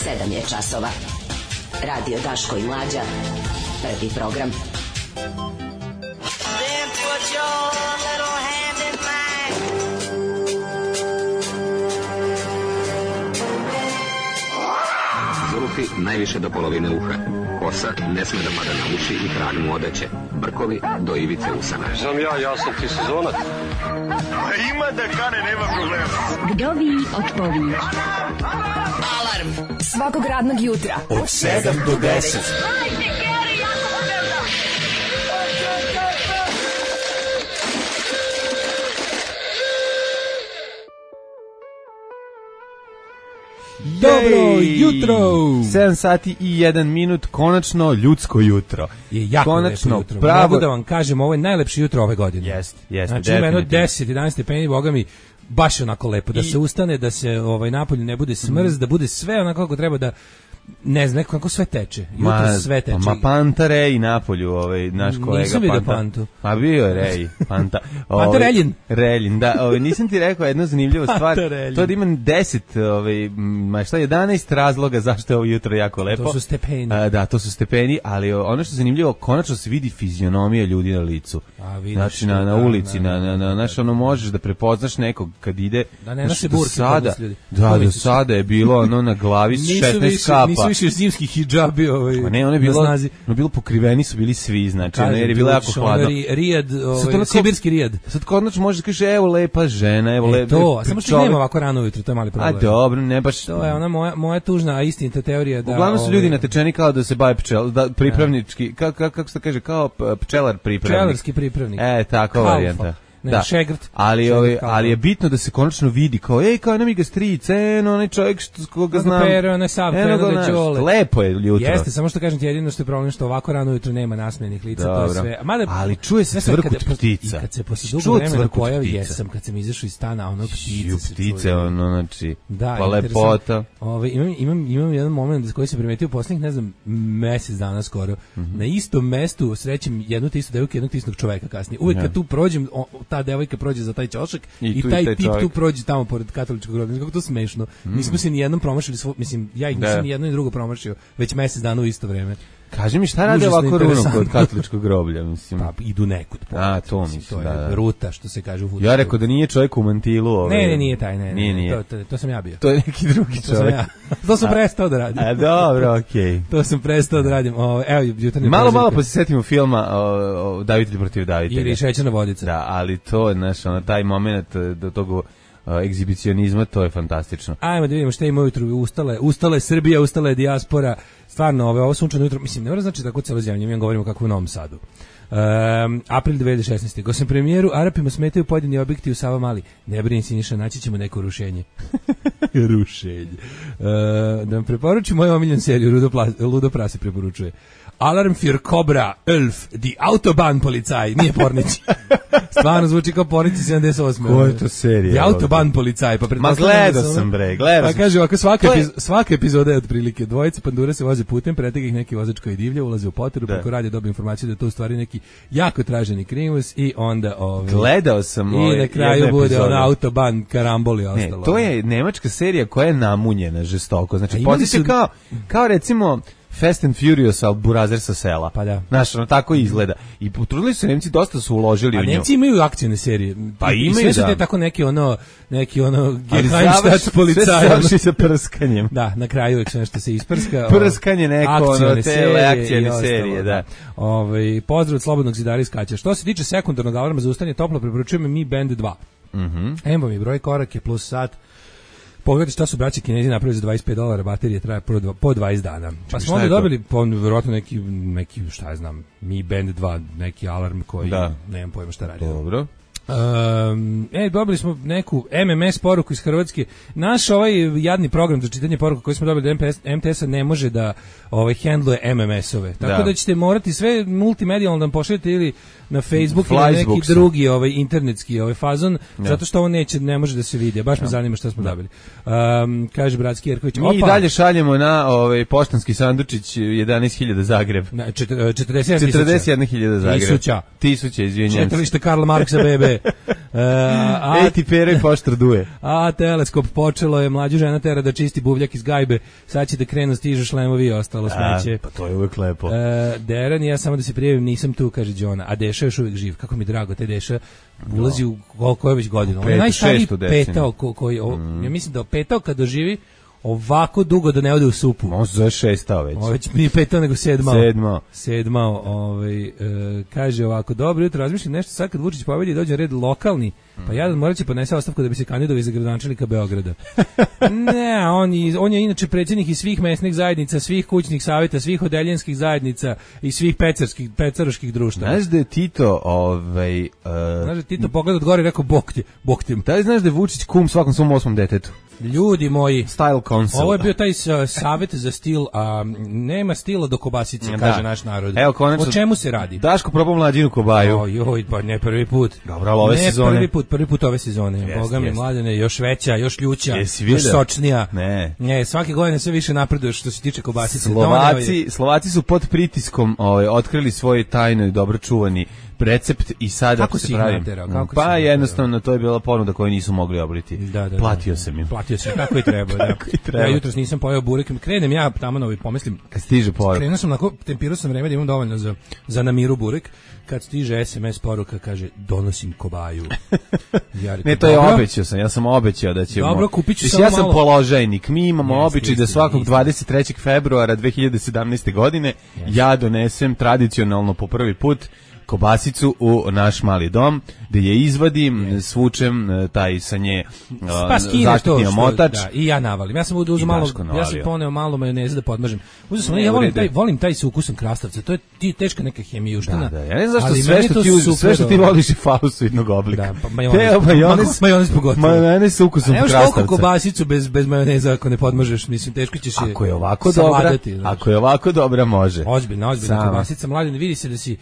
7 je časova. Radio Daško i Mlađa. Prvi program. Then put your little hand in mine. Zulufi najviše do polovine uha. Kosa ne sme da pada na uši i trag mu odeće. Brkovi do ivice usana. Znam ja sam ti sezonac. Ima da kane, nema problema. Vdovi otpovi. Alarm Svakog radnog jutra Od 7 do 10. Dobro jutro! 7 sati i 1 minut, konačno ljudsko jutro. Je jako konačno lepo jutro. Pravo... Mogu da vam kažem, ovo je najlepše jutro ove godine. Jeste, znači, ima jedno 10-11 stepeni, boga mi, baš onako lepo. Da se ustane, da se napolju ne bude smrz, da bude sve onako kako treba da... Ne znam, kako sve teče. Jutro sve teče. Ma Panta Rej napolju, naš kolega Nisam vidio Pantu. Ma bio je Rej, Panta. Panta Reljin. Reljin, da. Nisam ti rekao jednu zanimljivu stvar. To da imam 10, 11 razloga zašto je ovo jutro jako lepo. To su stepeni. Da, to su stepeni, ali ono što je zanimljivo, konačno se vidi fizionomija ljudi na licu. Znači, na ulici, znaš, ono možeš da prepoznaš nekog kad ide. Da ne naše burke kod ljudi. Da, do sada je bilo na glavi 16 kapa. Nisu više zimski hidžabi ne, ono je bilo pokriveni su bili svi, znači, jer je bilo jako hladno. Rijad, sibirski rijad. Sad konačno možeš da kažeš, evo lepa žena, evo lepa. To, samo što nema ovako rano ujutro, to je mali problem. A dobro, ne baš. To je ona moja tužna, a istinita teorija da... Uglavnom su ljudi natečeni kao da se bave pripravnički, kako se kaže, kao pčelar pripravnik. Pčelarski pripravnik. Tako varijanta. Da, šegrt. Ali je bitno da se konačno vidi kao kao nam ga stric, onaj čovjek koga znam. Onaj sav da ćole. Lepo je jutro. Jeste, samo što kažem ti jedino što je problem što ovako rano jutro nema nasmejenih lica, to je sve. Ali čuje se cvrkut ptica. I kad se posle dugo vremena pojavi, kad sam izašao iz stana, ono ptice. Znači, pa lepota. Imam jedan moment koji se primetio poslednjih, ne znam, mesec dana skoro. Na istom mestu srećem jednu te istu devojku, jednog te istog čoveka kasnije. Uvek kad tu prođem, ta devojka prođe za taj ćošak i taj tip tu prođe tamo pored katoličkog groblja. Kako to smešno. Nismo se ni jednom promašili, mislim, ja ih nisam ni jedno ni drugo promašio, već mesec dana u isto vreme. Kaži mi šta rade ovako runo kod katoličkog groblja, mislim. Pa idu nekud. To mislim, to je ruta, što se kaže u fudbalu. Ja rekao da nije čovjek u mantilu. Ne, nije taj, ne. To sam ja bio. To je neki drugi čovjek. To sam prestao da radim. Dobro, okej. To sam prestao da radim. Evo, jutarnji malo pa se setimo filma Davitelj protiv davitelja. Ili Šećerna vodica. Da, ali to je taj moment do tog egzibicionizma, to je fantastično. Ajmo da vidimo šta ima ujutru. Ustala je Srbija, ustala je dijaspora. Stvarno, ovo sunčano jutro, mislim, ne mora znači tako celo zemlje, mi govorimo kako u Novom Sadu. April 2016. Gosem premijeru, Arapima smetaju pojedini objekti u Savamali. Ne brini Siniša, naći ćemo neko rušenje. Rušenje. Da vam preporučim moju omiljenu seriju, Ludo Prase preporučuje. Alarm für Cobra, Elf, die Autobahnpolizei, nije Pornić. Stvarno zvuči kao Pornić 78. Ko je to serija? Die Autobahnpolizei. Ma gledao sam, bre, gledao sam. Pa kaže ovako, svaka epizoda je otprilike. Dvojice pandure se voze putem, pretega ih neki vozač koji divlja, ulaze u poteru, preko radija dobije informaciju da je to u stvari neki jako traženi krimus i onda... Gledao sam i na kraju bude Autobahn karambol i ostalo. Ne, to je nemačka serija koja je namunjena žestoko. Znači, potiče kao recimo... Fast and Furious, ali burazer sa sela. Pa da. Znaš, tako izgleda. I potrudili su Nemci, dosta su uložili u nju. A Nemci imaju akcijne serije. Pa imaju, sve su te tako neki Geheimstatt policaj. Sve završi sa prskanjem. Da, na kraju uvijek nešto se isprska. Prskanje neko, te akcijne serije, da. Pozdrav od Slobodnog zidara iz Kaća. Što se tiče sekundarnog alarma za ustane, toplo preporučujemo Mi Band 2. Evo mi broj korake plus sat. Pogledajte šta su braći Kinezi napravili za $25, baterije traje po 20 dana. Pa smo onda dobili, vjerojatno neki, šta ja znam, Mi Band 2, neki alarm koji, nemam pojma šta radi. Dobro. Dobili smo neku MMS poruku iz Hrvatske. Naš jadni program za čitanje poruka koji smo dobili od MTS-a ne može da handluje MMS-ove. Tako da ćete morati sve multimedijalno da nam pošaljete ili na Facebook ili na neki drugi internetski fazon, zato što ovo ne može da se vidi. Baš me zanima šta smo dobili. Kaže bratski Jerković. Mi dalje šaljemo na poštanski sandučić 11.000 Zagreb. 41.000 Zagreb. 1000, izvinjam. Četalište Karla Marksa BB. duje. Ti Pero i poštar duje. A teleskop počelo je, mlađu žena tera da čisti buvljak iz gajbe, sad će da krenu stižu šlemovi i ostalo smeće. Pa to je uvek lepo. Deran, ja samo da se prijavim, nisam tu, kaže Đona, a Deša je još uvijek živ, kako mi drago, te Deša ulazi u koliko je već godina. On je najstariji petao koji, ja mislim da petao kad doživi ovako dugo da ne ode u supu. On se zove šestao već. Već nije petao nego sedmao. Kaže ovako, dobro jutro, razmišljam nešto sad kad Vučić pobedi i dođe red lokalni, pa jadan morat će podnese ostavku da bi se kandidovao za gradonačelnika Beograda. Ne, on je inače predsjednik i svih mesnih zajednica, svih kućnih savjeta, svih odeljenskih zajednica i svih pecaroških društava. Znaš da je Tito, znaš da je Tito pogled od gore i rekao bok tim. Da li znaš da je Vučić kum svakom svom 8. detetu? Ljudi moji, Style Council. Ovo je bio taj savjet za stil, a nema stila do kobasice, kaže naš narod. Evo, konačno, o čemu se radi? Daško probao mlađinu kobaju. Ojoj, pa ne prvi put. Dobro, ali ove sezone. Prvi put ove sezone. Boga mi, Mladene, još veća, još ljuća, još sočnija. Ne, svake godine sve više napreduješ što se tiče kobasice. Slovaci su pod pritiskom otkrili svoj tajno i dobro čuvani recept i sada kako se pravi. Pa jednostavno to je bila ponuda koju nisu mogli obriti. Platio sam im. Platio sam kako i treba, da. Ja jutros nisam pojeo burek, krenem ja tamo i pomislim kad stiže poruka. Krenuo sam onako, tempirao sam vreme da imam dovoljno za namiru burek. Kad stiže SMS poruka, kaže donosim kobaju. Ja rekao, ne, to je obećao sam. Ja sam obećao da ćemo. Dobro, kupit ću samo ja sam položajnik. Mi imamo običaj da svakog 23. februara 2017. godine ja donesem tradicionalno po prvi put kobasicu u naš mali dom, gde je izvadim, svučem taj sa nje zaštitni omotač. Da, i ja navalim. Ja sam uzeo malo, ja sam poneo malo majoneze da podmažem. Uzeo sam, ja volim taj sa ukusom krastavca. To je teška neka hemijuština. Da. Ja ne znam zašto sve što ti voliš je falosoidnog oblika. Da, pa majonez pogotovo. Majonez sa ukusom krastavca. Nemaš toliko kobasicu bez majoneza ako ne podmažeš, mislim, teško ćeš je savladati. Ako je ovako dobra, može. Ozbiljna kobasica. Mladen, vidi se da si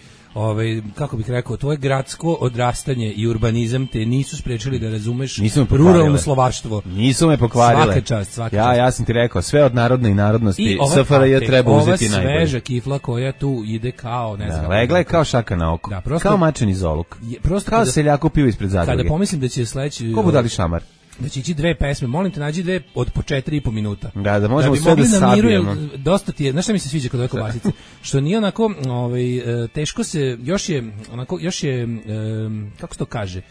kako bih rekao, tvoje gradsko odrastanje i urbanizam te nisu sprečili da razumeš ruralno slovaštvo. Nisu me pokvarile. Svaka čast. Ja sam ti rekao, sve od narodne i narodnosti SFRJ treba uzeti najbolje. Ova sveža kifla koja tu ide kao, ne znam. Legla je kao šaka na oko. Kao mačen iz oluk. Kao seljako pivo ispred zadruge. Kada pomislim da će sledeći... Ko budali šamar? Da će ići dve pesme, molim te nađi dve od po 4,5 minuta. Da možemo sve da sabijemo. Dosta ti je, znaš šta mi se sviđa kod ove kobasice? Što nije onako, teško se, još je, kako se to kaže,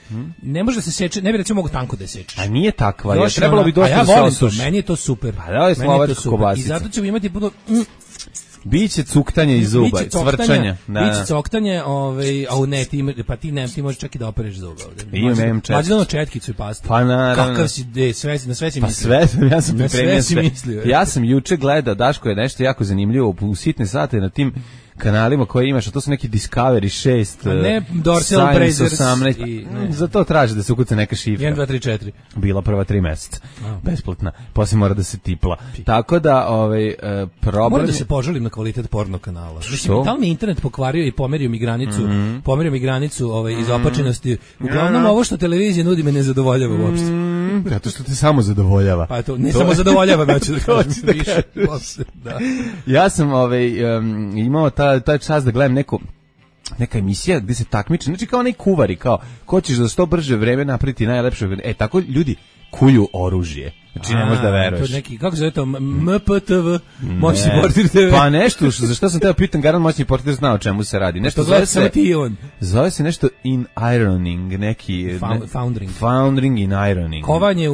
ne može da se seče, ne bi recimo mogo tanko da sečeš. A nije takva, je trebalo bi dosta da se osuši. Meni je to super. Pa da je slovačka kobasica. I zato ćemo imati puno... Biće cuktanje iz zuba, cvrčanja. Biće coktanje, ti možeš čak i da opereš zuba ovde. Imam četkicu. Mađi ono četkicu i pastu. Pa naravno. Kakav si, na sve si mislio. Pa sve, ja sam pripremio sve. Ja sam juče gledao, Daško je nešto jako zanimljivo, u sitne sate na tim kanalima koje imaš, a to su neki Discovery 6, ne, Dorsal Brazers 18, za to traži da se ukuca neka šifra. 1, 2, 3, 4. Bila prva 3 meseca, besplatna, poslije mora da se tipla. Tako da, problem... Moram da se požalim na kvalitet porno kanala. Mislim, da li mi internet pokvario i pomerio mi granicu izopačenosti. Uglavnom, ovo što televizija nudi me ne zadovoljava uopšte. Zato što te samo zadovoljava. Pa to, ne samo zadovoljava, neću da kažem više. Ja sam imao taj čas da gledam neka emisija gdje se takmiče, znači kao onaj kuvari, kao ko ćeš za što brže vreme napraviti najlepše vreme. Tako ljudi kulju oružje. Znači ne možeš da veruješ. To neki, kako se zove to, MPTV, moćni portir TV. Pa nešto, za što sam teo pitan, garant moćni portir zna o čemu se radi. Nešto zove se nešto in ironing, neki... Foundering in ironing. Kovanje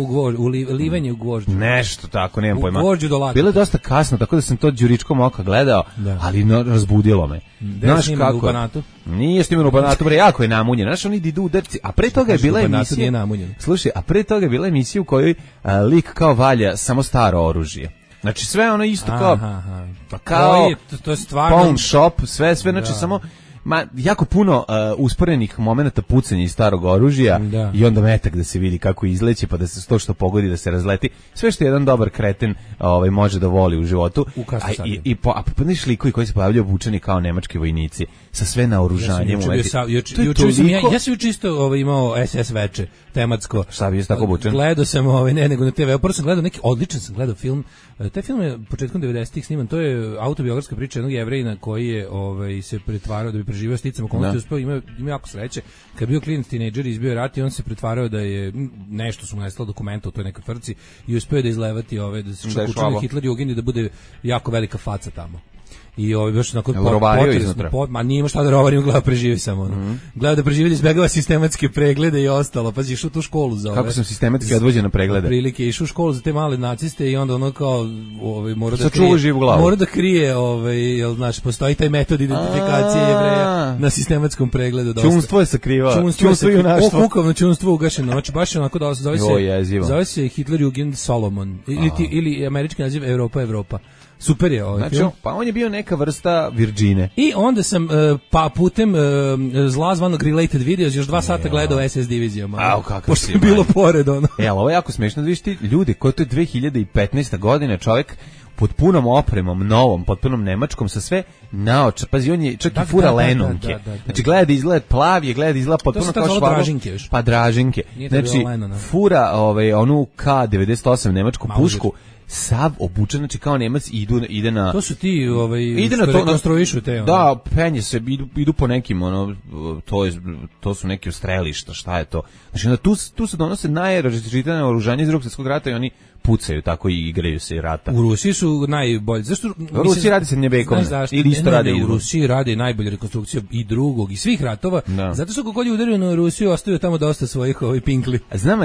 livenje u gvožđu. Nešto tako, nemam pojma. U gvožđu do laka. Bilo je dosta kasno, tako da sam to đuričkom oka gledao, ali razbudilo me. Znaš kako? U Banatu? Nije snimano u Banatu, bre, jako je namunjen. Znaš, oni idu udarci. A pre toga je bila emisija... Slušaj, a pre toga je bila emisija u kojoj lik kao valja samo staro oružje. Znači sve ono isto kao to je stvarno pawn shop, sve znači samo jako puno usporenih momenata pucanja iz starog oružja i onda metak da se vidi kako izleće, pa da se to što pogodi da se razleti. Sve što jedan dobar kreten može da voli u životu. A popadaš likovi koji se pojavljaju obučeni kao nemački vojnici sa sve naoružanjem. Ja sam juče isto imao SS veče tematsko. Šta bi je tako obučen? Gledao sam ne nego na TV. Prvo sam gledao neki odličan film. Taj film je početkom 90-ih sniman. To je autobiografska priča jednog Jevrejina koji je se pretvarao da bi preživio sticam okolnosti, uspeo, ima jako sreće. Kad je bio klinac tinejdžer, izbio je rat i on se pretvarao da je nešto su mu nestalo dokumenta u toj nekoj tvrci i uspeo da izlevati da se čak učini Hitler Jugend i da bude jako velika faca tamo. I baš onako potresno, ma nije ima šta da rovari, gleda preživi samo gleda da preživi, da izbegava sistematske preglede i ostalo, pazi, išao tu školu za kako sam sistematski odvođen na preglede, prilike, išao u školu za te male naciste i onda ono kao mora da krije jel znaš, postoji taj metod identifikacije Jevreja na sistematskom pregledu. Čunstvo je sakrivao, čunstvo i junaštvo, kukovno čunstvo ugašeno, znači baš onako da zove se Hitler Jugend Solomon ili američki naziv Evropa. Super je ovaj film. Pa on je bio neka vrsta Virgine. I onda sam putem zla zvanog Related Videos još 2 sata gledao SS divizijama. Pošto je bilo pored ono. Ali ovo je jako smešno da vidiš ti ljudi koji to je 2015. godina, čovjek pod punom opremom, novom, potpunom nemačkom, sa sve naoča. Pazi, on je čak i fura lenonke. Znači, gleda da izgleda plav je, gleda da izgleda potpuno kao švagov. Pa Dražinke. Znači, fura onu K98 nemačku pušku, sav obučen, znači kao Nemac ide na... To su ti ide na to, rekonstruišu te. Da, penje se, idu po nekim, to su neki strelišta, šta je to? Znači, onda tu se donose najrazličitije oružanje iz Drugog svjetskog rata i oni pucaju, tako i igraju se i rata. U Rusiji su najbolji. Zašto? U Rusiji radi se Njebekovne. Ili isto radi u Rusiji radi najbolje rekonstrukcije i drugog i svih ratova. Da. Zato što kako je udario na Rusiju, ostaju tamo dosta svojih pinkli.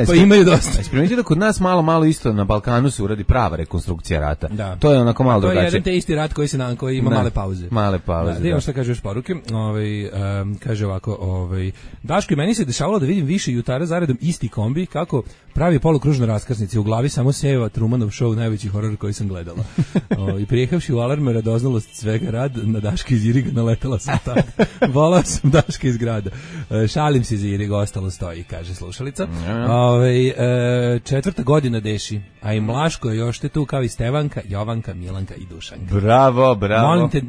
Pa imaju dosta. Primetite da kod nas malo isto na Balkanu se uradi prava rekonstrukcija rata. Da. To je onako malo drugačije. To je jedan te isti rat koji ima male pauze. Male pauze. Da, šta kaže još poruke. Kaže ovako, Daško, i meni se dešavalo da vidim više jutara zaredom isti kombi kako pravi polukružne raskrsnice, u glavi samo seva Trumanov show, najveći horor koji sam gledala. I prijehavši u Alarme radoznalost svega rad, na Daška iz Iriga naletela sam tada. Volao sam Daška iz grada. Šalim se iz Iriga, ostalo stoji, kaže slušalica. 4. godina deši, a i Mlaško je još te tu kao i Stevanka, Jovanka, Milanka i Dušanka. Bravo.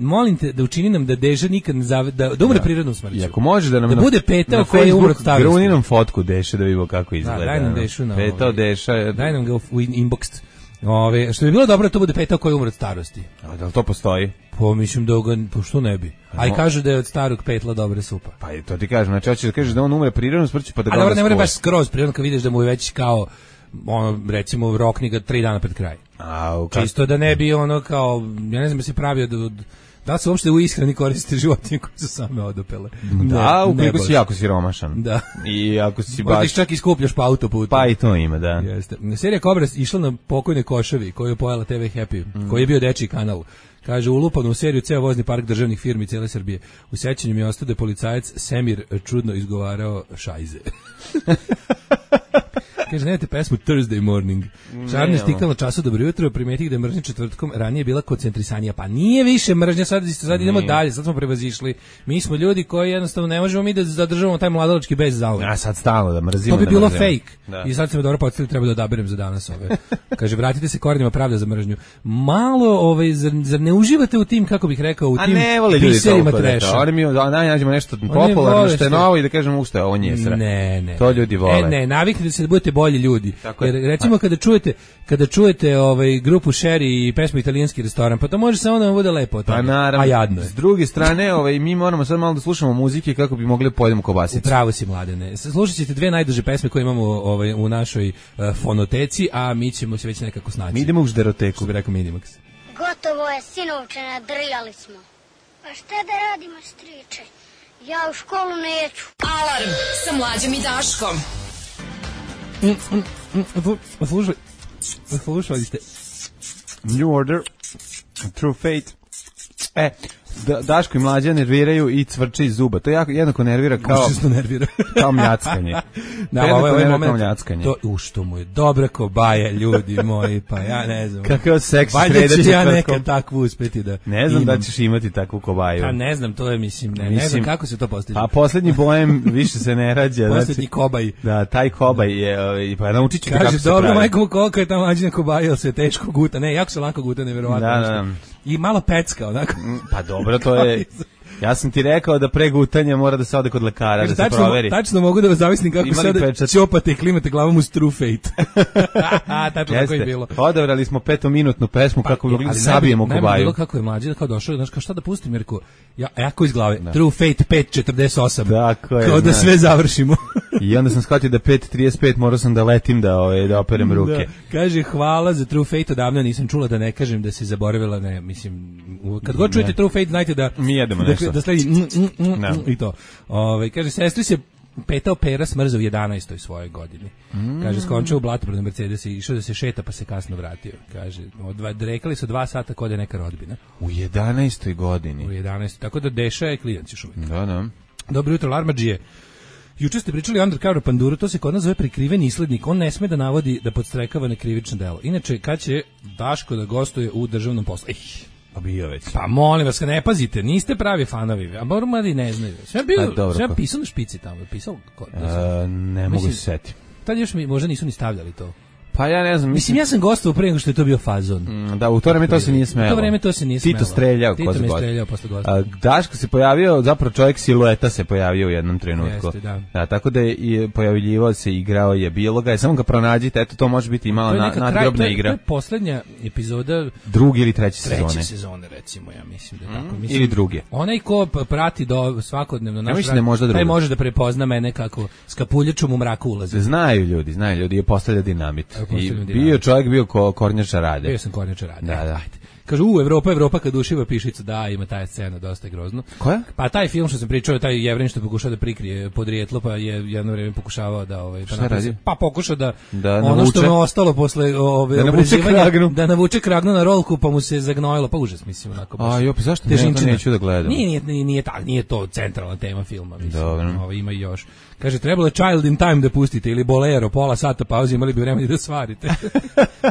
Molim te da učini nam da Deža nikad da umre prirodnom smrću. I ako može da nam da bude petao koji je umro od starosti. Gruni nam fotku Deše da vidimo kako izgleda. Daj nam Dešu na petao Deša. Daj nam ga u inbox. Što bi bilo dobro da to bude petao koji je umro od starosti. A da li to postoji? Pa mislim da što ne bi. A i kažu da je od starog petla dobra supa. Pa i to ti kažem, znači hoćeš da kažeš da on umre prirodnom smrću pa da ga onda skuva. Ali ne mora baš skroz prirodno kad vidiš da mu je već kao recimo rokni ga 3 dana pred kraj. Čisto da ne bi kao, ja ne znam da se pravio da se uopšte u ishrani koriste životinje koje su same odopele. Da, ukoliko si jako siromašan. Da. I ako si baš... Možda čak i skupljaš pa autoputu. Pa i to ima, da. Jeste. Serija Kobra išla na pokojne Koševi, koju je pojela TV Happy, koji je bio dečiji kanal. Kaže, ulupano u seriju ceo vozni park državnih firmi cijele Srbije. U sećanju mi je ostao da je policajac Semir čudno izgovarao šajze. Kaže, nemate pesmu Thursday Morning. Šarni stikal na času dobro jutro, primetih da je mržnja četvrtkom ranije bila koncentrisanija. Pa nije više mržnja, sad idemo dalje, sad smo prevazišli. Mi smo ljudi koji jednostavno ne možemo mi da zadržavamo taj mladalački bez zauvek. A sad stalno da mrzimo. To bi bilo fake. Da. I sad se me dobro podsjetili, treba da odaberem za danas ove. Kaže, vratite se korenima pravda za mržnju. Malo, zar ne uživate u tim, kako bih rekao, u tim biserima treša? Oni mi nađemo nešto popularno, što je novo i da kažemo ušte je ovo njesra. Ne. To ljudi vole. Ne, naviknite se da budete bolji ljudi. Jer recimo kada čujete grupu Sherry i pesmu Italijanski restoran, pa to može samo da vam bude lepo od toga. A jadno je. S druge strane, mi moramo sad malo da slušamo muzike kako bi mogli pojedemo kobasicu. Upravo si, Mladene. Slušat ćete 2 najduže pesme koje imamo u našoj fonoteci, a mi ćemo se već nekako snaći. Mi idemo u žderoteku. Što bi rekao Minimax. Gotovo je, sinovče, nadrijali smo. Pa šta da radimo, striče? Ja u školu neću. Alarm sa Mlađom i Daškom. Slušali ste New Order, True Fate. Daško i Mlađa nerviraju i cvrče iz zuba. To jednako nervira kao mljackanje. Da, ovaj moment to što mu je dobra kobaja, ljudi moji, pa ja ne znam. Kakav seks sreda četvrtkom. Valjda ću ja nekad takvu uspeti da ne znam da ćeš imati takvu kobaju. Pa ne znam, to je ne znam kako se to postiže. A poslednji bojem više se ne rađa. Poslednji kobaj. Da, taj kobaj je, pa naučit ću kako se pravi. Kaže, dobro, majko, koliko je ta Mlađina kobaja, ili se teško guta? Ne, jako se lako guta, nevjerovatno. Da. I malo pecka, onako. Pa dobro, to je... Ja sam ti rekao da pre gutanja mora da se ode kod lekara, da se proveri. Tačno mogu da vas zavisnim kako sada ćopate i klimate glavom uz True Fate. Tačno tako je bilo. Odabrali smo 5-minutnu pesmu kako bi mogli da sabijemo kobaju. Najbolje bilo kako je mlađi, kao došao, znaš, kao šta da pustim, jer jako iz glave, True Fate 5.48. Tako je. Kao da sve završimo. I onda sam shvatio da 5.35 morao sam da letim da operem ruke. Da. Kaže, hvala za True Fate, odavno nisam čula, da ne kažem da se zaboravila, ne, mislim, kad god čujete True Fate, znajte da mi jedemo nešto. Da sledi i to. Kaže, sestri se petao pera smrza u 11. svojoj godini. Kaže, skončao u blatu pred Mercedes i išao da se šeta pa se kasno vratio. Kaže, rekali su 2 sata kod je neka rodbina. U 11. godini. U 11. Tako da Deša je klijent još uvijek. Da. Dobro jutro, Larmadžije. Juče ste pričali o Undercover Panduru, to se kod nas zove prikriveni islednik. On ne sme da navodi da podstrekava na krivično delo. Inače, kad će Daško da gostuje u državnom poslu? Pa bio već. Pa molim vas, ne pazite, niste pravi fanovi, a moram mladi ne znaju. Sve pisao na špici tamo, pisao? Ne mogu se setiti. Tad još mi možda nisu ni stavljali to. Pa ja ne znam. Mislim, ja sam gostovao pre nego što je to bio fazon. Da, u to vreme to se nije smelo. U to vreme to se nije smelo. Tito streljao. Tito me streljao posle gostovanja. Daško se pojavio, zapravo čovjek silueta se pojavio u jednom trenutku. Jeste, da. Da, tako da je pojavljivao se, igrao je, bilo ga je, samo ga pronađite, eto to može biti i malo nadgrobna igra. To je poslednja epizoda 2. ili 3. sezone. 3. sezone, recimo, ja mislim da tako. Mislim, ili 2. Onaj ko prati do svakodnevno naš rad, taj može da prepozna mene kako s kapuljačom u mraku ulazi. Znaju ljudi, je postavlja dinamit. I čovjek bio Kornjača Rade. Bio sam Kornjača Rade. Da. Kažu, Evropa kad ušiva pišicu, da, ima taj scena, dosta je grozno. Koja? Pa taj film što sam pričao, taj Jevrin što pokušao da prikrije podrijetlo, pa je jedno vrijeme pokušavao da... Šta radi? Pa pokušao da ono navuče, što mu ostalo posle da navuče kragnu na rolku, pa mu se zagnojilo, pa užas, mislim, onako. Pa zašto neću da gledam? Nije to centralna tema filma, mislim. Dobro. Ima i još. Kaže, trebalo je Child in Time da pustite, ili Bolero, pola sata pauze, imali bi vremena da svarite.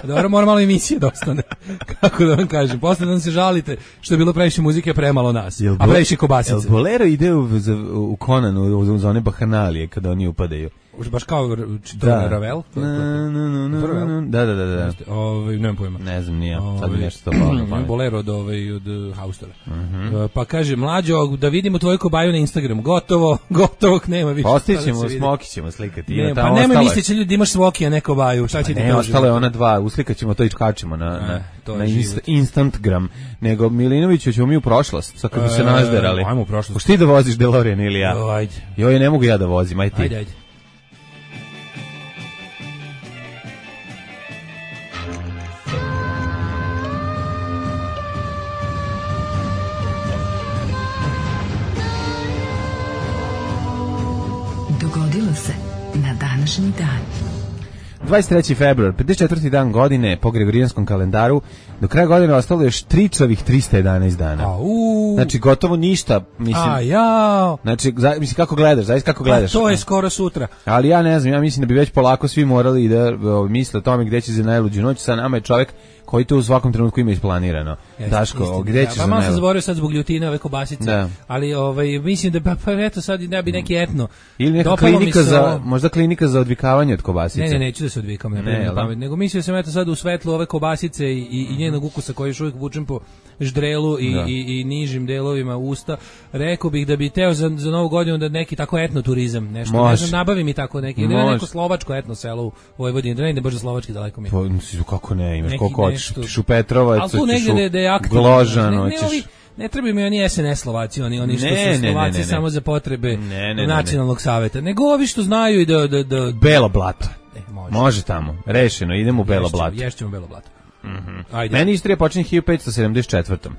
Dobro, mora malo emisije da ostane. Kako da vam kažem, posle da se žalite što je bilo previše muzike, premalo nas, a previše kobasice. Jel Bolero ide u Conanu, u zone bahanalije, kada oni upadaju? Baš kao Ravel? Da. Nemam pojma. Ne znam, nije. Sad mi nešto to palo. Bolero od Haustora. Pa kaže, mlađo, da vidimo tvoju kobaju na Instagramu. Gotovo nema više. Ostićemo, Smoki ćemo slikati. Pa nemoj misliti ljudi da imaš Smoki, a ne kobaju. Šta će ti ne, ostalo je ona 2. Uslikat ćemo to i kačemo na Instagram. Nego Milinoviću ćemo mi u prošlost. Sad kad bi se nazderali. Ajmo u prošlost. Hoš ti da voziš DeLorean ili ja? Ajde. Joj, ne mogu ja da vozim, aj ti. Ajde. Dogodilo se na današnji dan. 23. februar, 54. dan godine po Gregorijanskom kalendaru. Do kraja godine ostalo još tričavih 311 dana. Znači gotovo ništa, mislim. Znači mislim kako gledaš, zaista kako gledaš. To je skoro sutra. Ali ja ne znam, ja mislim da bi već polako svi morali da misle o tome gde će za najluđu noć. Sa nama je čovjek koji to u svakom trenutku ima isplanirano. Daško, gde ćeš za najluđu? Pa malo sam zaboravio sad zbog ljutine ove kobasice, ali mislim da pa eto sad ne bi neki etno. Ili neka klinika možda klinika za odvikavanje od kobasice. Ne, neću da se odvikam, nego mislio sam eto sad u svetlu ove kobasice i njenog ukusa koji još uvijek vučem po ždrelu i nižim delovima usta, rekao bih da bi teo za novu godinu da neki tako etno turizam, nešto, ne znam, nabavi mi tako neki, ili neko slovačko etno selo u Vojvodini, da ne ide baš za slovački daleko mi je. Pa, kako ne, imaš koliko hoćeš, ćeš u Petrovac, ćeš u Gložano, ne trebaju mi oni SNS Slovaci, oni što su Slovaci samo za potrebe nacionalnog saveta, nego ovi što znaju i da... Belo blato. Može tamo, rešeno, idemo u Belo blato. Ješćemo Belo blato. Meni istorija počinje 1574.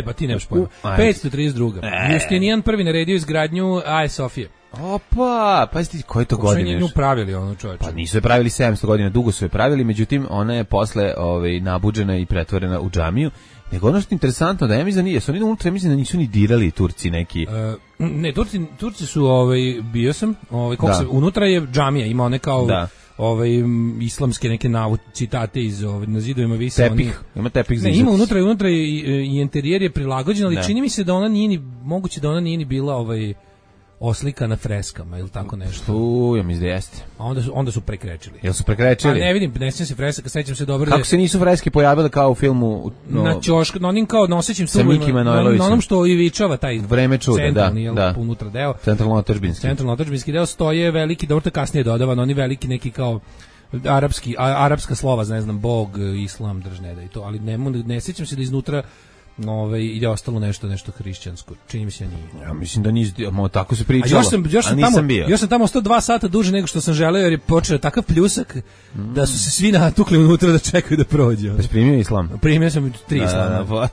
Pa ti nemaš pojma. 532. Justinijan prvi naredio izgradnju Aje Sofije. Opa, pazite, koje to godine? Što je pravili ono, čovječe? Pa nisu je pravili 700 godina, dugo su je pravili, međutim ona je posle nabuđena i pretvorena u džamiju. Nego ono što je interesantno, da ja mislim da nije, oni unutra mislim da nisu ni dirali Turci neki. Ne, Turci su, bio sam, unutra je džamija, ima one kao... islamske neke citate iz na zidovima vise ima tepih za ima unutra i interijer je prilagođen, ali čini mi se da ona nije ni moguće da ona nije ni bila oslika na freskama ili tako nešto. Ja mislim da jeste. A onda su prekrečili. Jel su prekrečili? A ne vidim, ne sjećam se freskaka, sećam se dobro. Kako se nisu freske pojavile kao u filmu? Na ćošku, na onim kao nosećim stubovima, na onom što ivičava taj Vreme čuda, centralni, da. unutra deo. Centralno-otadžbinski deo stoje veliki, dobro to kasnije dodavan, oni veliki neki kao arapska slova, ne znam, Bog, Islam, držneda i to, ali ne sjećam se da iznutra je ostalo nešto hrišćansko. Čini mi se nije. Ja mislim da tako se pričalo. Još sam tamo ostao 2 sata duže nego što sam želeo, jer je počeo takav pljusak da su se svi natukli unutra da čekaju da prođe. Da si primio islam? Primio sam 3 islama.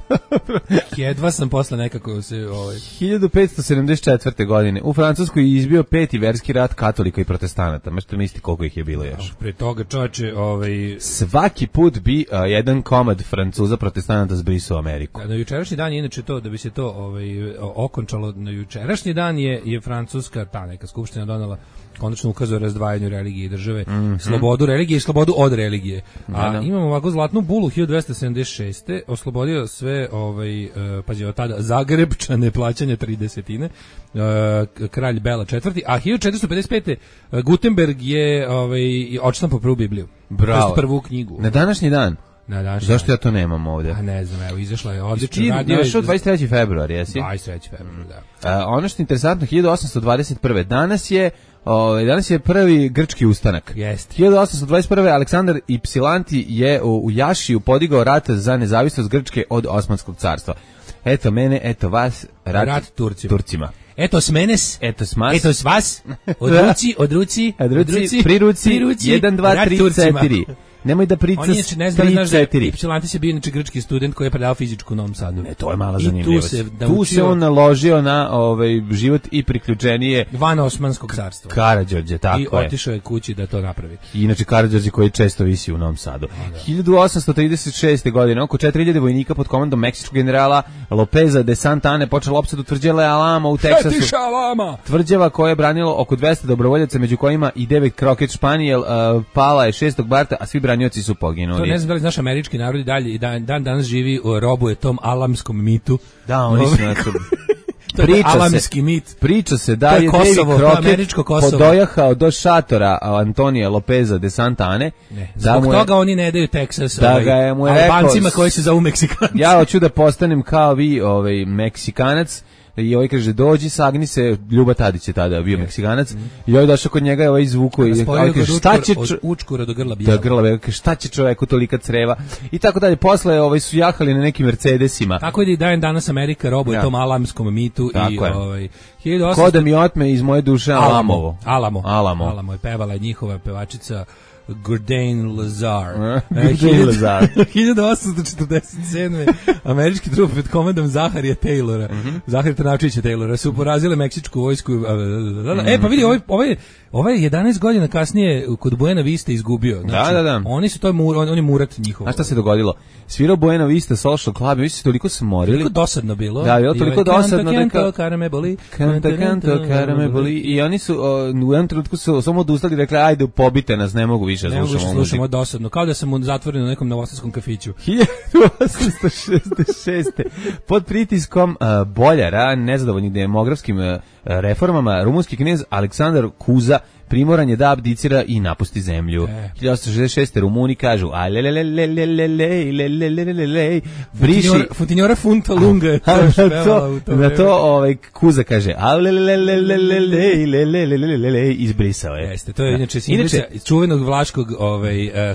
Jedva sam posle nekako se... 1574. godine u Francuskoj je izbio 5. verski rat katolika i protestanata. Možete misliti koliko ih je bilo još. Pre toga, čoveče... Svaki put bi jedan komad Francuza protestanata zbrisao Ameriku. Na jučerašnji dan je inače to, da bi se to okončalo, na jučerašnji dan je Francuska, ta neka skupština donela konačno ukaz o razdvajanju religije i države, slobodu religije i slobodu od religije. Imamo ovako zlatnu bulu 1276. oslobodio sve, pazi, od tada Zagrebčane plaćanja 30, kralj Bela IV. A 1455. Gutenberg je odštampao prvu Bibliju. Bravo. Prvu knjigu. Na današnji dan. Zašto ja to nemam ovdje? A ne znam, evo, izašla je odlično. Našao 23. februar, jesi? 23. februar, da. Ono što je interesantno, 1821. Danas je prvi grčki ustanak. Jeste. 1821. Aleksandar Ipsilanti je u Jašiju podigao rat za nezavisnost Grčke od Osmanskog carstva. Eto mene, eto vas, rat Turcima. Eto s menes, eto s mas, eto s vas, od ruci, pri ruci, 1, 2, 3, 4. Nemoj da pričaš 3-4. Ipsilantis je bio inače grčki student koji je predavao fizičku u Novom Sadu. Ne, to je mala zanimljivost. Tu se on naložio na život i priključenije van Osmanskog carstva. Karađorđe, tako je. I otišao je kući da to napravi. I inače Karađorđe koji često visi u Novom Sadu. 1836. godine oko 4000 vojnika pod komandom meksičkog generala Lopeza de Santa Anne počela opsadu tvrđave Alamo u Teksasu. Tvrđava koja je branilo oko 200 dobrovoljaca, među kojima i David Crockett Španijel, pala je 6. marta, a svi branioci su poginuli. To ne znam da li znaš, američki narod i dalje i danas živi, robuje tom alamskom mitu. Da, oni su na to. Priča se da je Kosovo, David Crockett podojahao do šatora Antonija Lopeza de Santa Anne. Zbog toga oni ne daju Teksas Albancima koji se zovu Meksikanci. Ja hoću da postanem kao vi Meksikanac. I kaže, dođi, sagni se, Ljuba Tadić je tada bio Meksikanac, i došao kod njega je izvuko i kaže, šta će od učkura do grla bijela. Šta će čoveku tolika creva i tako dalje. Posle su jahali na nekim Mercedesima. Tako je da danas Amerika robuje tom alamskom mitu. I ko da mi otme iz moje duše Alamovo. Alamo je pevala njihova pevačica Gurdain Lazar. 1847. američki trupe pod komandom Zaharija Taylora, Zaharija Trnavčevića Taylora, su porazile meksičku vojsku. Pa vidi, ovaj 11 godina kasnije kod Buena Vista izgubio. Znači, da. Oni su on je murat njihov. A šta se dogodilo? Svirao Buena Vista Social Club, vi ste toliko smorili. Toliko dosadno bilo. Da, je toliko dosadno. Canto, karame boli. Canto, karame boli. I oni su u jednom trenutku su samo odustali i rekli, ajde, pobite nas, ne mogu više slušamo dosadno, kao da sam zatvoren u nekom novosadskom kafiću. 1866. Pod pritiskom boljara, nezadovoljnih demografskim reformama, rumunski knez Aleksandar Kuza primoran je da abdicira i napusti zemlju. 1866. Rumuni kažu briši Funtinjora funta lunga. Na to Kuza kaže izbrisao je. Jeste, to je inače simbolica čuvenog vlaškog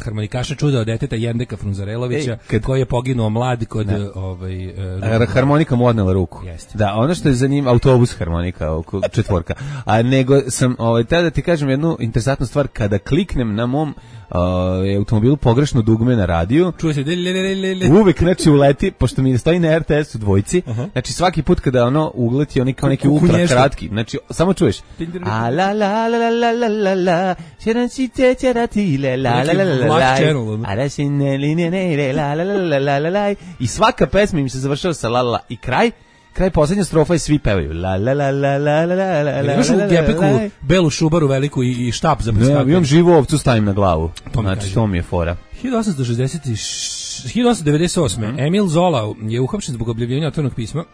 harmonikaša čuda od deteta Jendeka Frunzarelovića, koji je poginuo mlad kod harmonika mu odnela ruku. Da, ono što je za njim autobus harmonika, četvorka. A nego sam tada ti kažem jednu interesantnu stvar, kada kliknem na mom automobilu pogrešno dugme na radiju, čuje se uvek uleti, pošto mi stoji na RTS-u dvojci, znači svaki put kada ono ugleti, oni kao neki ultra kratki, znači samo čuješ a la la la la la la la la čerančite čeratile la la la la la a da si ne linije ne la la la la la la i svaka pesma im se završava sa la la i kraj poslednja strofa i svi pevaju la la la la la la la la. Imaš u gepeku belu šubaru veliku i štap za preskakanje. Ne, imam živu ovcu stavim na glavu. Znači, to mi je fora. 1898. Emil Zola je uhapšen zbog objavljivanja otvorenog pisma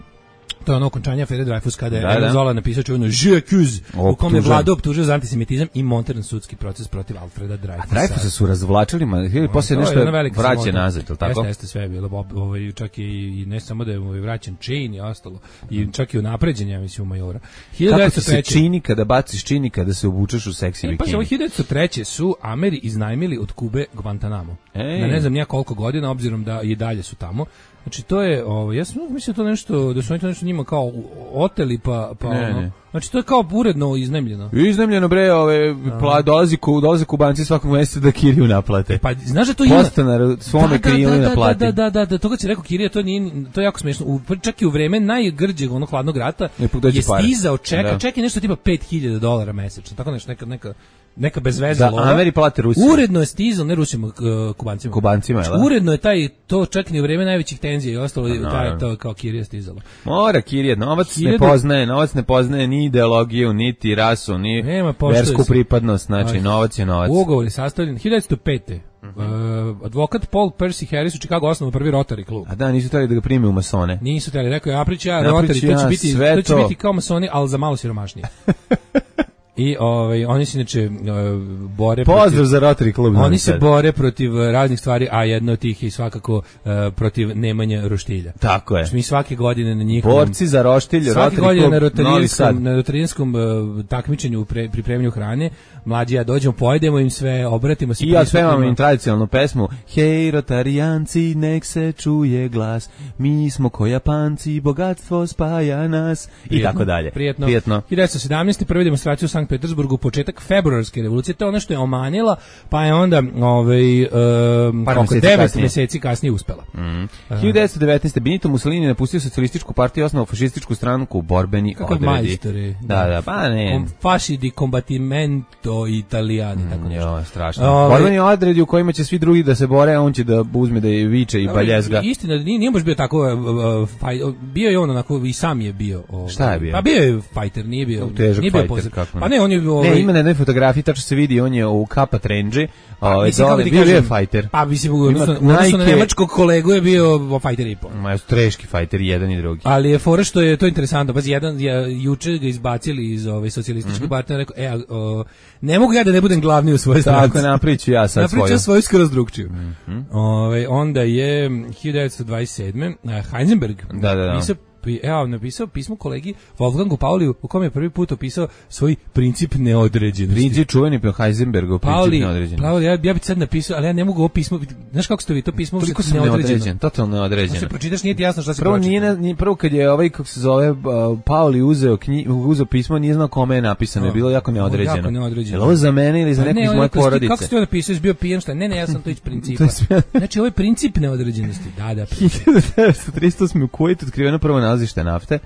To je ono okončanje afere Dreyfus kada je Emile Zola napisao čuveno Je accuse, u kome je Vlada optužio za antisemitizam i montiran sudski proces protiv Alfreda Dreyfusa. A Dreyfusa su razvlačili, poslije nešto vraćen nazad, je li tako? Jeste, sve je bilo, čak i ne samo da je vraćan čin i ostalo, i čak i unapređen, ja mislim, u majora. Kako ti se čini kada baciš čini kada se obučeš u seksi bikini? Pa se 1903. su Ameri iznajmili od Kube Guantanamo. Na ne znam nija koliko godina, obzirom da i dalje su tamo. Znači to je, ja sam mislio to nešto, da su oni to nešto njima kao oteli pa ono. Znači to je kao uredno iznajmljeno. Iznajmljeno bre, dolaze Kubanci svakog mjeseca da kiriju naplate. Pa znaš da to ima Postanar svome kiriju naplati. Da, toga će rekao kirija, to je jako smiješno. Čak i u vreme najgrđeg onog hladnog rata je stizao čeki nešto tipa $5.000 mesečno. Tako nešto neka bezvezna lova. Da, Ameri plate Rusiju. Uredno je stizao, ne Rusima, Kubancima. Kubancima, znači, uredno je to čak i u vreme najvećih tenzija i ostalo, to kao kirija stizalo. Mora kirija, novac ne poznaje ni ideologiju, niti rasu, ni versku pripadnost, znači novac je novac. Ugovor je sastavljen 1905. Advokat Paul Percy Harris u Chicago osnovao prvi Rotary klub. A da, nisu htjeli da ga prime u masone. Nisu htjeli, rekao je Rotary, to će biti kao masoni, ali za malo siromašnije. I oni se inače bore Pozdrav za Rotary klub. Oni se bore protiv raznih stvari, a jedno od tih je svakako protiv Nemanje Roštilja. Tako je. Mi svake godine na njihovom borci za Roštilj, svake godine na rotarijanskom takmičenju pripremanju hrane, mlađi ja dođemo, pojedemo im sve, obratimo se. I ja svemam im tradicionalnu pesmu. Hej Rotarijanci, nek se čuje glas. Mi smo ko Japanci, bogatstvo spaja nas. I tako dalje. Prijetno. 1917. prvi demonstraciju u Sankt Petersburgu, početak februarske revolucije, to je ono što je omanila, pa je onda 9 mjeseci kasnije uspela. 1919. Benito Mussolini napustio socijalističku partiju i osnovao fašističku stranku Borbeni odredi. Kako majstori. Da, pa ne. Fasci di combattimento italiani. Jo, strašno. Borbeni odredi u kojima će svi drugi da se bore, a on će da uzme da je viče i baljezga. Istina, nije baš bio tako, bio je on onako, i sam je bio. Šta je bio? Pa bio je fighter, nije bio fighter, pa ne, on je ne, ima na jednoj fotografiji, tačno se vidi, on je u kapa trenđi, bio je fighter. Pa mislim, odnosno na nemačkog kolegu je bio fighter i po. Ma, teški fighter, jedan i drugi. Ali je fora što je to interesantno, pazi, juče ga izbacili iz socijalističke partije, rekao, ne mogu ja da ne budem glavni u svojoj stranci. Tako, napriču ja sad svoju. Napriču svoju skroz drugčiju. Onda je 1927. Heisenberg napisao pismo kolegi Wolfgangu Pauliju, u kojem je prvi put opisao svoj princip neodređenosti. Čuveni po Heisenbergu, princip neodređenosti. Pauli, ja bih sad napisao, ali ja ne mogu ovo pismo, znaš kako ste vi to pismo? Toliko sam neodređen, totalno neodređen. Se pročitaš, nije ti jasno šta se pročita. Prvo kad je kako se zove, Pauli uzeo pismo, nije znao kome je napisano, je bilo jako neodređeno. Je li ovo za mene ili za nekog iz moje porodice? Kako ste to napisao, bio pijen, šta? Ne, ja sam to iz principa. Znači, ovo je princip neodređenosti. Da. 1938. u Kuvajtu otkriveno prvo nalazište nafte.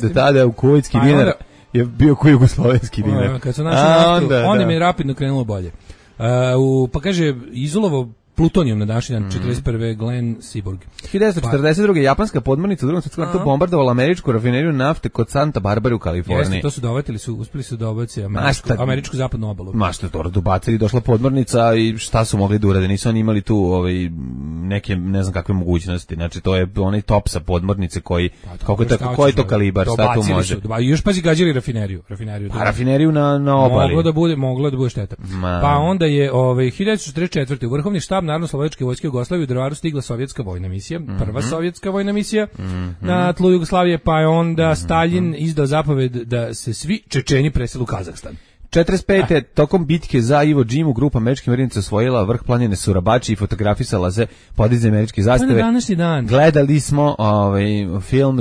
Do tada u kuvajtski dinar je bio koji jugoslovenski dinar. Kad su našli naftu, onda mi je rapidno krenulo bolje. Pa kaže, izolovo plutonijum na današnji dan, 41. Glenn Seaborg. 1942. japanska podmornica u drugom svjetskom ratu bombardovala američku rafineriju nafte kod Santa Barbara u Kaliforniji. Jeste, to su dovatili, uspeli su dobaciti američku zapadnu obalu. Što je to dobacili, došla podmornica i šta su mogli da urade, nisu oni imali tu neke, ne znam kakve mogućnosti, znači to je onaj top sa podmornice koji je to kalibar, šta tu može. I još pazi gađali rafineriju. Rafineriju na obali. Moglo da bude šteta. Pa onda je 1944. u vrhovni štab Narodno-slobodačke vojske Jugoslavije u Drvaru stigla sovjetska vojna misija, prva sovjetska vojna misija na tlu Jugoslavije, pa je onda Stalin izdao zapoved da se svi Čečeni presele u Kazahstan. 45. tokom bitke za Iwo Džimu grupa američkih marinaca osvojila vrh planine Surabači i fotografisala se podizanje američke zastave. To je današnji dan. Gledali smo film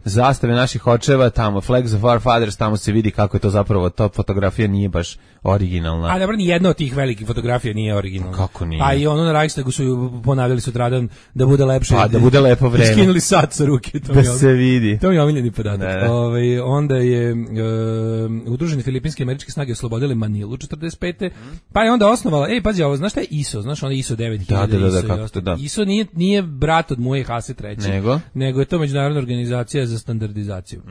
zastave naših očeva, tamo Flags of Our Fathers, tamo se vidi kako je to zapravo, ta fotografija nije baš originalna. A dobro, ni jedna od tih velikih fotografija nije originalna. Kako nije? Pa i ono na Reichstagu su ponavljali sutradan da bude lepše. Pa da bude lepo vreme. Skinuli sat sa ruke. Da se vidi. To mi je omiljeni podatak. Onda je udruženi filipinski američke snage oslobodile Manilu 45. Pa je onda osnovala, pazi ovo, znaš šta je ISO? Znaš ono ISO 9000? Da. ISO nije brat od moje Hase treći, nego je to međunarodna organizacija za standardizaciju.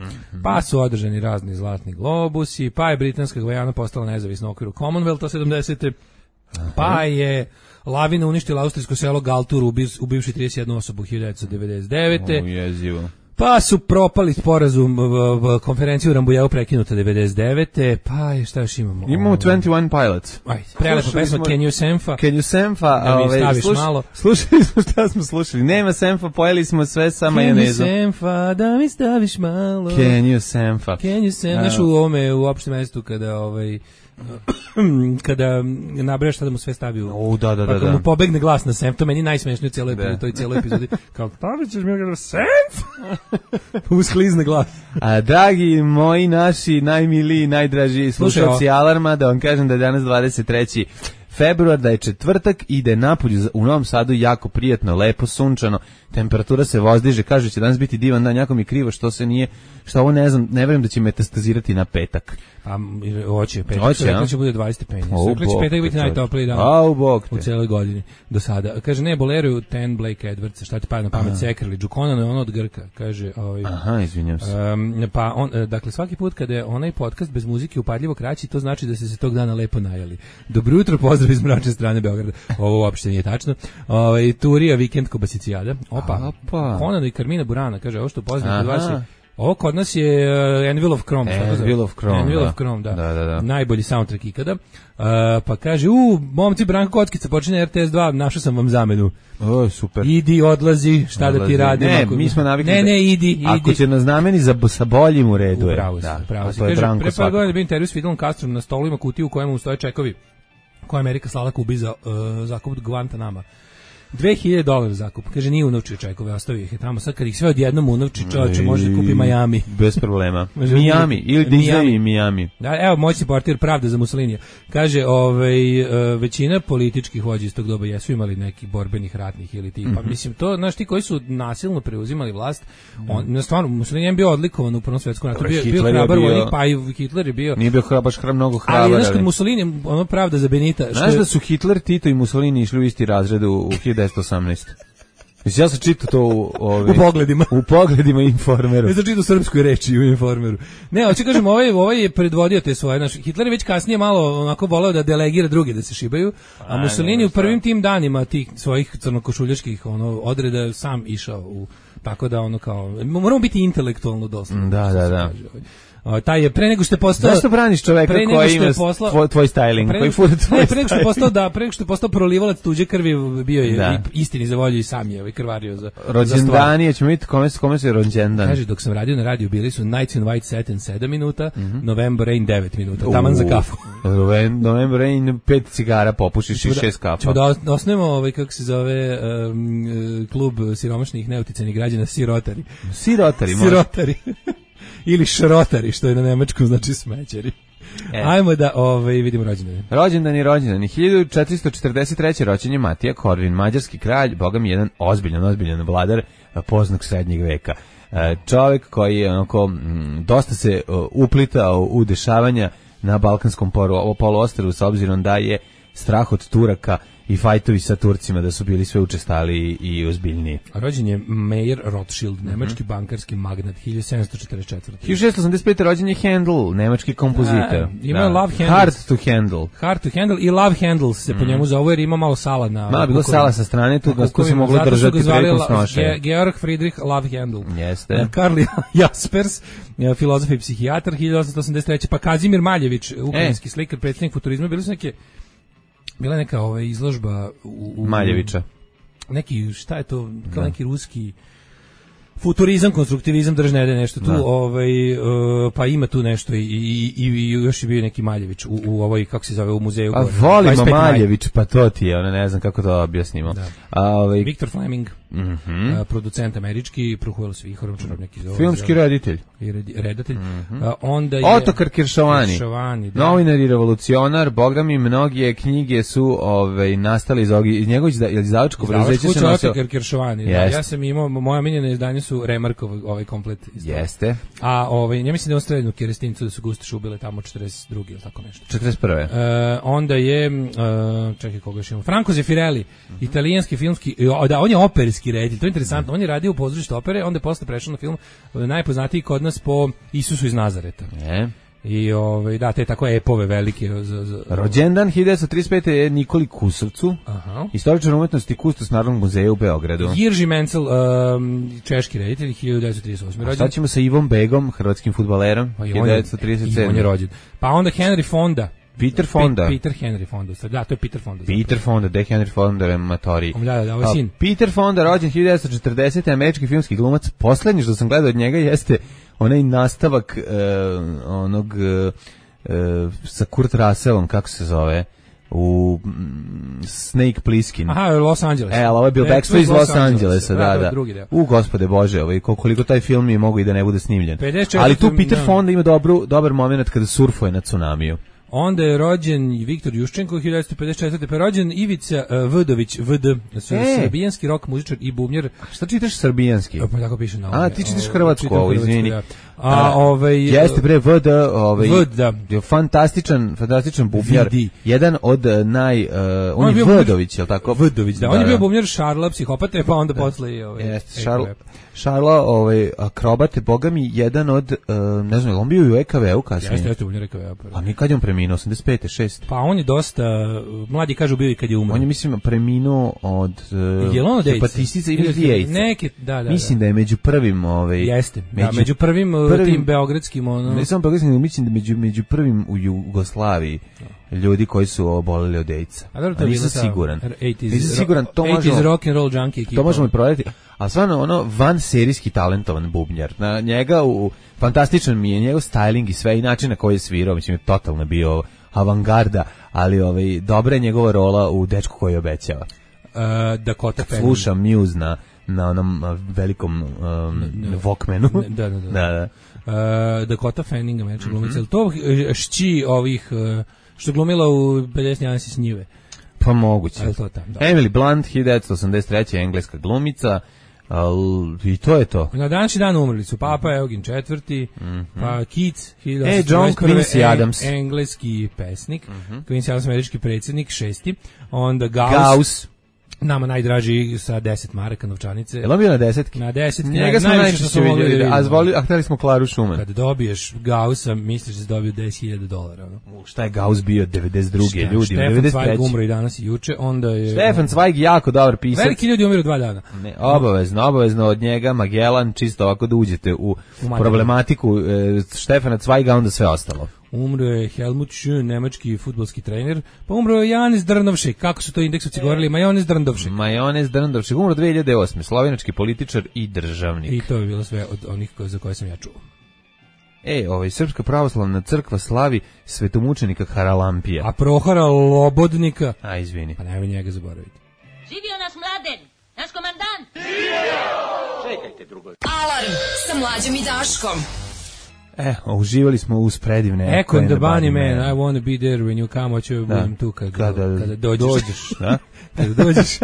Pa su održani razni zlatni globusi, pa je Britanska Gvajana postala nezavisna u okviru Commonwealtha 70. Pa je lavina uništila austrijsko selo Galtur, ubivši 31 osobu 1999. Jezivo. Pa su propali sporazum, konferenciju u Rambujevu prekinuta 99. Pa šta još imamo? Imamo 21 Pilots. Ajde, prelepa pesma Can You Senfa. Can You Senfa. Da mi staviš malo. Slušali smo šta smo slušali. Nema Senfa, pojeli smo sve sa majonezom. Can You Senfa, da mi staviš malo. Can You Senfa. Can You Senfa. Znaš u ovome, u opštem mestu kada nabrajaš šta da mu sve stavi u... Da. Pa kada mu pobegne glas na Senf, to meni najsmešnije u toj cijeloj epizodi. Kao, stavit ćeš mi ga Senf? Usklizne glas. A dragi moji, naši, najmiliji, najdraži slušalci Alarma, da vam kažem da je danas 23. februar, da je četvrtak i da je napolju u Novom Sadu jako prijatno, lepo, sunčano, temperatura se vozdiže, kaže će danas biti divan dan, jako mi je krivo što se nije, što ovo ne znam, ne verujem da će metastazirati na petak. A hoće, petak će bude 20 stepeni. Rekli će petak biti najtopliji dan u cijeloj godini do sada. Kaže, ne, boleruju Ten Blake Edwards, šta ti pada na pamet, Sekrli, Džukonano je ono od Grka, kaže. Aha, izvinjam se. Pa on, dakle, svaki put kada je onaj podcast bez muzike upadljivo kraći, to znači da ste se tog dana lepo najeli. Dobro jutro, pozdrav iz mračne strane Beograda. Ovo uopšte nije tačno. Turija, vikend Kobasicijada. Opa. Konano i Karmina Burana, kaže, ovo što poznam kod vas je... Ovo kod nas je Anvil of Chrome. Anvil of Chrome, da. Najbolji soundtrack ikada. Pa kaže, momci, Branko Kockica, počinje RTS 2, našao sam vam zamenu. Super. Idi, odlazi, šta da ti radim. Ne, mi smo navikli. Ne, idi. Ako će nas zameni sa boljim u redu je. Pravo si. Kaže, pre par godina je bio intervju s Fidelom Castrom, na stolu ima kutiju u kojemu stoje čekovi koje Amerika slala Kubi za zakup Guantanama. $2.000 zakup. Kaže, nije unovčio čekove, ostavio ih je tamo. Sad kad ih sve odjednom unovči, čovječe može kupi Miami. Bez problema. Miami, ili Disney i Miami. Da, evo, moćni portir Pravda za Mussolinija. Kaže, većina političkih vođa iz tog doba jesu imali nekih borbenih ratnih ili tipa. Mislim, to, znaš, ti koji su nasilno preuzimali vlast, stvarno, Mussolini je bio odlikovan u Prvom svjetskom ratu. Bio hrabar vojnik, pa i Hitler je bio... Nije bio baš mnogo hrabar. Ali, znaš, kod Mussolini, ono Pravda za Benita... Znaš da su Hitler, Tito i Mussolini išli u isti razred u 1918. Mislim, ja sam čitao to u pogledima Informeru. Ja sam čitao srpskoj reči u Informeru. Ne, hoću kažem, ovaj je predvodio te svoje. Znaš, Hitler je već kasnije malo onako voleo da delegira druge da se šibaju, a Mussolini u prvim tim danima tih svojih crnokošuljaških odreda sam išao u... Tako da ono kao... Moramo biti intelektualno doslovno. Da. Taj je pre nego što je postao... Zašto braniš čoveka koji ima tvoj styling? Pre nego što je postao prolivalac tuđe krvi, bio je istini za volju i sam je krvario za rođendani, ćemo vidjeti kome se rođendan. Kaže, dok sam radio na radiju, bili su Nights in White Satin 7 minuta, November Rain 9 minuta, taman za kafu. November Rain 5 cigara popušiš i 6 kafa. Ćemo da osnovimo, kako se zove, klub siromašnih neuticenih građana, Sirotari. Sirotari. Ili šrotari, što je na nemačkom znači smećari. Ajmo da vidimo rođendane. Rođendani. 1443. rođen je Matija Korvin, mađarski kralj, boga mi jedan ozbiljan vladar poznog srednjeg veka. Čovjek koji je onako dosta se uplitao u dešavanja na Balkanskom poluostrvu, s obzirom da je strah od Turaka i fajtovi sa Turcima da su bili sve učestali i ozbiljniji. Rođen je Meyer Rothschild, nemački bankarski magnat, 1744. 1685. rođen je Handel, nemački kompozitor. Ima Love Handles. Hard to Handle i Love Handles se po njemu zove, jer ima malo sala na... Malo bilo sala sa strane, tu se moglo držati preko snoše. Georg Friedrich Love Handel. Jeste. Karl Jaspers, filozof i psihijatar, 1883. Pa Kazimir Maljević, ukrajinski slikar, predsjednik futurizma, bila neka izložba u Maljevića. Neki, šta je to, kao neki ruski futurizam, konstruktivizam, držne nešto tu, pa ima tu nešto i još je bio neki Maljević u ovoj, kako se zove, u muzeju. A volimo Maljević, pa to ti je, ne znam kako to objasnimo. Viktor Fleming, producent američki, Pruhuel Svihorom, neki zove. Filmski reditelj. Redatelj. Onda je Otokar Kiršovani, novinar i revolucionar, boga mi mnoge knjige su nastale iz njegovih izdavačkog preduzeća se nosio. Otokar Kiršovani, ja sam imao, moja miljena izdanja su Remarkov komplet. Jeste. A ja mislim da je on streljenu Kerestincu da su Gustaš ubile tamo 42. ili tako nešto. 41. Onda je, čekaj koga još imamo, Franco Zeffirelli, italijanski filmski, on je operski reditelj, to je interesantno, on je radio u pozorištu opere, onda je posle prešao na film najpoznatiji kod nas po Isusu iz Nazareta. I da, te tako epove velike za Rođendan 1935. je Nikoli Kusovcu, istoričar umetnosti, kustos Narodnog muzeja u Beogradu. Jirži Mencel, češki reditelj, 1938. rođen. Šta ćemo sa Ivom Begom, hrvatskim fudbalerom, 1937. On je rođen. Pa onda Henry Fonda. Peter Fonda. Peter Henry Fonda. Da, to je Peter Fonda. Peter Fonda, de Henry Fonda je matori. Da, ovo je sin. Peter Fonda, rođen 1940. američki filmski glumac. Poslednji što sam gledao od njega jeste onaj nastavak onog sa Kurt Russellom, kako se zove, u Snake Plissken. Aha, Los Angeles. Ali ovo je bio Backstreet iz Los Angelesa, da. U Gospode Bože, koliko taj film je mogu i da ne bude snimljen. 54, ali tu Peter Fonda ima dobar moment kada surfuje na tsunamiju. Onda je rođen Viktor Juščenko 1954. Pa je rođen Ivica Vdović, VD, srbijanski rock muzičar i bubnjar. Šta čitaš srbijanski? Pa tako piše na ovome. A ti čitaš hrvatsku, ovo, izvini. Da. Jeste bre, VD, da. fantastičan bubnjar. Jedan od on je Vdović, je li tako? Vdović, da. On je bio bubnjar Šarla, psihopate, pa onda posle i jeste, Šarla, akrobate, boga mi, jedan od, ne znam, on bio i u EKV-u kasnije. Jeste bubnjar EKV-u. A mi kad je on preminuo, 85. 6. Pa on je dosta, mladi kažu bio i kad je umro. On je, mislim, preminuo od hepatitice ili AIDS. Da. Mislim da je među prvim, jeste, među prvim tim beogradskim, ne samo beogradskim, mislim da među prvim u Jugoslaviji ljudi koji su oboleli od AIDS-a. A nisam siguran. Nisam siguran, to možemo... rock and roll junkie ekipa. To možemo i provjeriti. A stvarno, van serijski talentovan bubnjar. Na njega, fantastičan mi je njegov styling i sve i način na koji je svirao. Mislim, je totalno bio avangarda, ali dobra je njegova rola u Dečku koji obećava. Dakota Fanning. Slušam Muse na onom velikom Walkmanu. Da. Dakota Fanning, američka glumica. To šći ovih... što glumila u 50 Jansi s njive. Pa moguće. To tam, da. Emily Blunt, 1983. engleska glumica, i to je to. Na današnji dan umrli su Papa Eugen IV, pa Keats, John Quincy Adams, engleski pesnik, Quincy Adams, američki predsjednik, 6. Onda Gauss, nama najdraži sa 10 maraka novčanice. Je li on bio na 10? Na 10. Njega smo najčešće vidjeli, a htjeli smo Klaru Schumann. Kad dobiješ Gaussa, misliš da si dobio $10.000. Šta je Gauss bio 92. ljudi? Stefan Zweig umro i danas i juče. Onda je... Stefan Zweig jako dobar pisac. Veliki ljudi umiru 2 dana. Ne, obavezno od njega, Magellan, čisto ovako da uđete u problematiku Stefana Zweiga, onda sve ostalo. Umro je Helmut Schön, nemački fudbalski trener, pa umro je Janez Drndovšek, kako su to indeksovci govorili, Majonez Drndovšek. Majonez Drndovšek, umro 2008. slovenački političar i državnik. I to je bilo sve od onih za koje sam ja čuo. Srpska pravoslavna crkva slavi svetomučenika Haralampija. A Prohora Lobodnika? A, izvini. Pa nemoj njega zaboraviti. Živio naš Mladen, naš komandant! Čekajte drugo. Alarm sa Mlađom i Daškom. Uživali smo uz predivne Echo and the Bunnymen, I wanna be there when you come, hoću budem tu kada dođeš. Da? Kada dođeš,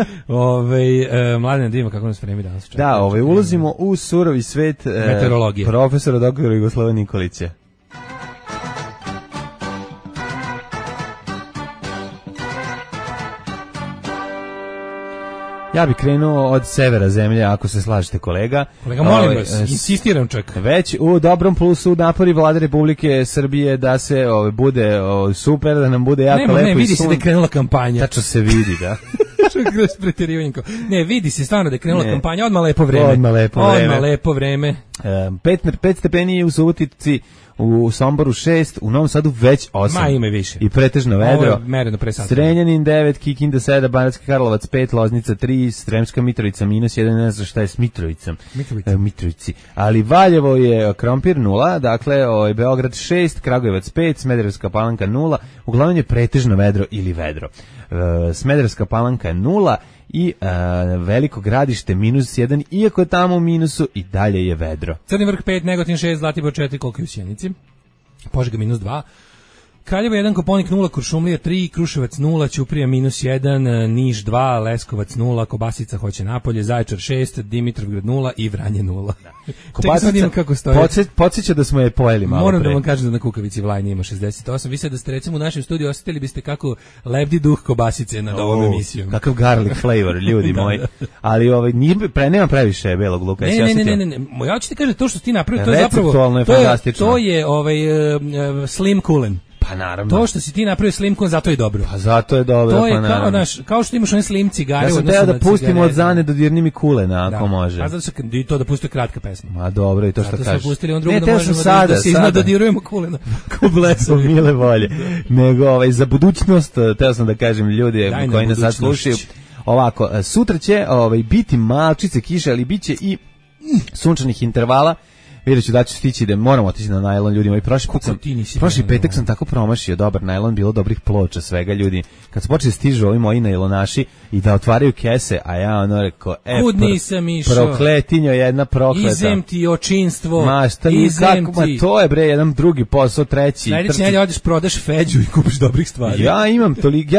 Mladen, da ima kako nas vreme danas. Da, ulazimo u surovi svet meteorologije. Profesora doktora Jugoslava Nikolića. Ja bih krenuo od severa zemlje, ako se slažete, kolega. Kolega, molim vas, insistiram čak. Već u dobrom plusu napori Vlade Republike Srbije da se bude super, da nam bude jako lepo i sun. Vidi se da je krenula kampanja. Tačno se vidi, da. Kroz preterivanje. Ne, vidi se stvarno da je krenula kampanja, odmah lepo vreme. 5 stepeni u Subotici, u Somboru 6, u Novom Sadu već 8. Ma ima više. I pretežno vedro. Ovo je mereno pre sata. Zrenjanin 9, Kikinda 7, Banatski Karlovac 5, Loznica 3, Sremska Mitrovica -1, ne znam šta je s Mitrovicom. Mitrovici. Ali Valjevo je Krompir 0, dakle Beograd 6, Kragujevac 5, Smederevska Palanka 0, uglavnom je pretežno vedro ili vedro. Smederevska Palanka 0 i Veliko Gradište -1, iako je tamo u minusu i dalje je vedro. Crni Vrh 5, Negotin 6, Zlatibor 4, koliko je u Sjenici, Požega -2, Kraljevo 1, Koponik 0, Kuršumlija 3, Kruševac 0, Ćuprija -1, Niš 2, Leskovac 0, Kobasica hoće Napolje, Zaječar 6, Dimitrovgrad 0 i Vranje 0. Kobasica kako stoje. Podsjeća da smo je pojeli malo Moram pre. da vam kažem da na Kukavici Vlajnje ima 68. Vi sad da ste recimo u našem studiju osjetili biste kako lebdi duh Kobasice nad ovom emisijom. Kakav garlic flavor, ljudi moji. Ali nema previše belog luka. Ne. Ja ću ti kažem, to što ti napravio, to je zapravo to je slim kulen. Pa naravno. To što si ti napravio slim kulen, zato je dobro. Pa zato je dobro, to je pa naravno. Kao što imaš one slim cigare. Ja sam teo da pustimo od Zane do dirni mi kulena, ako može. A zato što i to da pusti kratka pesma. Ma dobro, i to što kažeš. Zato smo pustili on drugo da možemo da se izdodirujemo kulena. Ko blesovi. Mile volje. Nego za budućnost, teo sam da kažem ljudi koji nas sad slušaju. Ovako, sutra će biti malčice kiše, ali biće i sunčanih intervala. Vidjet ću da ću stići da moramo otići na najlon, ljudi moji. Prošli petak sam tako promašio dobar najlon, bilo dobrih ploča, svega ljudi. Kad su počeli stižu ovi moji najlonaši i da otvaraju kese, a ja ono rekao, kud nisam išao, prokletinjo jedna prokleta. Izem ti očinstvo, to je bre jedan drugi posao, treći. Najdeći nelje odeš, prodaš feđu i kupiš dobrih stvari. Ja imam toliko,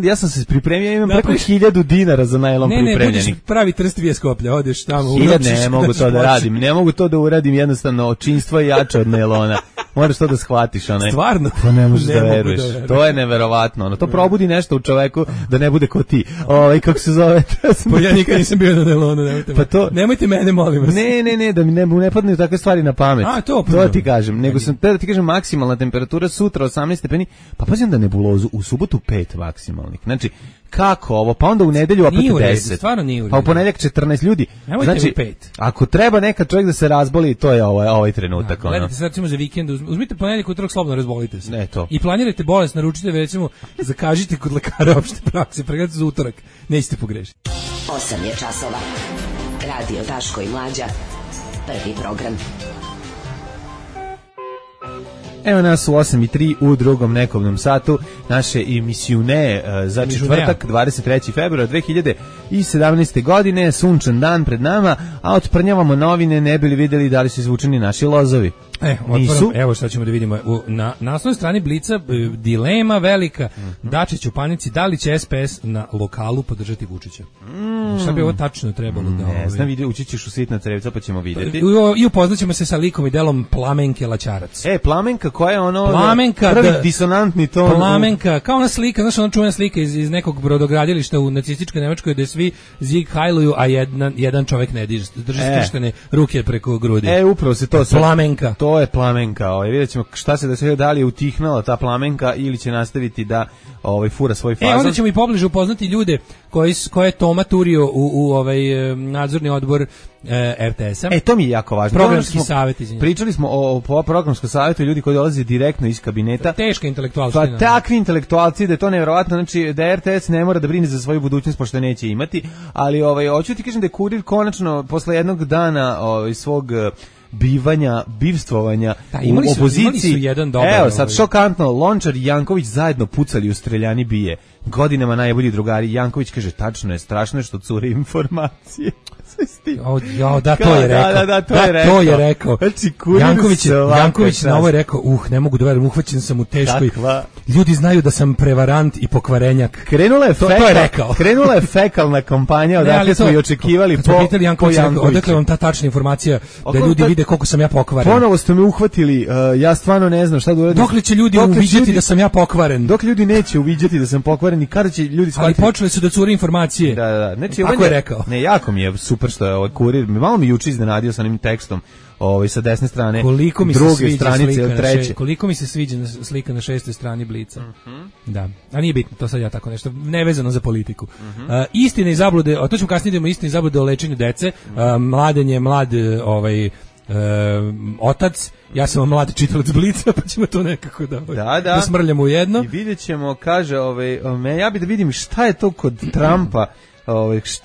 ja sam se pripremio, imam preko 1000 dinara za najlon pripremljenih. Ne, budeš pravi trst vije Skoplja, odeš tamo. Ne mogu to da radim, ne mogu to da uradim, jednostavno očinstvo je jače od nailona. Moraš to da shvatiš, Stvarno? To ne možeš da veruješ. To je neverovatno. To probudi nešto u čoveku da ne bude ko ti. Kako se zove? Ja nikad nisam bio na nailonu, nemojte mene, molim vas. Ne, da mi ne padne takve stvari na pamet. To ti kažem. Nego sam da ti kažem maksimalna temperatura sutra 18 stepeni, pa pazim da nebulozu u subotu 5 maksimalnih. Znači, kako ovo? Pa onda u nedelju opet 10. Stvarno nije u redu. Pa u ponedeljak 14 ljudi. Znači, ako treba neka čovjek da se razboli, to je ovaj trenutak. Gledajte se recimo za vikend, uzmite ponedeljak, utorak, slobodno razbolite se. Ne to. I planirajte bolest, naručite, recimo, zakažite kod lekara opšte prakse, pregledajte za utorak, nećete pogrešiti. 8 je časova. Radio Daško i Mlađa. Prvi program. Evo nas u 8:03 u drugom nekobnom satu naše emisijune za četvrtak 23. februar 2017. godine, sunčan dan pred nama, a otprnjavamo novine ne bi li vidjeli da li su izvučeni naši lozovi. Evo šta ćemo da vidimo. Na naslovnoj strani Blica dilema velika. Dačić u panici, da li će SPS na lokalu podržati Vučića? Šta bi ovo tačno trebalo da... Ne znam, ući ćeš u sitna crevca pa ćemo vidjeti. I upoznaćemo se sa likom i delom Plamenke Laćarac. Plamenka koja je prvi disonantni ton. Plamenka, kao ona slika, znaš, ona čuvena slika iz nekog brodogradilišta u nacističkoj Nemačkoj gde svi zig hajluju, a jedan čovek ne drži skrštene ruke preko grudi. Upravo se to... Plamenka. To je Plamenka. Vidjet ćemo šta se desilo, da li je utihnala ta Plamenka ili će nastaviti da fura svoj fazon. Onda ćemo i pobliže upoznati ljude koje je Toma turio u nadzorni odbor RTS-a. To mi je jako važno. Programski savjet, izvinjam. Pričali smo o programskom savjetu, ljudi koji dolaze direktno iz kabineta. Teška intelektualci. Pa takvi intelektualci da je to nevjerovatno, znači da RTS ne mora da brine za svoju budućnost pošto neće imati, ali hoću ti kažem da je Kurir konačno posle jednog dana svog bivstvovanja u opoziciji. Imali su jedan dobar. Evo sad šokantno, Lončar i Janković zajedno pucali u streljani bije. Godinama najbolji drugari. Janković kaže, tačno je, strašno je što cure informacije. To je rekao. Znači, Janković na ovo je rekao, ne mogu da verujem, uhvaćen sam u teškoj. Ljudi znaju da sam prevarant i pokvarenjak. Krenula je fekalna kampanja, odakle smo i očekivali po Jankoviću. Odakle vam ta tačna informacija da ljudi vide koliko sam ja pokvaren. Ponovo ste me uhvatili, ja stvarno ne znam šta da uradim. Dokle će ljudi uviđati da sam ja pokvaren? Dok ljudi neće uviđati da sam pokvaren i kada će ljudi shvatiti. Ali počeli su da cure informacije. Da. Znači, tako je rekao. Ne, jako mi je super što je Kurir, malo mi juče iznenadio sa onim tekstom sa desne strane, druge stranice, treće. Koliko mi se sviđa slika na 6. strani Blica. Da, a nije bitno, to sad ja tako nešto, nevezano za politiku. Istine i zablude, to ćemo kasnije idemo, istine i zablude o lečenju dece. Mladen je mlad otac, ja sam mlad čitalac Blica, pa ćemo to nekako da smrljamo u jedno. I vidjet ćemo, kaže, ja bih da vidim šta je to kod Trumpa,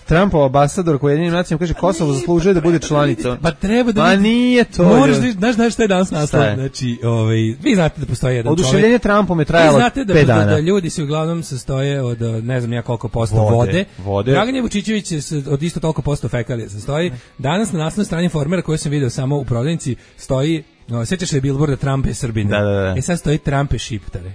Trumpov ambasador koji Ujedinjenim nacijama kaže Kosovo zaslužuje da bude članica. Pa treba da vidi. Nije to. Moraš da znaš šta je danas naslov. Znači, vi znate da postoji jedan čovjek. Oduševljenje Trumpom je trajalo 5 dana. Vi znate da ljudi se uglavnom sastoje od ne znam ja koliko posto vode. Dragan Vučićević od isto toliko posto fekalija sastoji. Danas na naslovnoj strani Informera koju sam video samo u prodavnici stoji, sjećaš se billboarda Trump je Srbin. Da. Sad stoji Trump je Šiptare.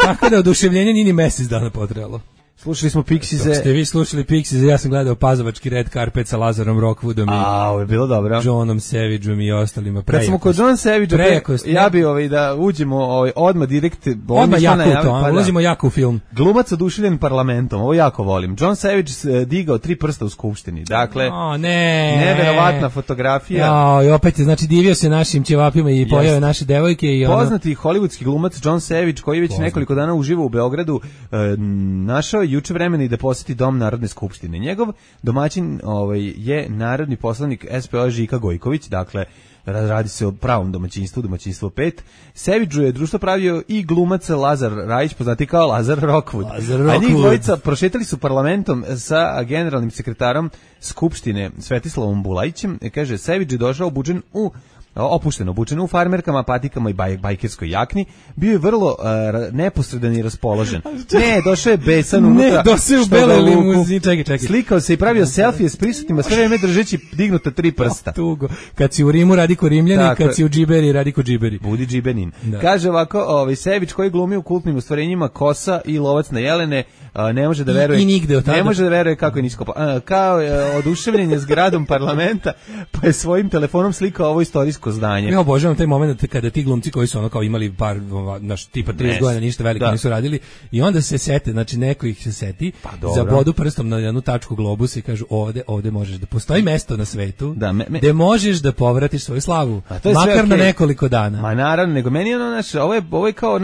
Tako da oduševljenje nije ni mesec dana potrebalo. Slušali smo Pixize. Dok ste vi slušali Pixize, ja sam gledao Pazovački red carpet sa Lazarom Rockwoodom i ovo je bilo dobro. Johnom Savageom i ostalima. Kad smo kod John Savagea, ja bi da uđemo odmah direkt. Odmah jako ulazimo jako u film. Glumac oduševljen parlamentom, ovo jako volim. John Savage digao 3 prsta u skupštini. Dakle, neverovatna fotografija. I opet je, znači, divio se našim ćevapima i pojave naše devojke. I poznati hollywoodski glumac John Savage, koji već nekoliko dana uživa u Beogradu, našao juče vremena i da poseti Dom Narodne skupštine. Njegov domaćin je narodni poslanik SPO Žika Gojković, dakle radi se o pravom domaćinstvu 5. Savageu je društvo pravio i glumac Lazar Rajić, poznati kao Lazar Rockwood. A njih dvojica prošetali su parlamentom sa generalnim sekretarom Skupštine Svetislavom Bulajićem. Kaže, Savage je došao opušteno obučen u farmerkama, patikama i bajkerskoj jakni, bio je vrlo neposredan i raspoložen. Došao je besan unutra. Došao je u beloj limuzini, čekaj. Slikao se i pravio selfije s prisutnima, sve vreme držeći dignuta 3 prsta. Tugo. Kad si u Rimu radi ko Rimljani, kad si u Džiberi radi ko Džiberi. Budi Džibenin. Da. Kaže ovako, Savage koji glumi u kultnim ostvarenjima Kosa i Lovac na jelene, ne može da veruje. I nigde od tada. Ne može da veruje kako je nisko. Kao oduševljen je zgradom parlamenta, pa je svojim telefonom slikao ovo istorijsko zdanje. Ja obožavam taj moment kada ti glumci koji su kao imali par tipa 30 godina ništa veliko nisu radili i onda se sete, znači neko ih se seti, zabodu prstom na jednu tačku globusa i kažu ovde možeš da postoji mesto na svetu gde možeš da povratiš svoju slavu, makar na nekoliko dana. Ma naravno, nego meni ovo je kao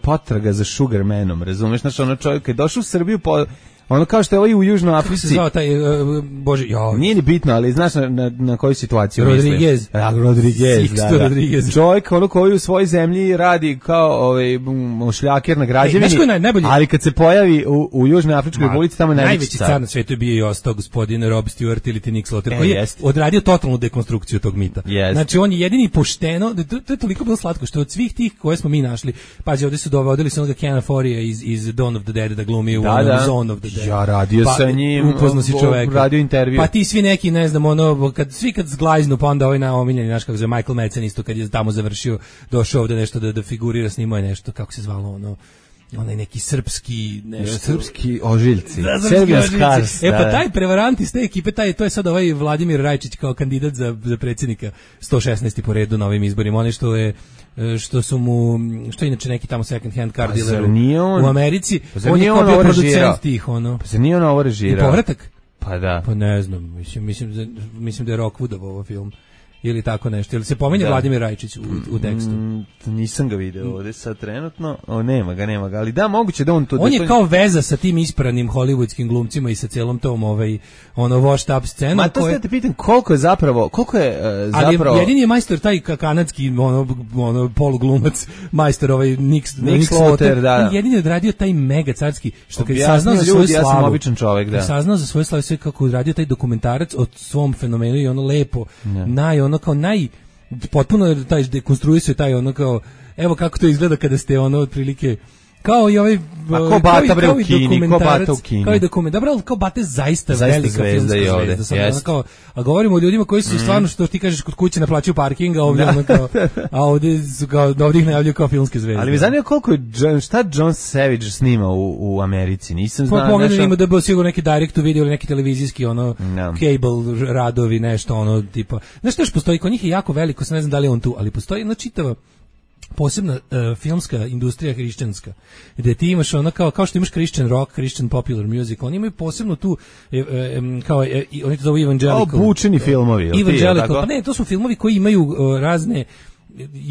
potraga za Sugarmanom, razumeš, znači čovjek je došao u Srbiju ono kao što je ovaj u Južnoj Africi. Kako se zvao taj, Nije ni bitno, ali znaš na koju situaciju Rodriguez. Rodriguez, da. Rodriguez. Čovjek koji u svojoj zemlji radi kao šljaker na građevini, ali kad se pojavi u Južnoj Afričkoj Republici, tamo je najveći car na svetu je bio i ostao gospodin Rob Stewart ili Nick Slaughter, koji je odradio totalnu dekonstrukciju tog mita. Znači on je jedini pošteno, to je toliko bilo slatko, što od svih tih koje smo mi našli, pazi, ovdje su dovodili se onoga Kena Forija iz Dawn of the Dead da glumi u Zone of the Dead. Ja radio sa njim, upoznao si čoveka. Radio intervju. Pa ti svi neki, ne znam, kad zglajznu, pa onda ovaj naomiljeni, znaš kako zove, Michael Madsen isto kad je tamo završio, došao ovde nešto da figurira, snimao je nešto, kako se zvalo onaj neki srpski nešto. Srpski ožiljci. Serbian Scars. Pa taj prevarant iz te ekipe, to je sad ovaj Vladimir Rajčić kao kandidat za predsjednika 116. po redu na ovim izborima. Oni što je inače neki tamo second hand car dealer u Americi. On je kao bio producent tih, Pa se nije on ovo režirao. I povratak? Pa da. Pa ne znam, mislim da je Rockwoodov ovo film. Ili tako nešto. Ili se pominje Vladimir Rajčić u tekstu? Nisam ga video ovdje sad trenutno. Nema ga. Ali da, moguće da on to... On je kao veza sa tim ispranim hollywoodskim glumcima i sa cijelom tom washed up scenom. Ma to ste te pitan koliko je zapravo... Ali jedini je majstor taj kanadski poluglumac, majstor Nick Slaughter. On jedini je odradio taj mega carski, što kad je saznao za svoju slavu... Ja sam običan čovjek, da. Saznao za svoju slavu sve kako odradio taj dokumentarac o svom fenomenu i lepo, potpuno taj dekonstruisuje taj kao, evo kako to izgleda kada ste otprilike kao i ovaj ko Bata bre u Kini, kao i dokument, dobro, kao Bata zaista velika filmska zvezda, kao, a govorimo o ljudima koji su stvarno, što ti kažeš, kod kuće naplaćuju parking, a ovdje a ovdje su kao, ovdje ih najavljuju kao filmske zvezde. Ali mi zanima koliko je, šta John Savage snima u Americi, nisam znao. Pa pogledaj, ima da bi sigurno neki direct to video ili neki televizijski, cable radovi, nešto, tipa, znaš što još postoji, kod njih je jako veliko, ne znam da li je on tu, ali postoji jedna čitava posebna filmska industrija hrišćanska, gde ti imaš kao što imaš Christian rock, Christian popular music, oni imaju posebno tu kao oni to zovu evangelical. Obučeni filmovi. Evangelical, pa ne, to su filmovi koji imaju razne,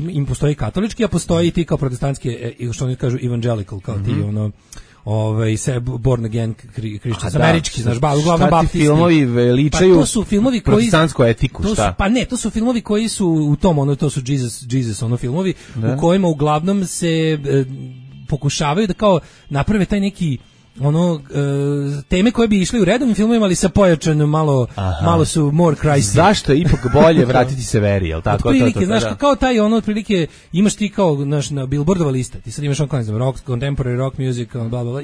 im postoji katolički, a postoji i ti kao protestantski, što oni kažu evangelical, kao ti born again Christians, američki, znaš, uglavnom baptisti. Filmovi veličaju to su filmovi koji protestantsku etiku, šta? Pa ne, to su filmovi koji su u tom, to su Jesus filmovi, u kojima uglavnom se pokušavaju da kao naprave taj neki teme koje bi išli u redovnim filmovima, ali sa pojačanom malo su more crazy. Zašto je ipak bolje vratiti se veri, jel tako? Otprilike, znaš, kao taj otprilike, imaš ti kao, znaš, na Billboardova lista, ti sad imaš ne znam, rock, contemporary rock music, bla, bla, bla,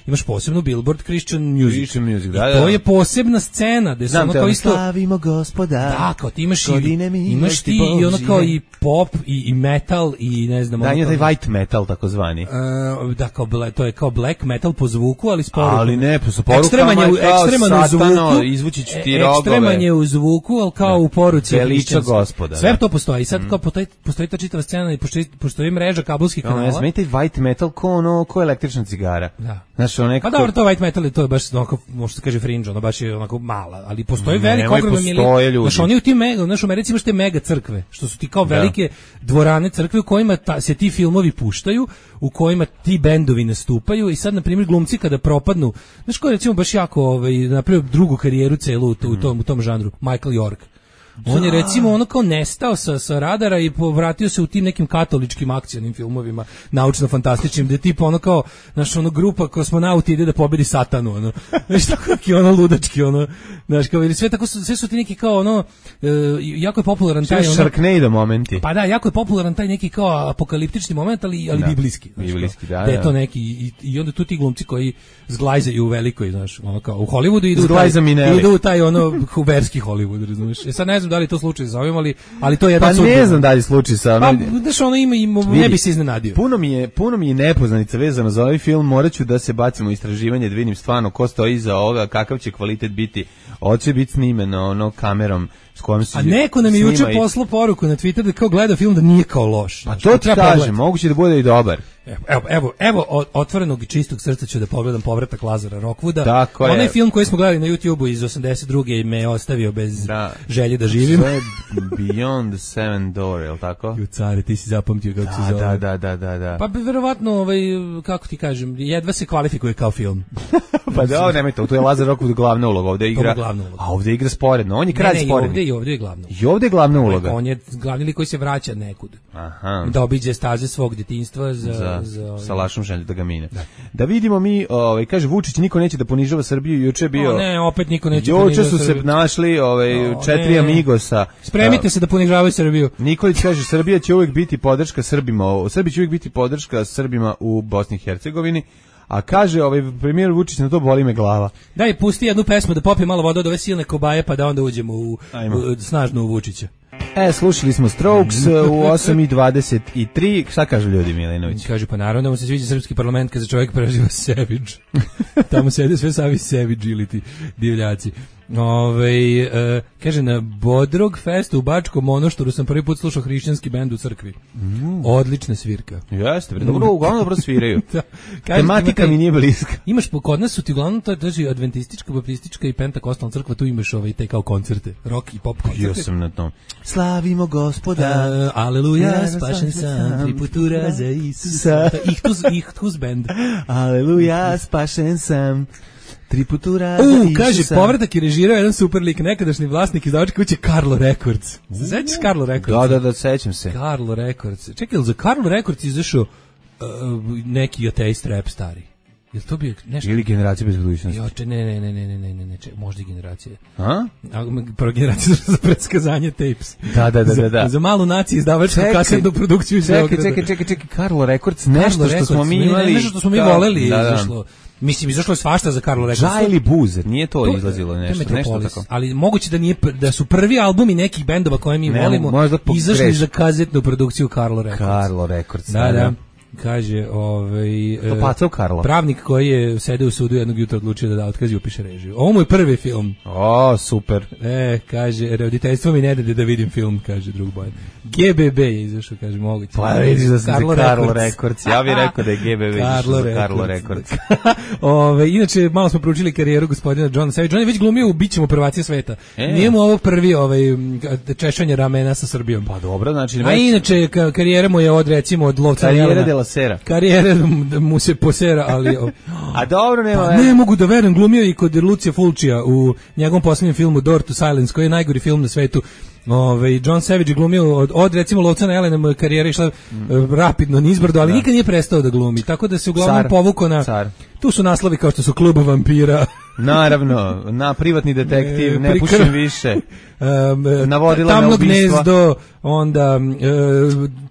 imaš posebnu Billboard Christian music. Da, to je posebna scena, gde se ono kao isto... Slavimo Gospoda. Da, kao ti imaš ti i ono kao i pop i metal i ne znam... Da, je taj white metal, takozvani. Da, to je kao black metal po zvuku, ali s porukom. Ali ne, po porukama ekstreman u zvuku, izvući ću ti rogove. Ekstreman je u zvuku, ali kao u poruci. Veliča Gospoda. Sve to postoji. I sad kao postoji ta čitava scena i postoji mreža kabelskih kanala. Ne znam, taj white metal ko električna cigara. Da. Znaš, pa dobro, to white metal to je baš onako, možda se kaže fringe, ono baš je onako mala, ali postoji veliko ogromno milion. Znaš, oni u tim znaš, u Americi imaš te mega crkve, što su ti kao velike dvorane crkve u kojima se ti filmovi puštaju, u kojima ti bendovi nastupaju i sad, na primjer, glumci kada propadnu, znaš ko je recimo baš jako napravio drugu karijeru celu u tom žanru, Michael York. On je recimo ono kao nestao sa radara i povratio se u tim nekim katoličkim akcionim filmovima, naučno-fantastičnim, gde tipa ono kao, znaš, ono grupa kosmonauti ide da pobedi satanu, ono, znaš, tako neki ono ludački, ono, znaš, kao, ili sve su ti neki kao ono, jako je popularan taj, ono, Sharknado momenti. Pa da, jako je popularan taj neki kao apokaliptični moment, ali biblijski. Biblijski, da. Da je to neki, i onda tu ti glumci koji zglajzaju u velikoj, znaš, ono kao, u Hollywoodu idu u taj ono, verski Hollywood, razumiješ. Sad ne znam da li to slučaj sa ovim, ali to je jedan sud. Pa ne znam da li slučaj sa ovim. Pa, znaš, ono ima ne bi se iznenadio. Puno mi je nepoznanica vezano za ovaj film, moraću da se bacimo u istraživanje, da vidim stvarno ko stoji iza ovoga, kakav će kvalitet biti, hoće biti snimeno kamerom s kojom se a neko nam je juče poslao poruku na Twitter da kao gleda film da nije kao loš. Pa to ti kažem, moguće da bude i dobar. Evo otvorenog i čistog srca ću da pogledam Povratak Lazara Rockwooda. Onaj film koji smo gledali na YouTubeu iz 82. me ostavio bez želje da živim. To je Beyond the Seven Door, je li tako? Ju care, ti si zapamtio kako se zove. Da. Pa verovatno, kako ti kažem, jedva se kvalifikuje kao film. Pa da, nemojte, to je Lazar Rockwood glavna uloga, ovdje igra. A ovdje igra sporedno, on je kralj sporedno. I ovdje je glavna. I ovdje je glavna uloga. On je glavni lik koji se vraća nekud. Aha. Da obiđe staze svog djetinjstva sa lašnom želju da ga mine. Da vidimo mi, kaže Vučić, niko neće da ponižava Srbiju, juče bio. Ne, opet niko neće ponižava Srbiju. Juče su se našli 4 amigosa. Spremite se da ponižavaju Srbiju. Nikolić kaže Srbija će uvijek biti podrška Srbima. Srbija će uvijek biti podrška Srbima u Bosni i Hercegovini. A kaže premijer Vučić, na to boli me glava. Daj, pusti jednu pesmu da popije malo vode od ove silne kobaje, pa da onda uđemo snažno u Vučića. Slušali smo Strokes u 8:23. Šta kažu ljudi, Milinović? Kaže, pa naravno da mu se sviđa srpski parlament kad se čovjek preživa savage. Tamo sede sve savi savage ili ti divljaci. Kaže, na Bodrog festu u Bačkom Monoštoru sam prvi put slušao hrišćanski bend u crkvi. Odlična svirka. Jeste, uglavnom dobro sviraju. Tematika mi nije bliska. Imaš, kod nas su ti uglavnom, to je adventistička, baptistička i pentakostalna crkva, tu imaš te kao koncerte, rock i pop koncerte. Jo sam na tom. Slavimo Gospoda, aleluja, spašen sam, triputura za Isusa. Ihtus band. Aleluja, spašen sam. Triputura kaže, Povratak je režirao jedan super lik, nekadašnji vlasnik izdavačke kuće Carlo Records. Sećaš Carlo Records? Da, sećam se. Carlo Records. Čekaj, za Carlo Records izašao neki ateist rap stari? Jel to bio nešto? Ili Generacija bez budućnosti? Ne, možda i Generacija. A? Prva Generacija za predskazanje tapes. Da. Za malu naciju izdavačku kasetnu produkciju iz Beograda. Čekaj, Carlo Records, nešto što smo mi imali. Nešto što smo mi voleli izašlo. Mislim, izašlo je svašta za Carlo Records. Džajli Buzer, nije to izlazilo nešto tako. Ali moguće da su prvi albumi nekih bendova koje mi volimo izašli za kazetnu produkciju Carlo Records. Carlo Records, da. Kaže, pravnik koji je sedeo u sudu jednog jutra odlučio da otkazi upiše režiju. Ovo mu je prvi film. Super. Kaže, roditeljstvo mi ne da vidim film, kaže drug Bojan. GBB je izašao, kaže, moguće. Pa vidiš da sam za Carlo Records. Ja bih rekao da je GBB izašao za Carlo Records. Inače, malo smo proučili karijeru gospodina Johna Savage. On je već glumio u Bićemo prvaci sveta. Nije mu ovo prvi češanje ramena sa Srbijom. Pa dobro, znači... A inače, karijera mu je od lovca Jelena. Karijere mu se posera, ali... A dobro, nema... Pa ne mogu da verujem, glumio i kod Lucija Fulčija u njegovom posljednjem filmu Door to Silence, koji je najgori film na svetu. John Savage je glumio od recimo Lovca na Jelene, mu karijera išla rapidno nizbrdo, ali nikad nije prestao da glumi, tako da se uglavnom povukao na... Tu su naslovi kao što su Klub vampira. Naravno, na Privatni detektiv, Ne pušim više. Navodila Tamno na ubistva. gnezdo, onda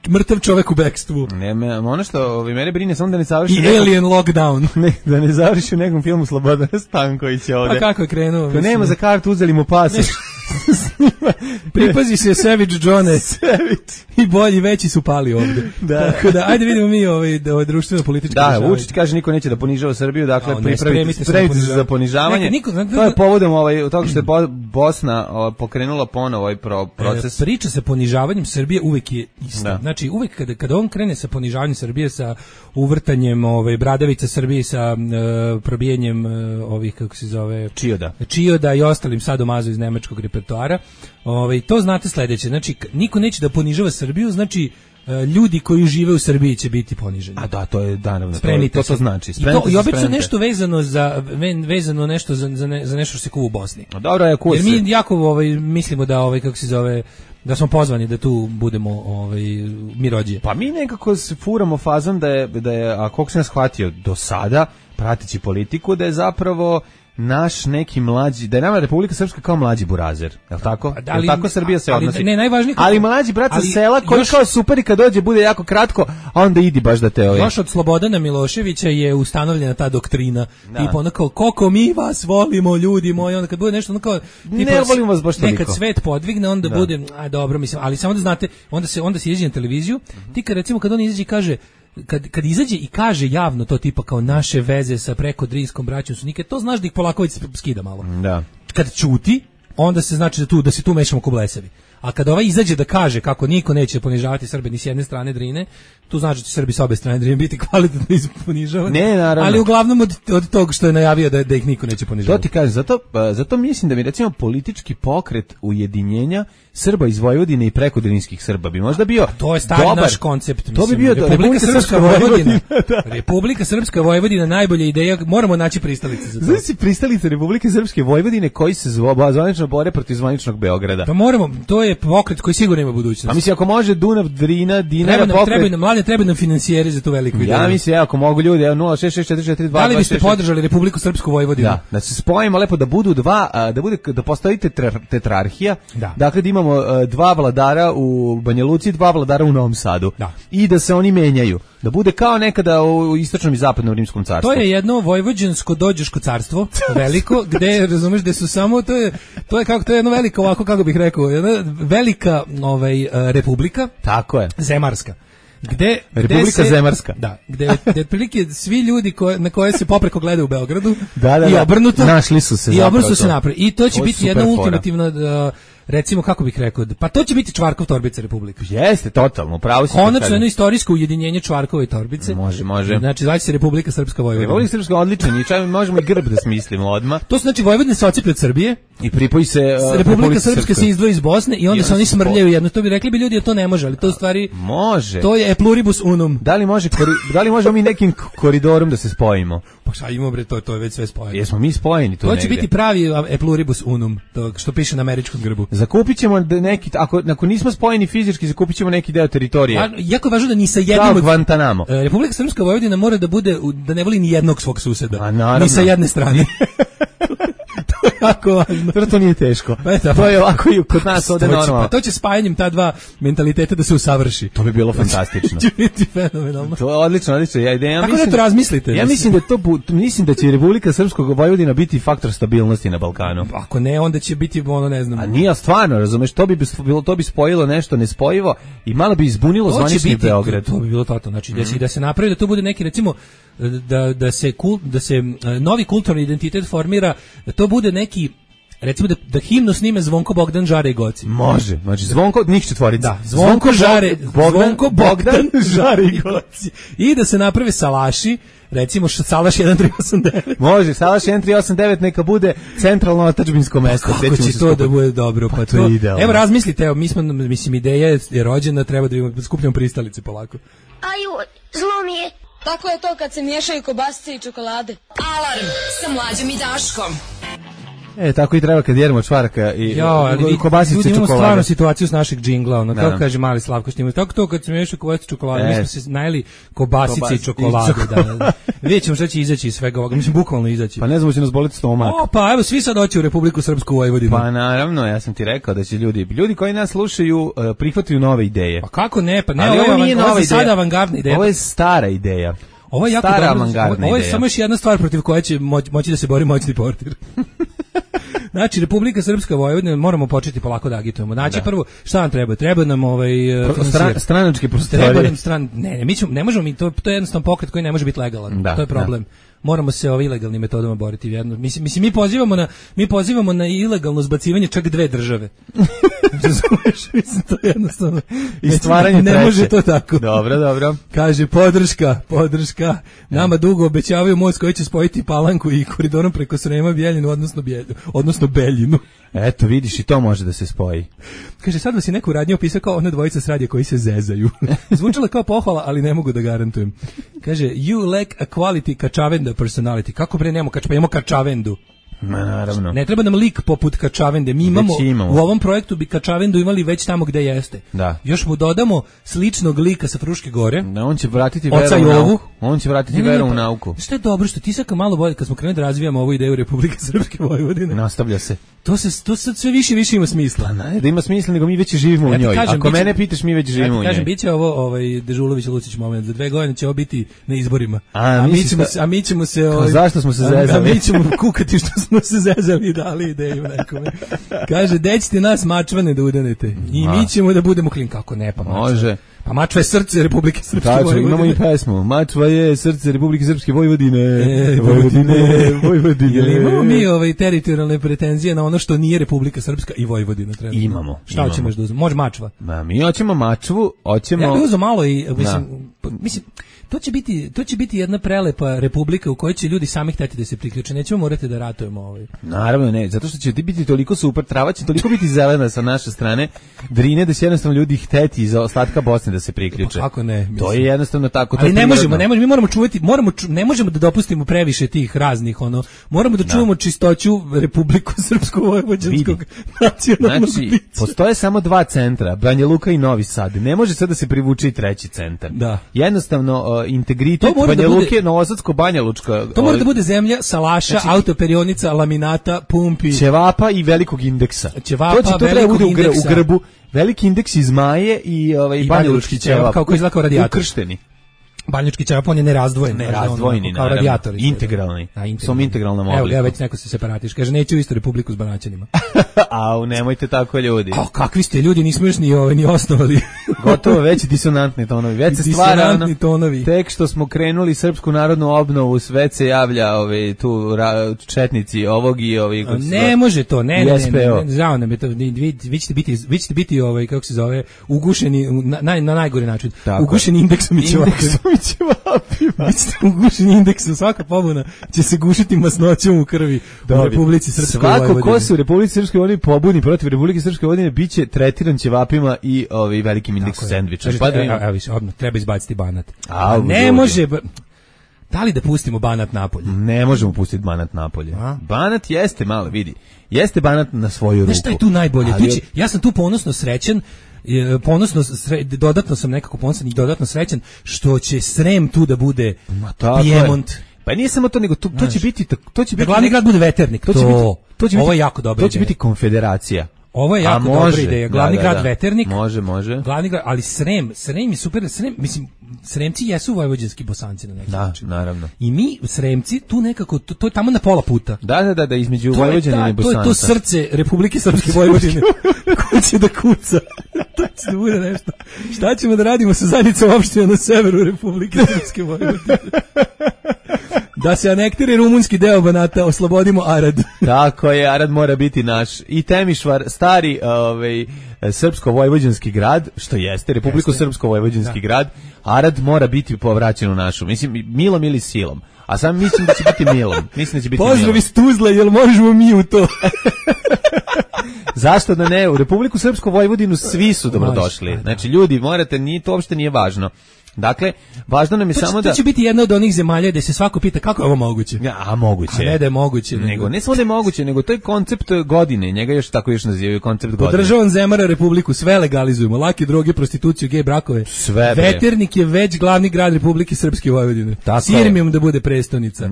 Mrtav čovek u bekstvu. Ne, ono što mene brine samo da ne završi i Alien Lockdown. Da ne završi u nekom filmu Slobodana Stankovića ovde. Pa kako je krenuo? To nema za kartu, uzeli mu pasoš. Pripazi se Savage Johne. I bolji veći su pali ovde. Tako da, ajde vidimo mi ovaj društveno politički. Da, Vučić kaže niko neće da ponižava Srbiju, dakle pripremite se za ponižavanje. To je povodom toga što je Bosna pokrenula ponovo ovaj proces. Priča sa ponižavanjem Srbije uvek je ista. Znači uvek kada on krene sa ponižavanjem Srbije, sa uvrtanjem bradavica Srbije, sa probijanjem ovih kako se zove Čioda i ostalim sadomazo iz nemačkog repertoara, to znate sledeće. Znači niko neće da ponižava Srbiju, znači ljudi koji žive u Srbiji će biti poniženi. A da, to je naravno. To znači. I obično nešto vezano nešto za nešto što se kuva u Bosni. Dobro je kurs. Jer mi jako mislimo da kako se zove, da smo pozvani da tu budemo mirođije. Pa mi nekako se furamo fazom da je a koliko sam shvatio do sada prateći politiku da je zapravo naš neki mlađi, da je nama Republika Srpska kao mlađi burazer, je li tako? Ali, tako Srbija se odnosi? Ne, najvažnije... Ali mlađi brat sa sela koji kao super i kad dođe bude jako kratko, a onda idi baš da te... Još od Slobodana Miloševića je ustanovljena ta doktrina. Tipa ono kao, koliko mi vas volimo, ljudi moji, onda kad bude nešto ono kao... Ne volimo vas baš toliko. Nekad svet podvigne, onda bude, dobro, mislim, ali samo da znate, onda se izađe na televiziju, ti kad recimo kad on izađe i kaže, kad izađe i kaže javno to tipa kao naše veze sa preko Drinskom braćom su nikad, to znaš da ih Polaković skida malo. Da. Kad ćuti, onda se znači da se tu mešamo ko blesavi. A kad ovaj izađe da kaže kako niko neće ponižavati Srbe ni s jedne strane Drine, tu znači da će Srbi s obe strane Drine biti kvalitetno ponižavani. Ne, naravno. Ali uglavnom od tog što je najavio da ih niko neće ponižavati. To ti kažem, zato mislim da bi recimo politički pokret ujedinjenja Srba iz Vojvodine i preko Drinskih Srba bi možda bio to je stari naš koncept, mislim. To bi bio Republika Srpska Vojvodina. Republika Srpska Vojvodina najbolja ideja, moramo naći pristalice za to. Znači pristalice Republike Srpske Vojvodine koji se zvanično bore protiv zvaničnog Beograda. Pa moramo, to je pokret koji sigurno ima budućnost. A mislim ako može Dunav, Drina, Dinara pokret. Treba nam finansijeri za tu veliku ideju. Ja mislim ako mogu ljudi, 0664422. Da li biste podržali Republiku Srpsku Vojvodinu? Da se spojimo lepo da budu da postoji tetrarhija. Dakle da imamo dva vladara u Banja Luci, dva vladara u Novom Sadu. I da se oni menjaju. Da bude kao nekada u istočnom i zapadnom rimskom carstvu. To je jedno vojvođansko dođeško carstvo, veliko, gde razumeš da su samo to je jedno veliko ovako kako bih rekao, jedna velika republika. Tako je. Zemarska. Republika Zemarska. Da, gde otprilike svi ljudi na koje se popreko gledaju u Beogradu i obrnuto. Našli su se napravili. I to će biti jedna ultimativna recimo kako bih rekao, pa to će biti Čvarkov Torbica Republika. Jeste, totalno, pravo si. Konačno jedno istorijsko ujedinjenje Čvarkove Torbice. Može. Znači, zvaće se Republika Srpska Vojvodina. Republika Srpska odličan i čak možemo i grb da smislimo odmah. To znači Vojvodina se ocijepi od Srbije i pripoji se Republika Srpska se izdvoji iz Bosne i onda se oni smrljaju jedno. To bi rekli bi ljudi da to ne može, ali to u stvari može. To je e pluribus unum. Da li možemo mi nekim koridorom da se spojimo? Pa šta imamo bre, to je već sve spojeno. Jesmo mi spojeni tu negde. To će biti pravi e pluribus unum, to što piše na američkom grbu. Zakupićemo neki, ako nismo spojeni fizički, zakupićemo neki deo teritorije. Jako je važno da ni sa jednim od Guantanamo. Republika Srpska Vojvodina mora da bude, da ne voli ni jednog svog suseda. Ni sa jedne strane. To je jako važno. To nije teško. To je ovako i kod nas ovde normalno. Pa to će spajanjem ta dva mentaliteta da se usavrši. To bi bilo fantastično. Će biti fenomenalno. To je odlično. Tako da to razmislite. Ja mislim da će Republika Srpskog Vojvodina biti faktor stabilnosti na Balkanu. Ako ne, onda će biti ne znam. A nije stvarno, razumeš, to bi spojilo nešto nespojivo i malo bi izbunilo zvanični Beograd. To bi bilo totalno. Znači da se napravi da to bude neki recimo da se novi kulturni identitet formira, da to bude neki recimo da himnu snime Zvonko Bogdan Žare i Goci. Može, znači Zvonko njih četvorica. Da, Zvonko Bogdan Žare i Goci. I da se naprave salaši, recimo Salaš 1389. Može, Salaš 1389 neka bude centralno otadžbinsko mesto. Kako će to da bude dobro? Pa to je idealno. Evo razmislite, mislim ideja je rođena, treba da skupljamo pristalice polako. Aju, zlo mi je. Tako je to kad se miješaju kobasice i čokolade. Alarm sa Mlađom i Daškom. Tako i treba kad jedemo čvaraka i kobasice ljudi, imamo čokolade. stvarno situaciju s našeg džingla, ono, kako kaže Mali Slavko Štimović, tako to kad smo ješli kobasice čokolade, mi smo se najeli kobasice i čokolade. Da. Vidjet ćemo šta će izaći iz svega ovoga, mislim, bukvalno izaći. Pa ne znamo, će nas boliti stomak. Pa evo, svi sad doći u Republiku Srpsku Vojvodinu. Pa naravno, ja sam ti rekao da će ljudi koji nas slušaju prihvataju nove ideje. Pa kako ne, pa ne, ovo je sada avangardna ideja. Ovo je stara ideja. Ovo je jako dobro. Ovo je samo još jedna stvar protiv koje će moći da se bori moćni portir. Znači, Republika Srpska Vojvodina, moramo početi polako da agitujemo. Znači, prvo, šta nam treba? Treba nam stranačke prostorije. Ne možemo mi, to je jednostavno pokret koji ne može biti legalan. To je problem. Moramo se ilegalnim metodama boriti. Mislim, mi pozivamo na ilegalno zbacivanje čak 2 države. Mislim, to je jednostavno. I stvaranje treće. Ne može to tako. Dobro. Kaže, podrška. Nama dugo obećavaju most koji će spojiti Palanku i koridorom preko Srema, Bjeljinu, odnosno Beljinu. Eto, vidiš, i to može da se spoji. Kaže, sad vas je neko radnje opisao kao ona dvojica s radija koji se zezaju. Zvučala kao pohvala, ali ne mogu da garantujem. Kaže, you lack a quality Kačavenda personality. Kako bre nemamo imamo Kačavendu. Naravno. Ne treba nam lik poput Kačavende. Mi imamo u ovom projektu bi Kačavendu imali već tamo gde jeste. Da. Još mu dodamo sličnog lika sa Fruške gore. Da, on će vratiti veru u nauku. On će vratiti veru u nauku. Što je dobro, što ti sad malo bolje, kad smo krenuli da razvijamo ovu ideju Republike Srpske Vojvodine. Nastavlja se. To sad sve više ima smisla. Ne, da ima smisla, nego mi već živimo u njoj. Ako mene pitaš, mi već živimo u njoj. Kažem, biće ovo Dežulović Lucić moment. Za 2 godine će ovo biti na izborima. A mi ćemo se... Zašto smo se zezali? A mi ćemo kukati što smo se zezali i dali ideju nekome. Kaže, dećite nas mačvane da udanete. I mi ćemo da budemo klin. Kako ne, pa mačva. Može. Pa mačva je srce Republike Srpske Vojvodine. Imamo i pesmu. Mačva je srce Republike Srpske Vojvodine. Vojvodine. Imamo mi teritorijalne pretenzije na ono što nije Republika Srpska i Vojvodina. Imamo. Šta hoćemo da uzmemo? Može mačva. Mi hoćemo mačvu, hoćemo... Ja bih uzeo malo i, mislim, to će biti jedna prelepa republika u kojoj će ljudi sami hteti da se priključe. Nećemo morati da ratujemo Naravno ne, zato što će biti toliko super, trava će toliko biti zelena sa naše strane, Drine, da će jednostavno ljudi hteti iz ostatka Bosne da se priključe. Pa kako ne? Mislim. To je jednostavno tako. Ali ne možemo, mi moramo čuvati, ne možemo da dopustimo previše tih raznih, moramo da čuvamo čistoću Republiku Srpsko-Vojvođanskog nacionalnog bića. Postoje samo 2 centra, Banja Luka i Novi Sad. Ne može sad da se privuči 3. centar. Da. Jednostavno, integritet Banja Luke, Novosadsko, Banja Lučka. To mora da bude zemlja salaša, autoperionica, laminata, pumpi, ćevapa i velikog indeksa. To treba bude u grbu. Veliki indeks iz Maje i banjalučki ćevap. Kako izgleda kao radijator. Ukršteni. Banjački ćevap, on je nerazdvojen. Nerazdvojeni, kao radijator. Integralni. Som integralnom obliku. Evo ga, već neko se separatiš. Kaže, neće u istu republiku s Banaćanima. Au, nemojte tako, ljudi. Kakvi ste ljudi, nismo još ni osnovali. Gotovo, već disonantni tonovi. Već se stvara tek što smo krenuli Srpsku narodnu obnovu, sve se javlja tu četnici ovog i ovih. Ne može to, ne. Žao nam je to. Vi ćete biti kako se zove, ugušeni na najgori način. Ugušeni indeksom i ćevapima. Ugušeni indeksom, svaka pobuna će se gušiti masnoćom u krvi u Republici Srpskoj Vojvodini. Svako ko se u Republici Srpskoj Vojvodini pobuni protiv Republike Srpske Vojvodine biće tretiran ćevapima i velikim indeksom sendviča. Treba izbaciti Banat. Ne može... Da li da pustimo Banat napolje? Ne možemo pustiti Banat napolje. Banat jeste, malo vidi, jeste Banat na svoju ruku. Znaš šta je tu najbolje? Ja sam tu ponosno srećan, dodatno sam nekako ponosan i dodatno srećan što će Srem tu da bude Piemont. Pa nije samo to, nego to će biti... Da glavni grad bude Veternik, ovo je jako dobra ideja. To će biti konfederacija. Ovo je jako dobra ideja. Glavni grad Veternik. Može. Glavni grad, ali Srem je super. Mislim, Sremci jesu vojvođanski Bosanci na neki način. Da, naravno. I mi, Sremci, tu nekako, to je tamo na pola puta. Da, između Vojvođanina i Bosanca. To je to srce Republike Srpske Vojvodine. Ko će da kuca? To će da bude nešto. Šta ćemo da radimo sa zajednicom opština na severu Republike Srpske Vojvodine? Da se anektira rumunski deo Banata, oslobodimo Arad. Tako je, Arad mora biti naš. I Temišvar, stari srpsko-vojvođanski grad, što jeste, Republiko-srpsko-vojvođanski grad, Arad mora biti povraćen u našu. Mislim, milom ili silom. A sam mislim da će biti milom. Pozdrav iz Tuzle, jel možemo mi u to? Zašto da ne? U Republiku Srpsku Vojvodinu svi su dobrodošli. Znači, ljudi, morate, to uopšte nije važno. Dakle, važno nam je samo da... To će biti jedna od onih zemalja gde se svako pita kako je ovo moguće. A moguće. A ne da je moguće. Nego, ne samo da je moguće, nego to je koncept godine. Njega još tako nazivaju koncept godine. Podržavam Zemara Republiku, sve legalizujemo. Lake droge, prostituciju, gej brakove. Sve. Veternik je već glavni grad Republike Srpske Vojvodine. Sirmijom da bude prestonica.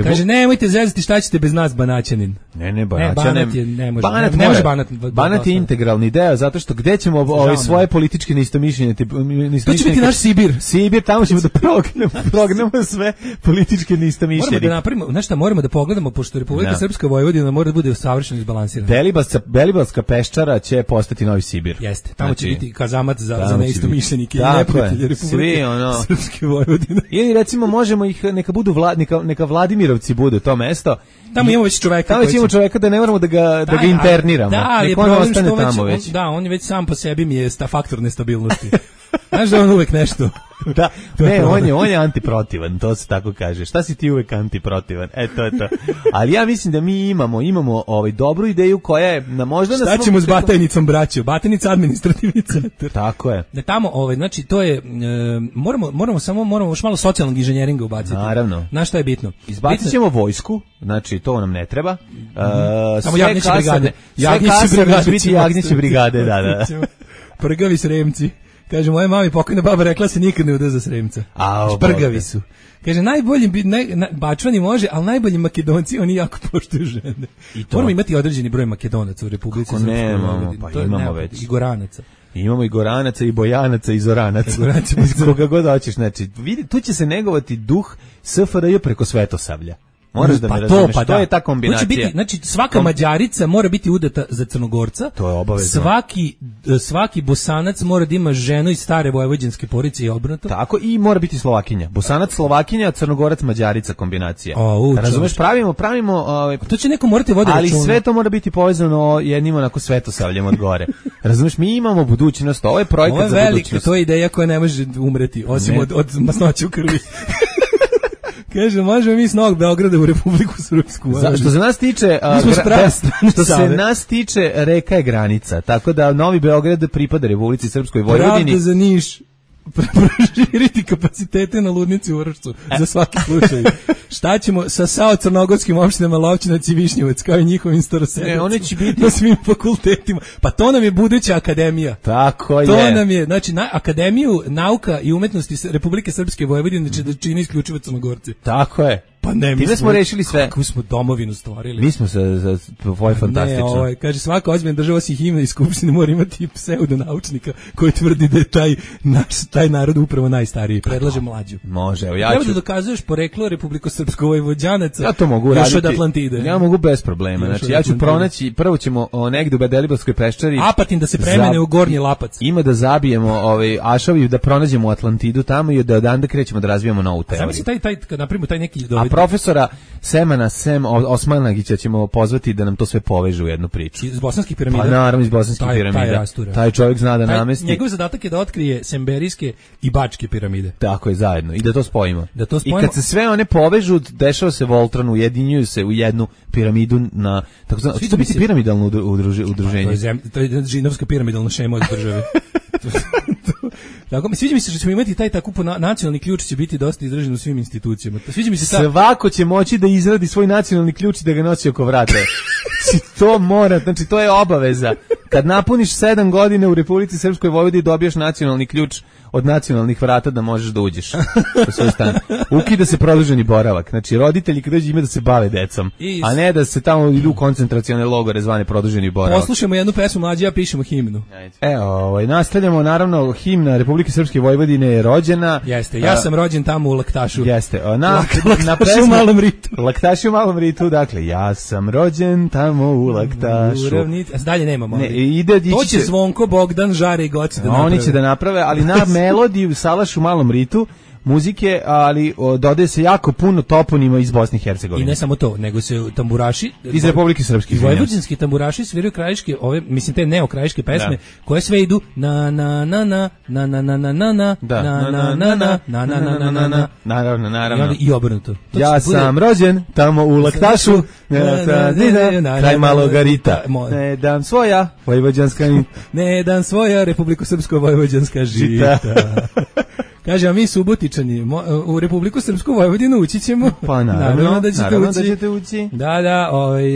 Kaže, nemojte zezati šta ćete bez nas, Banaćanin. Ne, Banaćanin. Banat je, ne može. Banat je integralni deo, zato što gde ćemo svoje političke neistomišljenje... To će biti naš Sibir. Sibir, tamo ćemo da prognemo sve političke neistomišljenike. Moramo da napravimo, znaš šta, moramo da pogledamo, pošto Republika Srpska Vojvodina mora da bude savršeno izbalansirana. Belibalska peščara će postati novi Sibir. Jeste, tamo će biti kazamat za neistomišljenike i neprijatelje Republike Srpske Vojvodine. Ili recimo možemo ih, neka Vladimirovci budu to mesto. Tamo imamo već čoveka. Tamo imamo čoveka da ne moramo da ga interniramo. Da, ali je problem što već, on je već sam po sebi mi je faktor nestabilnosti. Znaš da on uvek nešto. Da, ne, on je antiprotivan, to se tako kaže. Šta si ti uvek antiprotivan? To je to. Ali ja mislim da mi imamo dobru ideju koja je na možda... Šta ćemo s Batajnicom, braćo? Batajnica administrativni centar. Tako je. Da tamo, znači, to je, moramo još malo socijalnog inženjeringa ubaciti. Naravno. Znaš šta je bitno? Izbacit ćemo vojsku, znači to nam ne treba. Samo Jagnjeće brigade. Jagnjeće brigade, da. Prgavi Sremci. Kaže, moja mami pokojna baba rekla se nikad ne uda za Sremca. Prgavi su. Kaže, najbolji, Bačvani može, ali najbolji Makedonci, oni jako poštuju žene. Moramo imati određeni broj Makedonaca u Republici Srpskoj. Nemamo, pa imamo već. I Goranaca. Imamo i Goranaca, i Bojanaca, i Zoranaca. Koga god hoćeš, znači, vidi, tu će se negovati duh SFRJ preko Svetosavlja. Moraš da me razumeš, to je ta kombinacija. To će biti, znači svaka Mađarica mora biti udata za Crnogorca. To je obavezno. Svaki Bosanac mora da ima ženu iz stare vojvođanske porodice i obrnuto. Tako, i mora biti Slovakinja. Bosanac Slovakinja, Crnogorac Mađarica kombinacija. Razumeš, pravimo to će neko morati voditi računa. Ali sve to mora biti povezano jednim onako Svetosavljem od gore. Razumeš, mi imamo budućnost, ovo je projekat za budućnost. To je ideja koja ne može umreti, osim od masnoće u krvi. Kaže, možemo mi s Novog Beograda u Republiku Srpsku. Što se nas tiče, nas tiče, reka je granica, tako da Novi Beograd pripada Republici Srpskoj Vojvodini. Pravda za Niš. Proširiti kapacitete na ludnici u Vršcu za svaki slučaj. Šta ćemo sa crnogorskim opštinama Lovćinac i Višnjevac kao i njihovim staroseljacima? One će biti na svim fakultetima. Pa to nam je buduća akademija. Tako je. To nam je, znači Akademiju nauka i umetnosti Republike Srpske Vojvodine će da čini isključivo Crnogorci. Tako je. Pa ne, time smo rešili sve. Kako smo domovinu stvarili. Mi smo za tvoj fantastično. Ne, kaže, svaka ozbiljna država si himna iz Skupštine mora imati pseudonaučnika koji tvrdi da je taj narod upravo najstariji. Predlaže mlađu. Može, evo Treba da dokazuješ poreklo Republiko-Srpsko Vojvođanaca. Ja to mogu raditi. Još od Atlantide. Ja mogu bez problema. Znači, ja ću pronaći, prvo ćemo negde u Bedelibalskoj peščari. Apatin da se premene u Gornji Lapac. Ima da zabijemo Ašavi, da pronađemo Atlantidu tamo i da odande krećemo da razvijamo novu teoriju. Zamisli kad napravimo taj neki A profesora Semana Osmanagića ćemo pozvati da nam to sve poveže u jednu priču. Iz bosanskih piramida? Pa naravno iz bosanskih piramida. Taj čovjek zna da namesti. Njegov zadatak je da otkrije semberijske i bačke piramide. Tako je, zajedno. I da to spojimo. I kad se sve one povežu, dešava se Voltron, ujedinjuju se u jednu piramidu na... Će to biti piramidalno udruženje? To je žinovska piramidalna šema od države. Tako, sviđa mi se što ćemo imati taj tako nacionalni ključ će biti dosta izražen u svim institucijama. Sviđa mi se svako će moći da izradi svoj nacionalni ključ i da ga nosi oko vrata. To mora, znači to je obaveza. Kad napuniš 7 godina u Republici Srpskoj Vojvodini dobiješ nacionalni ključ od nacionalnih vrata da možeš da uđeš u svoj stan. Ukida se produženi boravak. Znači roditelji kad dođu ima da se bave decom, a ne da se tamo idu u koncentracione logore zvane produženi boravak. Poslušajmo jednu pesmu, mlađi, ja pišemo himnu. Nastavljamo, naravno, himna Republike Srpske Vojvodine je rođena. Jeste, ja sam rođen tamo u Laktašu. Jeste, Laktaši u Malom Ritu. Laktaši u Malom Ritu, dakle, ja sam rođen tamo u Laktašu. Dalje nemamo. To će Zvonko, Bogdan, Žare i Goci da naprave. Oni će da naprave, ali na melodiju Salaš u Malom Ritu muzike, ali dodaje se jako puno toponima iz Bosne i Hercegovine. I ne samo to, nego se tamburaši iz Republike Srpske, vojvođanski tamburaši sviraju krajiške, mislim te neokrajiške pesme koje sve idu na na na na na na na na na na na naravno i obrnuto. Ja sam rođen tamo u Laktašu, kraj Maloga Rita. Ne dam svoja vojvođanska ne dam svoja Republiko Srpsko vojvođanska žita. Kaže, a mi Subotičani u Republiku Srpsku Vojvodinu ući ćemo. Pa naravno da ćete ući. Da,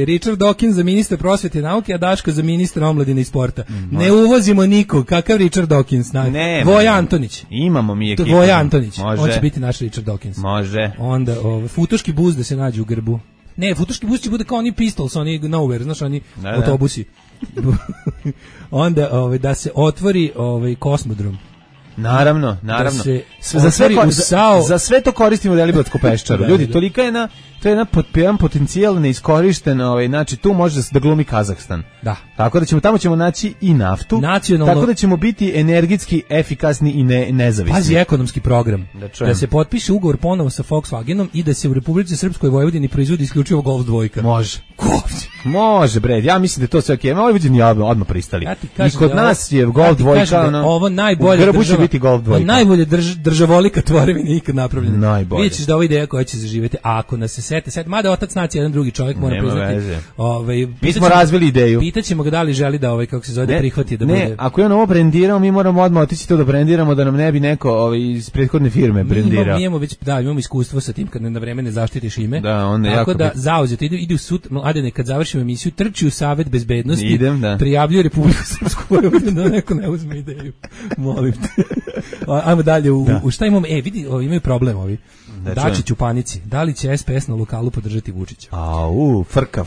Richard Dawkins za ministra prosvete i nauke, a Daško za ministra omladine i sporta. Ne uvozimo nikog, kakav Richard Dawkins? Voja Antonić. Imamo mi ekipu. Voja Antonić, može. On će biti naš Richard Dawkins. Može. Onda futoški bus da se nađe u grbu. Ne, futoški bus će bude kao oni Pistols, oni Nowhere, znaš, oni autobusi. Onda da se otvori kosmodrom. Naravno. Za sve to koristimo Delibatsku peščaru. Ljudi, tolika je to je jedan potencijal neiskorišten, znači tu može da glumi Kazahstan. Da. Tako da tamo ćemo naći i naftu. Nacionalno, tako da ćemo biti energetski efikasni i nezavisni. Pazi ekonomski program. Da se potpiše ugovor ponovo sa Volkswagenom i da se u Republici Srpskoj Vojvodini proizvodi isključivo Golf 2. Može. Može, bre. Ja mislim da je to sve okej. Vojvodini odmah pristali. I kod nas je Golf 2. Ovo najbolje najbolje državolika tvorevina ikad napravljena. Vidjet ćeš da ova ideja koja će zaživjeti, a ako nas se sete, mada otac nacije jedan drugi čovjek mora priznati. Mi smo razvili ideju. Pitaćemo ga da li želi da kako se zove da prihvati da bude. Ne, ako je on ovo brendirao, mi moramo odmah otići to da brendiramo, da nam ne bi neko iz prethodne firme brendirao. Imamo iskustvo sa tim kad na vreme ne zaštitiš ime. Da, onda tako da zauzeto ide u sud, Adene, kad završimo emisiju, trči u Savet bezbednosti, prijavljuje Republiku Srpsku Vojvodinu da neko ne uzme ideju. Molim te. Ajmo dalje u šta imamo? Vidi, imaju problem ovi. Dačić u panici. Da li će SPS na lokalu podržati Vučića? Frka.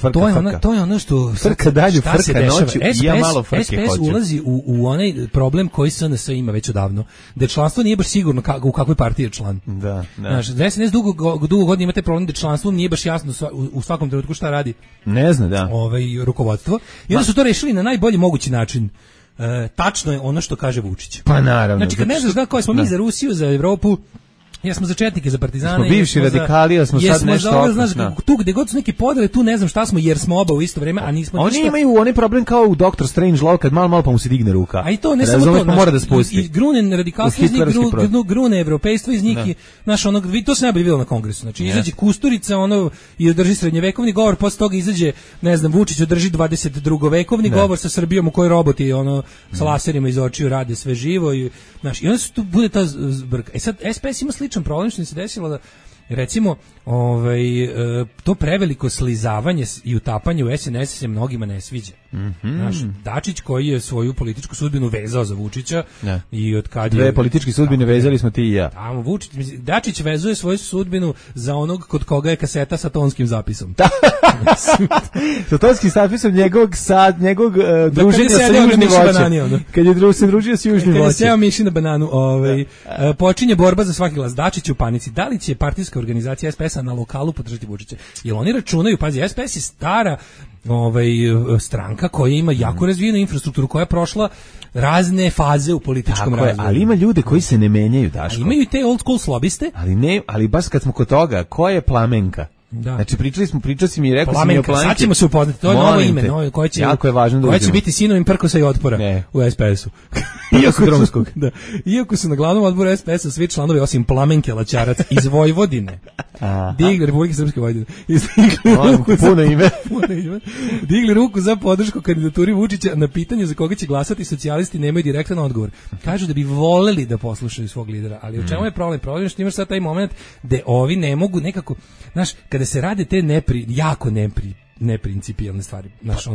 To je ono što frka dalje, frka noću. Ja malo frke hoću. SPS ulazi u onaj problem koji SNS ima već odavno. Da članstvo nije baš sigurno u kakvoj partiji je član. Da. Znaš, SNS dugo godina imate problem da članstvo nije baš jasno u svakom trenutku šta radi. Ne zna, da. Rukovodstvo. I onda su to rešili na najbolji mogući način. Tačno je ono što kaže Vučić. Pa naravno. Znači kad ne znaš koji smo mi za Rusiju, za Evropu, jesmo za četnike, za partizane. Smo bivši radikali, a smo sad nešto tu gde god su neke podele, tu ne znam šta smo, jer smo oba u isto vreme, a nismo ništa. Oni imaju onaj problem kao u Doctor Strange Law, kad malo pa mu se digne ruka. A i to ne samo to, pa mora da spusti. I grunen radikalstvo iz njih, grune evropejstvo iz njih, naš to se najbolje vidjelo na kongresu. Znači izađe Kusturica, i održi srednjevekovni govor, posle toga izađe, ne znam, Vučić održi 22-vekovni govor sa Srbijom u kojoj roboti sa laserima iz očiju rade sve živo i onda se tu bude ta zbrka. Sad SPS ima sličan problem što se desilo da recimo to preveliko slizavanje i utapanje u SNS se mnogima ne sviđa. Naš Dačić koji je svoju političku sudbinu vezao za Vučića i od kad dve političke sudbine vezali smo ti i ja. Dačić vezuje svoju sudbinu za onog kod koga je kaseta sa tonskim zapisom. Sa tonskim zapisom njegovog druženja sa južnim voćem. Kad je se družio sa južnim voćem. Kad je seo miši na bananu, počinje borba za svaki glas. Dačić u panici. Da li će partijska organizacija SPS-a na lokalu podržati Vučića? Jer oni računaju, pazi, SPS je stara stranka koja ima jako razvijenu infrastrukturu, koja je prošla razne faze u političkom razvoju. Ali ima ljude koji se ne menjaju, Daško. Imaju i te old school slobiste. Ali baš kad smo kod toga, ko je Plamenka? Da. Znači pričao si mi i rekao si mi o Plamenki. Sad ćemo se upoznati, to je novo ime, koje će, jako je važno da koje će biti sinovim Prkosa i Otpora u SPS-u. Iako su na glavnom odboru SPS-a svi članovi osim Plamenke Laćarac iz Vojvodine. Digli Republike Srpske Vojvodine. Puno ime. Digli ruku za podršku kandidaturi Vučića. Na pitanje za koga će glasati socijalisti nemaju direktan odgovor. Kažu da bi voleli da poslušaju svog lidera, ali u čemu je problem? Problem je što imaš sad taj moment gde ovi ne mogu nekako, znaš, kada se rade te neprincipijalne stvari. Znaš,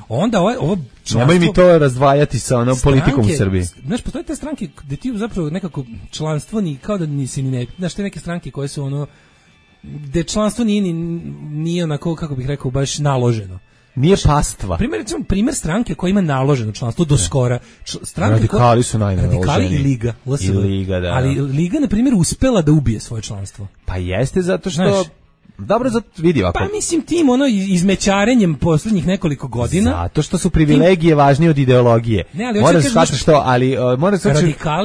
onda ovo članstvo... Nemoj mi to razdvajati sa politikom u Srbiji. Znaš, postoje te stranke gde ti zapravo nekako članstvo kao da nisi ni ne... Znaš, te neke stranke koje su gde članstvo nije onako, kako bih rekao, baš naloženo. Nije pastva. Primer stranke koja ima naloženo članstvo do skora. Radikali su najnaloženi. Radikali i Liga. I Liga, da. Ali Liga, na primjer, uspela da ubije svoje članstvo. Pa jeste, zato što... Dobro, vidi ovako. Pa mislim tim izmećarenjem posljednjih nekoliko godina. Zato što su privilegije važnije od ideologije. Ne, ali moraš shvatiti što, ali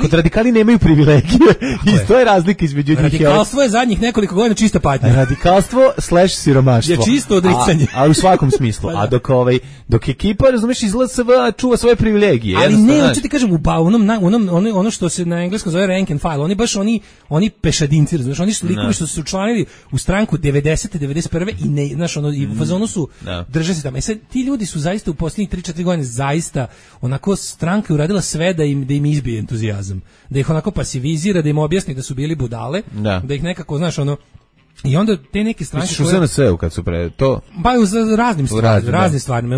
kod radikali nemaju privilegije. I to je razlika između njih. Radikalstvo je zadnjih nekoliko godina čista patnja. Radikalstvo / siromaštvo. Je čisto odricanje. A u svakom smislu. A dok ekipa, razumeš, iz LSV čuva svoje privilegije. Ali ne, hoću ti kažem, ono što se na engleskom zove rank and file, oni baš oni pešadinci, razumeš, oni su likovi što su učlanili u stranku 90 90. 91. i ne, znaš, ono, i u fazonu su drže se tamo. Sad, ti ljudi su zaista u posljednjih 3-4 godine zaista onako stranka uradila sve da im izbije entuzijazam. Da ih onako pasivizira, da im objasni da su bili budale, da ih nekako, znaš, ono, i onda te neke stranke misliš u SNS-u kad su to pa u raznim stvarima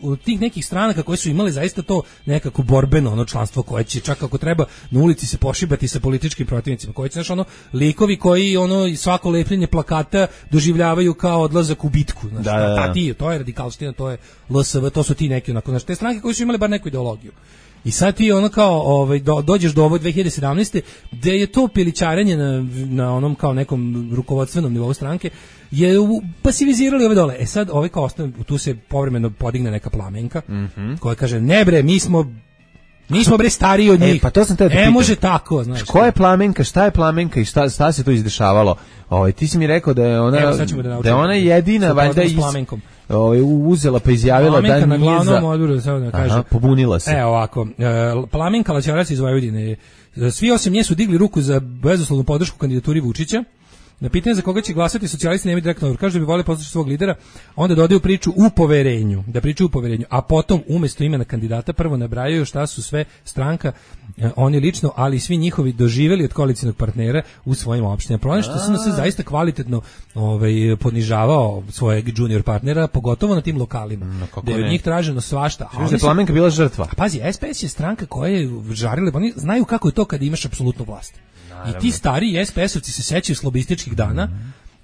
u tih nekih stranaka koje su imale zaista to nekako borbeno ono članstvo koje će čak ako treba na ulici se pošibati sa političkim protivnicima, koji će, znaš, ono, likovi koji ono svako lepljenje plakata doživljavaju kao odlazak u bitku, znaš, to je radikalština, to je LSV, to su ti neki onako, znaš, te stranke koje su imale bar neku ideologiju. I sad ti ono kao dođeš do ovo 2017. gde je to pilićarenje na onom kao nekom rukovodstvenom nivou stranke je pasivizirali ove dole. Sad ovaj kao ostane, tu se povremeno podigne neka Plamenka koja kaže ne bre, mi smo bre stariji od njih. Pa to sam te da pitam. Može tako, znaš. Ko je Plamenka, šta je Plamenka i šta se to izdešavalo? Ti si mi rekao da je ona da je ona jedina valjda uzela pa izjavila da nije na glavnom odboru, da kaže. Pobunila se. Ovako, Plamenka Laćarac iz Vojvodine. Svi osim nje su digli ruku za bezuslovnu podršku kandidaturi Vučića. Na pitanje za koga će glasati socijalisti nemaju direktno odgovor. Kaže da bi voleli poslušati svog lidera, onda dodaju priču u poverenju, a potom umjesto imena kandidata prvo nabrajaju šta su sve stranka, oni lično, ali i svi njihovi doživjeli od koalicijnog partnera u svojim opštinama. Problem što sam se zaista kvalitetno ponižavao svojeg junior partnera, pogotovo na tim lokalima, gde je od njih traženo svašta. A je Plamenka bila žrtva. Pazi, SPS je stranka koja je žarile, oni znaju kako je to kada imaš apsolutnu vlast. I ti stari SPS-ovci se sećaju slobističkih dana,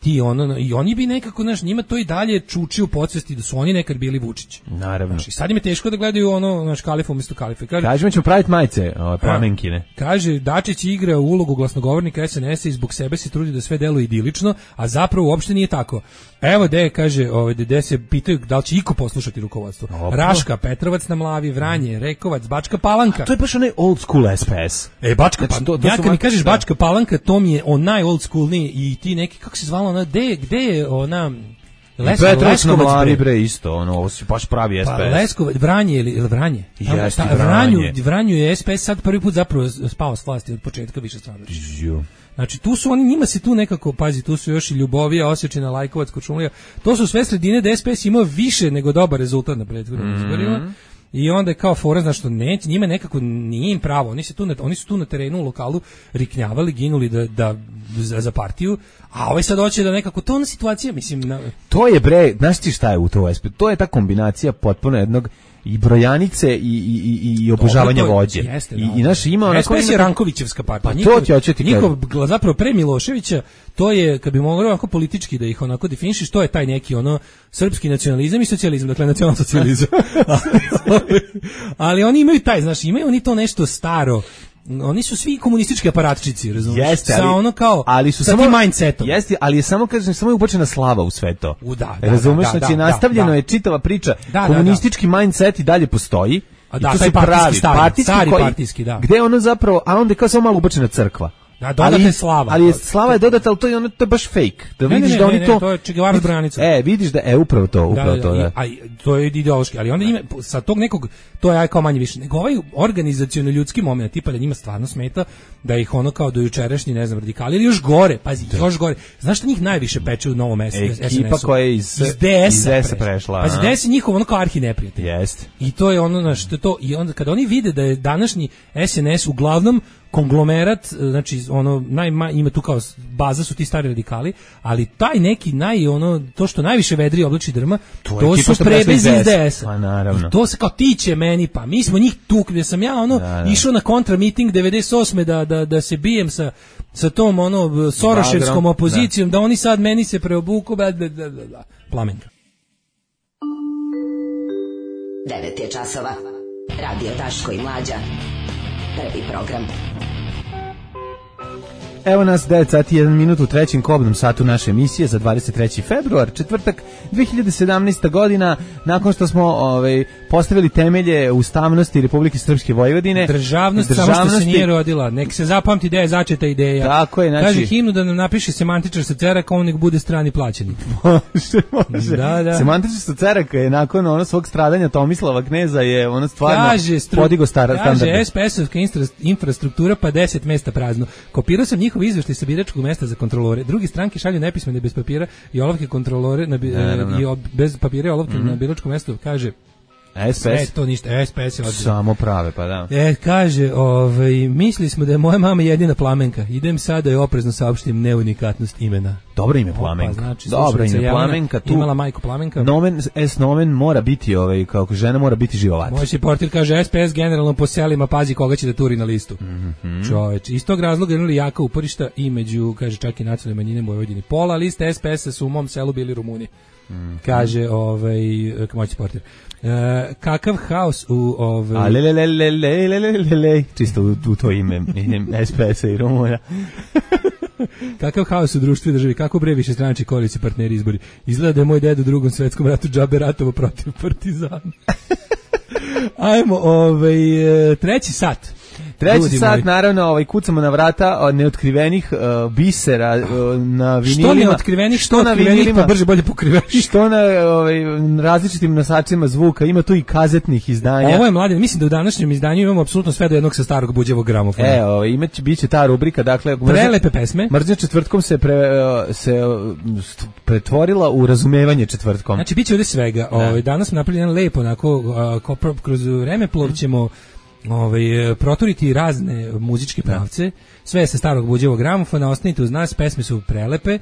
i oni bi nekako, znaš, njima to i dalje čuči u podsvesti da su oni nekad bili Vučić. Naravno. Znaš, i sad im je teško da gledaju naš Kalifa umjesto Kalife. Kažemo ćemo praviti majice, Plamenkine. Kaže, Dačić igra ulogu glasnogovornika SNS-a i zbog sebe se trudi da sve deluje idilično, a zapravo uopšte nije tako. Evo kaže, gde se pitaju da li će iko poslušati rukovodstvo. Raška, Petrovac na Mlavi, Vranje, Rekovac, Bačka Palanka. A to je baš onaj old school SPS. Bačka Palanka. Ja kad mi kažeš Bačka Palanka, to mi je onaj old schoolniji i ti neki, kako se zvala ona, gde je ona... Petrovac na Mlavi, bre, isto, ovo si baš pravi SPS. Pa Leskovac, Vranje ili Vranje? Jeste, Vranju je SPS sad prvi put zapravo spao s vlasti od početka više stranačka. Znači, tu su oni, njima se tu nekako, pazi, tu su još i Ljubovija, Osečina, Lajkovac, Kočumlija, to su sve sredine da SPS imao više nego dobar rezultat na prethodnim izborima. I onda je kao fora, znaš što neće, njima nekako nije im pravo, oni su tu na terenu u lokalu riknjavali, ginuli za partiju, a ovaj sad hoće da nekako, to je ona situacija, mislim... To je, bre, znaš ti šta je u to SP? To je ta kombinacija potpuno jednog i brojanice i obožavanja vođe. Jeste, I naš ima SPS je Rankovićevska partija. Pa to ću ti njihov zapravo pre Miloševića, to je, kad bi moglo onako politički da ih onako definišiš, to je taj neki srpski nacionalizam i socijalizam, dakle nacionalsocijalizam. Ali oni imaju taj, znaš, imaju oni to nešto staro. Oni su svi komunistički aparatčici, razumiješ? Jeste, ali su samo mindsetom. Jeste, ali je samo je ubačena slava u sve to. Razumiješ, znači nastavljeno je čitava priča. Komunistički mindset i dalje postoji. I to su stari partijski, da. Gde ono zapravo, a onda je kao samo malo ubačena crkva. Da, dodata je slava. Ali slava je dodata, ali to je baš fake. Da vidiš da oni to je Che Guevara s branicom. Vidiš da upravo to. A to je ideološki, ali onda ima sa tog nekog, to je kao manje više. Nego ovaj organizaciono ljudski moment, tipa da njima stvarno smeta da ih ono kao do jučerašnji, ne znam, radikali ili još gore, pazi, još gore. Znaš šta njih najviše peče u Novom SNS-u? Ekipa koja je iz DS-a prešla. Pazi, DS je njihov ono kao arhineprijatelj. Jeste. I to je ono što to, i onda kada oni vide da je današnji SNS uglavnom konglomerat, znači ima tu kao baza su ti stari radikali, ali taj neki to što najviše vedri oblači drma, to su prebezi iz DS-a. Pa naravno. To se kao tiče meni, pa mi smo njih tukli, gdje sam ja išao na kontra meeting 98. da se bijem sa tom soroševskom opozicijom, da oni sad meni se preobuku, Plamenka. 9 je časova. Radio Daško i Mlađa. Prvi program. Evo nas 9 sati 1 minut u trećem kobnom satu naše emisije za 23. februar, četvrtak 2017. godina, nakon što smo postavili temelje ustavnosti Republike Srpske Vojvodine. Državnost samo što se nije rodila, nek se zapamti da je začeta ideja. Tako je, znači... Kaže himnu da nam napiše semantičar sa Ceraka, on nek bude strani plaćenik. Može. Da. Semantičar sa Ceraka je nakon svog stradanja Tomislava Kneza je stvarno podigo standarde. Kaže SPS-ovska infrastruktura pa 10 mesta prazno. Kopirao sam njihov njihov izveštaj sa biračkog mesta za kontrolore. Drugi stranke šalju nepismene bez papira i olovke kontrolore bez papira i olovke na biračkom mestu, kaže SPS to ništa, SPS je samo prave, pa da. Kaže, mislili smo da je moja mama jedina Plamenka. Idem sada i oprezno saopštim neunikatnost imena. Dobro ime Plamenka. Znači, dobro ime Plamenka. Tu imala majku Plamenka. Nomen mora biti, kako žena mora biti živovat. Moj portir kaže SPS generalno po selima, pazi koga će da turi na listu. Čoveč, iz tog razloga imali jaka uporišta i među, kaže, čak i nacionalne manjine u Vojvodini. Pola liste SPS-a su u mom selu bili Rumuni. Kaže, moj portir. Kakav haos u čisto u to ime SPS-a i Rumuna. Kakav haos u društvu i državi, kako bre više stranački koalicijski partneri izbori. Izgleda da je moj ded u Drugom svetskom ratu džabe ratovo protiv partizana. Ajmo, treći sat. Treći sat, naravno, kucamo na vrata neotkrivenih bisera na vinilima. Što neotkrivenih, što na vinilima, pa brže bolje pokrivenih. Što na različitim nosačima zvuka, ima tu i kazetnih izdanja. Ovo je mladen, mislim da u današnjem izdanju imamo apsolutno sve do jednog sa starog buđevog gramofona. Biće ta rubrika, dakle... Prelepe pesme. Mržnja četvrtkom se pretvorila u razumevanje četvrtkom. Znači, bit će ovdje svega. Danas smo napravili jedan lepo, onako, kroz vremeplov ćemo proturiti razne muzičke pravce, sve sa starog buđevog gramofona, ostanite uz nas, pesme su prelepe,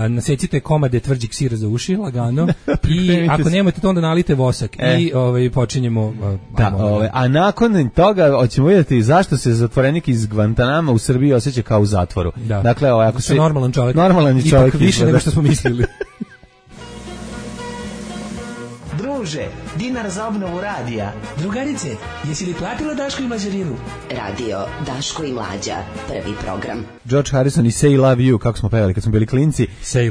nasecite komade tvrđeg sira za uši, lagano, i ako nemate to onda nalite vosak i počinjemo. A nakon toga hoćemo vidjeti zašto se zatvorenik iz Guantanama u Srbiji osjeća kao u zatvoru. Dakle, ako se normalan čovjek, ipak više nego što smo mislili. Druže, dinar za obnovu radija. Drugarice, jesi li platila Daško i Mlađarinu? Radio Daško i Mlađa, prvi program. George Harrison i Say Love You, kako smo pevali kad smo bili klinci. Say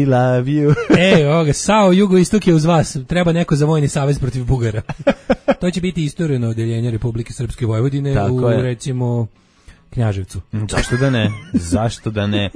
Love You. Sao Jugoistok je uz vas. Treba neko za vojni savez protiv Bugara. To će biti istorijno odeljenje Republike Srpske Vojvodine recimo Knjaževcu. Zašto da ne?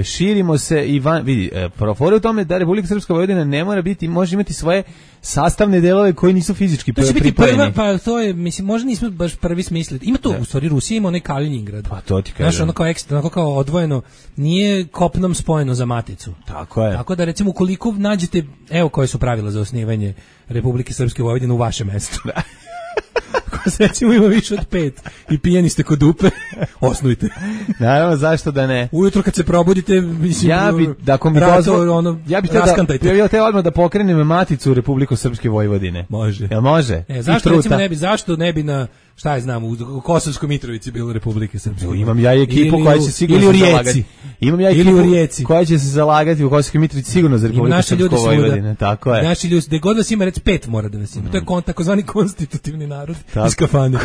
Širimo se i vidi, profore u tome da Republika Srpska Vojvodina ne mora biti, može imati svoje sastavne delove koji nisu fizički pripojeni. To će biti prva, pa to je, mislim, možda nismo baš prvi smislili. Ima to, u stvari, Rusija ima onaj Kaliningrad. Pa to ti kažem. Znaš, ono kao ekstra, onako kao odvojeno, nije kopnom spojeno za maticu. Tako je. Tako da, recimo, ukoliko nađete, evo koje su pravila za osnivanje Republike Srpske Vojvodine u vašem mestu. Ako se recimo ima više od 5 i pijeni ste kod dupe, osnujte. Naravno, zašto da ne? Ujutro kad se probudite, mislim, ja bih te odmah da pokrenem maticu u Republiku Srpske Vojvodine. Može. Jel može? Zašto ne bi na, šta je znam, u Kosovskoj Mitrovici bilo Republike Srpske? Imam ja ekipu koja će sigurno se zalagati. Imam ja ekipu koja će se zalagati u Kosovskoj Mitrovici sigurno za Republiku Srpsku Vojvodine. Tako je. Naši ljudi, gde god vas ima, rec 5 mora da vas ima. To je takozvani konstitutivni narod iz kafane.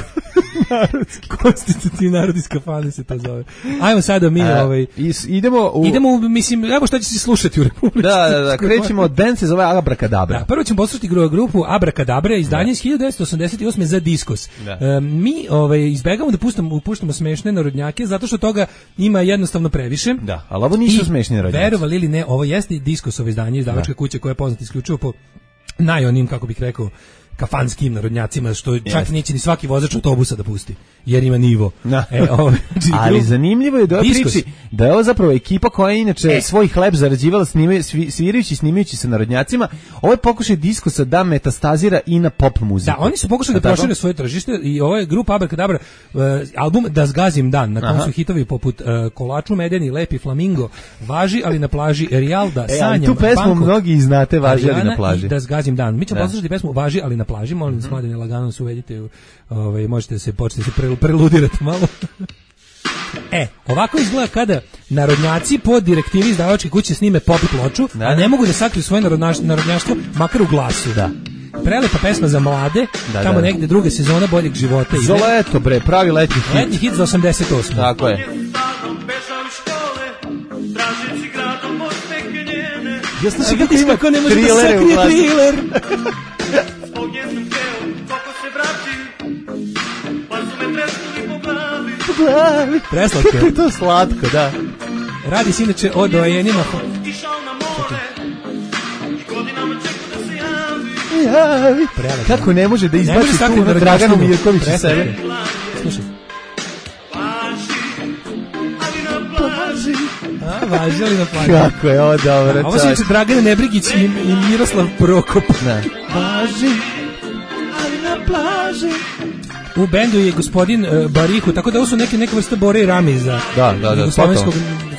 Konstitutivni narod iz kafane se to zove. Ajmo sada mi idemo, mislim, evo šta će se slušati u Republici. Da, krećemo od band se zove Abrakadabra. Da, prvo ćemo poslušati grupu Abrakadabra, izdanje iz 1988 za Diskos. Mi izbegamo da puštamo smešne narodnjake zato što toga ima jednostavno previše. Da, ali ovo nisu smešni narodnjaci. Verovali ili ne, ovo jeste Diskosovo izdanje, izdavačka kuća koja je poznata isključivo po najonim, kako bih rekao, kafanskim narodnjacima, što čak neće ni svaki vozač autobusa da pusti, jer ima nivo. Ali zanimljivo je da priči da je ovo zapravo ekipa koja je inače svoj hleb zarađivala svirajući i snimajući se narodnjacima. Ovo je pokušaj Diskosa da metastazira i na pop muziku. Da, oni su pokušali da prošire svoje tržište i ovo je grupa Abrakadabra, album Da zgazim dan, na kom su hitovi poput Kolaču medeni, Lepi flamingo, Važi ali na plaži, Rijalda, Sanjam, tu pesmu mnogi znate, Važi ali na plaži. I Da zgazim dan. Mi ćemo poslušati pesmu Važi ali na plaži, molim vas, mladine, lagano se uvedite, možete se početi preludirati malo. Ovako izgleda kada narodnjaci po direktivi izdavačke kuće snime pop ploču, a ne mogu da sakriju svoje narodnjaštvo, makar u glasu. Da. Prelepa pesma za mlade, tamo negde druga sezona Boljeg života ide. Za leto, bre, pravi letnji hit. Letnji hit za 88. Tako je. Ja slušaj kako ima trilere u glasu. Preslatko. Kako je to slatko, da. Radi se inače o dojenima. Kako ne može da izbaci tu na Draganu Mirkoviću sebe. Slušaj. Važi li na plaži? Kako je ovo dobro. Ovo su inače Dragana Nebrigić i Miroslav Prokop. Važi, ali na plaži. U bendu je gospodin Barihu, tako da ovo su neke vrste Bore i Ramiza. Da. Jugoslovenskog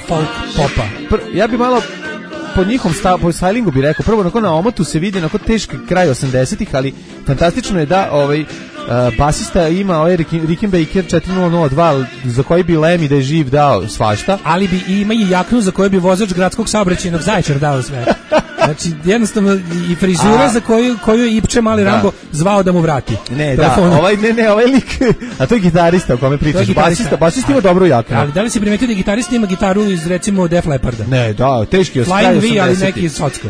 folk popa. Ja bi malo po njihom po stylingu bi rekao, prvo onako na omotu se vidi onako teški kraj 80-ih, ali fantastično je da basista ima Rickenbacker 4002 za koji bi Lemmy da je živ dao svašta. Ali ima i jaknu za koju bi vozač gradskog saobraćajnog Zaječar dao sve. Znači, jednostavno i frizura za koju je Ipče Mali Rambo zvao da mu vrati. Ovaj lik, a to je gitarista o kome pričaš, basista ima dobru jaknu. Ali da li si primetio da gitarista ima gitaru iz recimo Def Lepparda? Ne, da, teški je Flying V, ali neki Socko.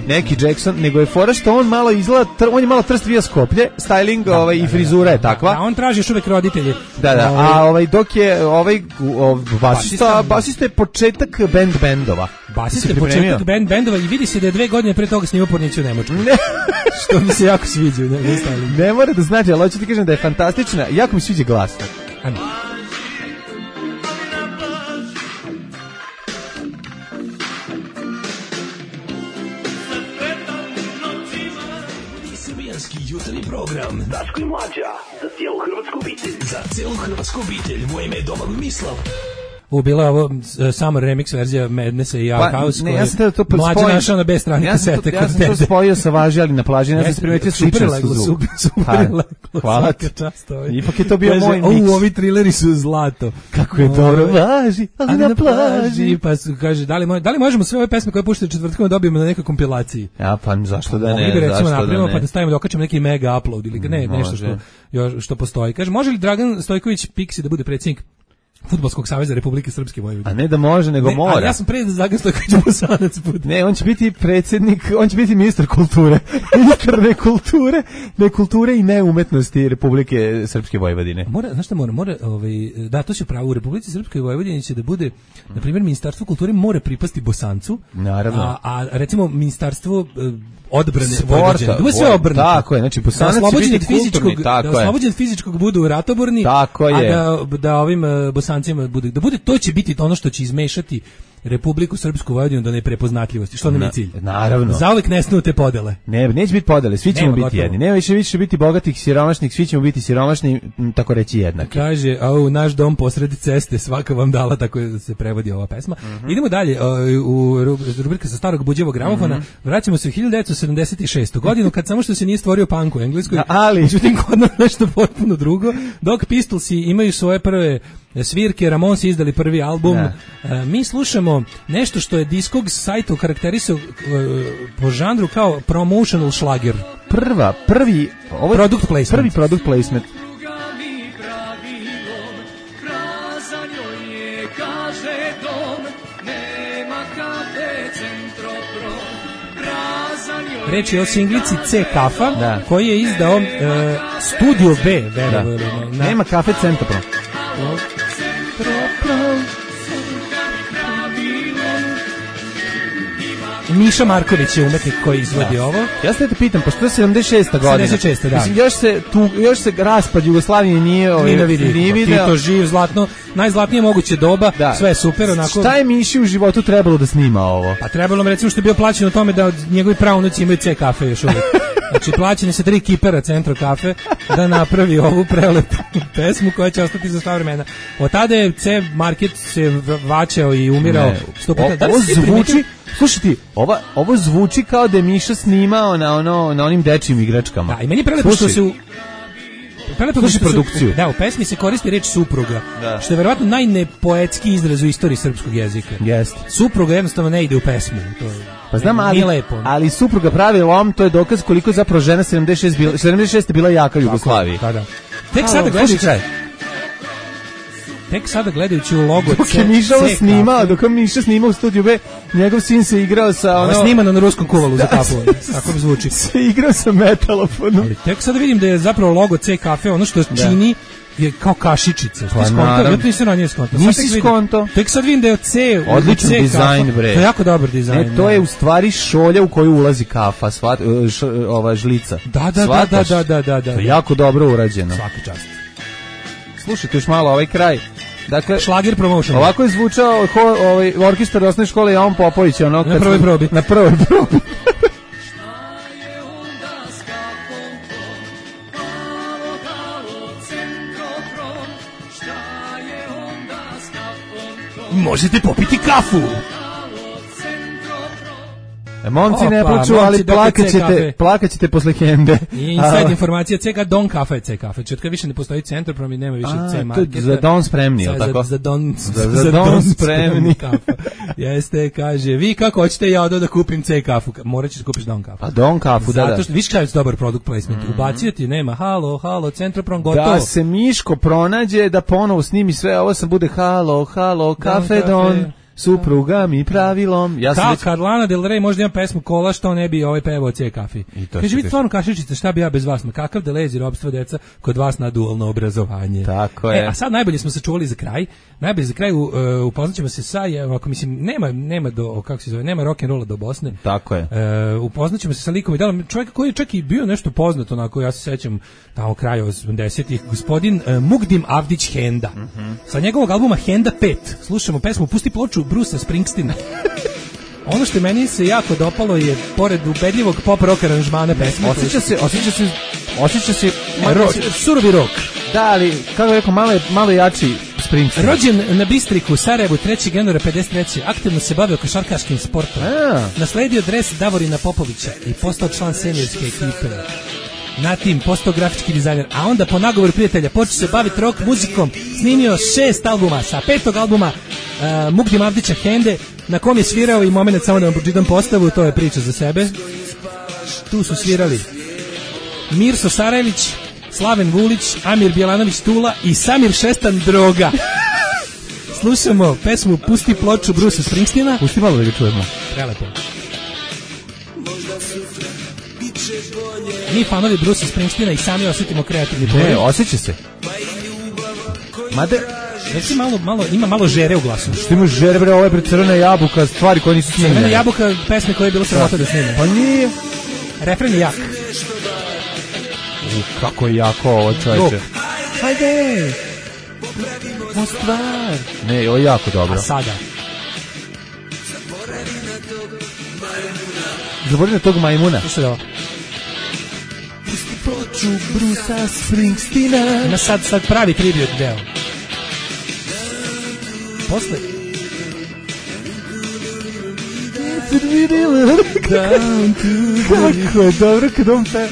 Neki Jackson, nego je fora što on malo izgleda, on je malo trst vija Skoplje, styling i frizura je takva. Da, on traži još uvek roditelje. Da, a dok je basista je početak bendova. Basista je početak bendova i vidi se da je 2 godine pre toga snimao Porniću u Nemačku. Što mi se jako sviđa. Ne mora da znači, ali hoću ti kažem da je fantastična, jako mi sviđa glas. Ajme. Jutarnji program Daško i Mlađa za cijelu hrvatsku obitelj. Za cijelu hrvatsku obitelj. Moje ime je Domagoj Mislav. Bila je ovo Summer remix verzija Madnessa i Our House. Ja sam to Mlađa našao na B strani kasete. Ja sam to spojio sa Važi, ali na plaži. Ja sam primetio sličnost u zvuk. Super leglo. Hvala ti. Ipak je to bio moj miks. Ovi trileri su zlato. Kako je dobro. Važi, ali na plaži. Pa kaže, da li možemo sve ove pesme koje puštaju četvrtkom dobijemo na nekoj kompilaciji? Ja, pa zašto da ne? Recimo napravimo pa da stavimo da okačimo neki mega upload ili nešto što postoji. Kaže, može li Dragan Stojković Piksi da bude predsjednik Fudbalskog saveza Republike Srpske Vojvodine? A ne da može, nego mora. Ali ja sam pre da Dragan Stojković Bosanac bude. Ne, on će biti predsjednik, on će biti ministar kulture. Ministar nekulture i neumetnosti Republike Srpske Vojvodine. Znaš šta mora, da, to će pravo u Republici Srpskoj Vojvodini će da bude, na primjer, Ministarstvo kulture mora pripasti Bosancu. Naravno. A recimo Ministarstvo odbrane Vojvodine. Da sve obrnuto. Tako je, znači Bosanac će biti kulturni, tako je. Da oslobođen fizičkog budu ratoborni, tako je. A da ovim Bosancima bude, to će biti ono što će izmešati Republiku Srpsku Vojvodinu do neprepoznatljivosti, što nam je cilj. Naravno. Zauvek nestanu te podele. Neće biti podele, svi ćemo biti jedni. Nema više biti bogatih, siromašnih, svi ćemo biti siromašni, tako reći jednaki. Kaže, naš dom posred ceste, svaka vam dala, tako se prevodi ova pesma. Idemo dalje, u rubrika sa starog buđevog gramofona, vraćamo se u 1976. godinu, kad samo što se nije stvorio punk u Engleskoj, ali međutim kod nas nešto potpuno drugo, dok Pistolsi imaju svoje prve svirke, Ramonsi izdali prvi album, mi slušamo nešto što je Discog sajtu karakterisao po žanru kao promotional šlager. Prvi product placement. Prvi product placement. Reč je o singlici C Kafa, koji je izdao Studio B. Nema Kafe Centropro. Miša Marković je umetnik koji izvodi ovo. Ja se te pitam, pošto je 76. godina. 76. da. Mislim, još se raspad Jugoslavije nije vidio. Tito živ, zlatno, najzlatnije moguće doba, sve je super. Onako. Šta je Miši u životu trebalo da snima ovo? Pa trebalo mi recimo što je bio plaćen o tome da njegovi praunuci imaju C kafe još uvijek. Znači plaćeni se 3 kipera Centro kafe da napravi ovu prelepu pesmu koja će ostati za sva vremena. Od tada je C market se vaćao i umirao. Ovo zvuči, slušaj ti, ovo zvuči kao da je Miša snimao na onim dečjim igračkama. Da, i meni je prelepo što se slušaj produkciju. Da, u pesmi se koristi reč supruga, što je verovatno najnepoetski izraz u istoriji srpskog jezika. Jeste. Supruga jednostavno ne ide u pesmu. Pa znam, ali supruga pravi lom, to je dokaz koliko zapravo žena 76 bila jaka u Jugoslaviji. Da. Tek sada gledajući u logo dok je Miša snimao u studiju B, njegov sin se igrao sa ono snimano na ruskom kuvalu za kafu, tako bi zvuči. Se igrao sa metalofonom. Ali tek sada vidim da je zapravo logo C kafe, ono što čini je kao kašičice. Ja to nisam na njej skonto. Nisi skonto. Tek sad vidim da je C. Odličan dizajn, bre. To je jako dobar dizajn. To je u stvari šolja u koju ulazi kafa, ova žlica. Da. To je jako dobro urađeno. Svaka čast. Slušajte još malo ovaj kraj. Dakle, Šlager promotion. Ovako je zvučao orkestar osnovne škole Jovan Popović, ono na prvoj probi. Na prvoj probi. Možete popiti kafu. Momci ne plaču, ali plakaćete posle Hende. I inside informacija, CK Don kafe je C kafe. Četka više ne postoji Centroprom i nema više C marketa. Za Don spremni, je li tako? Za Don spremni kafa. Jeste, kaže, vi kako hoćete, ja odo da kupim C kafu. Morat ćeš da kupiš Don kafu. A Don kafu, da. Zato što, viš kada je dobar product placement. Ubacio ti, nema, halo, Centroprom, gotovo. Da se Miško pronađe, da ponovo snimi sve, ovo sam bude halo, kafe Don. Supruga mi pravilom. Ja sam Carlana Del Rey možda ima pesmu Kola, što ne bi pevao C kafi. Kaže, vi stvarno kašičice, šta bi ja bez vas? Ma kakav delezi robstvo, deca, kod vas na dualno obrazovanje. Tako je. A sad najbolje smo sačuvali za kraj. Najbolje za kraj upoznaćemo se sa, ako mislim, nema do, kako se zove, nema rock'n'rolla do Bosne. Tako je. Upoznaćemo se sa likom i delom čovjeka koji je čak i bio nešto poznato, onako, ja se sećam tamo kraju 80-ih, gospodin Mugdim Avdić Henda. Sa njegovog albuma Henda 5 slušamo pesmu Pusti ploču Brusa Springsteena. Ono što meni se jako dopalo je, pored ubedljivog pop rock aranžmana pesme, osjeća se surovi rock. Da, ali kako rekao, malo jači Springsteen. Rođen na Bistriku, Sarajevu, 3. januara 53. Aktivno se bavio košarkaškim sportom. Nasledio dres Davorina Popovića i postao član seniorske ekipe. Na tim postao grafički dizajner, a onda po nagovoru prijatelja počeo se baviti rock muzikom, snimio 6 albuma, sa 5. albuma Mugdim Avdića Hende, na kom je svirao i moment samo da vam pročitam postavu, to je priča za sebe. Tu su svirali Mirso Sarajlić, Slaven Vulić, Amir Bjelanović Tula i Samir Šestan Droga. Slušamo pesmu Pusti ploču Brusa Springsteena. Pusti malo da ga čujemo. Prelepo. Mi fanovi Brusa Springsteena i sami osjetimo kreativni poriv. Ne, osjeća se. Mada, reci ima malo žere u glasu. Što ima žere, bre, ovo je pred Crvena jabuka, stvari koje nisu snimljene. Crvena jabuka, pesme koje je bilo sramota da snime. Pa nije. Refren je jak. Kako je jako ovo, čovječe. Hajde! Mo stvar. Ne, ovo je jako dobro. A sada? Zaboravim na tog majmuna. Slušaj ovo. Pusti ploču Brusa Springsteena. Ima sad pravi tribut deo. Posle. Kako je dobro kad on pe...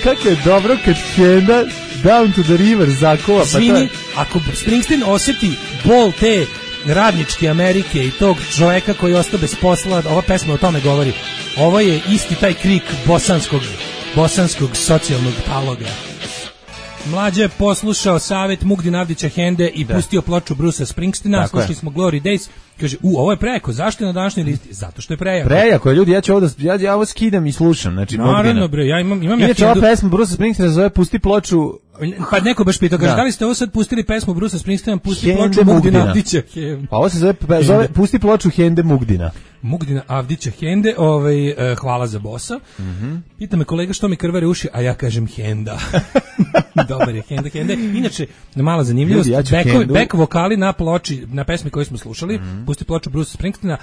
Kako je dobro kad Henda Down to the River zakova. Svini, ako Springsteen osjeti bol te radničke Amerike i tog čoveka koji je ostao bez posla, ova pesma o tome govori. Ovo je isti taj krik bosanskog socijalnog taloga. Mlađe je poslušao savjet Mugdin Avdića Hende i pustio ploču Brusa Springsteena. Slušali smo Glory Days. Kaže, ovo je prejako. Zašto je na današnjoj listi? Zato što je prejako. Prejako je, ljudi, ja ovo skidam i slušam. Znači, naravno, bre, ja imam inače, ova pesma Brusa Springsteena zove Pusti ploču. Pa neko baš pitao, kaže, da li ste ovo sad pustili pesmu Brusa Springsteena, Pusti ploču Mugdina Avdića Hende? Pa ovo se zove Pusti ploču Hende Mugdina. Mugdina Avdića Hende, hvala za bossa. Pita me kolega što mi krvare uši, a ja kažem Henda. Dobar je, Henda. Inače, mala zanimljivost, back vokali na ploči, na pesmi koju smo slušali, Pusti ploču Brusa Springsteena,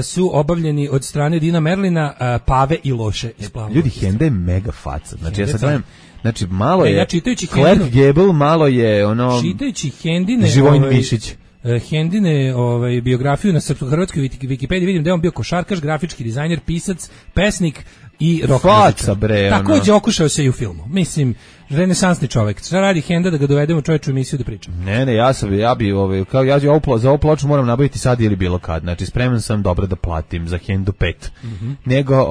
su obavljeni od strane Dina Merlina, Pave i Loše. Ljudi, Henda je mega faca. Znači, ja sad gledam, znači, malo je Clark Gable, malo je ono... Čitajući Hendine... Živojin Mišić. Hendine biografiju na srpsko-hrvatskoj Wikipediji vidim da je on bio košarkaš, grafički dizajner, pisac, pesnik i rock muzičar. Takođe okušao se i u filmu. Mislim, renesansni čovjek. Šta radi Henda da ga dovedemo čovječu emisiju da pričam? Ne, ja bi za ovu ploču moram nabaviti sad ili bilo kad. Znači, spreman sam dobro da platim za Hendu 5. Nego,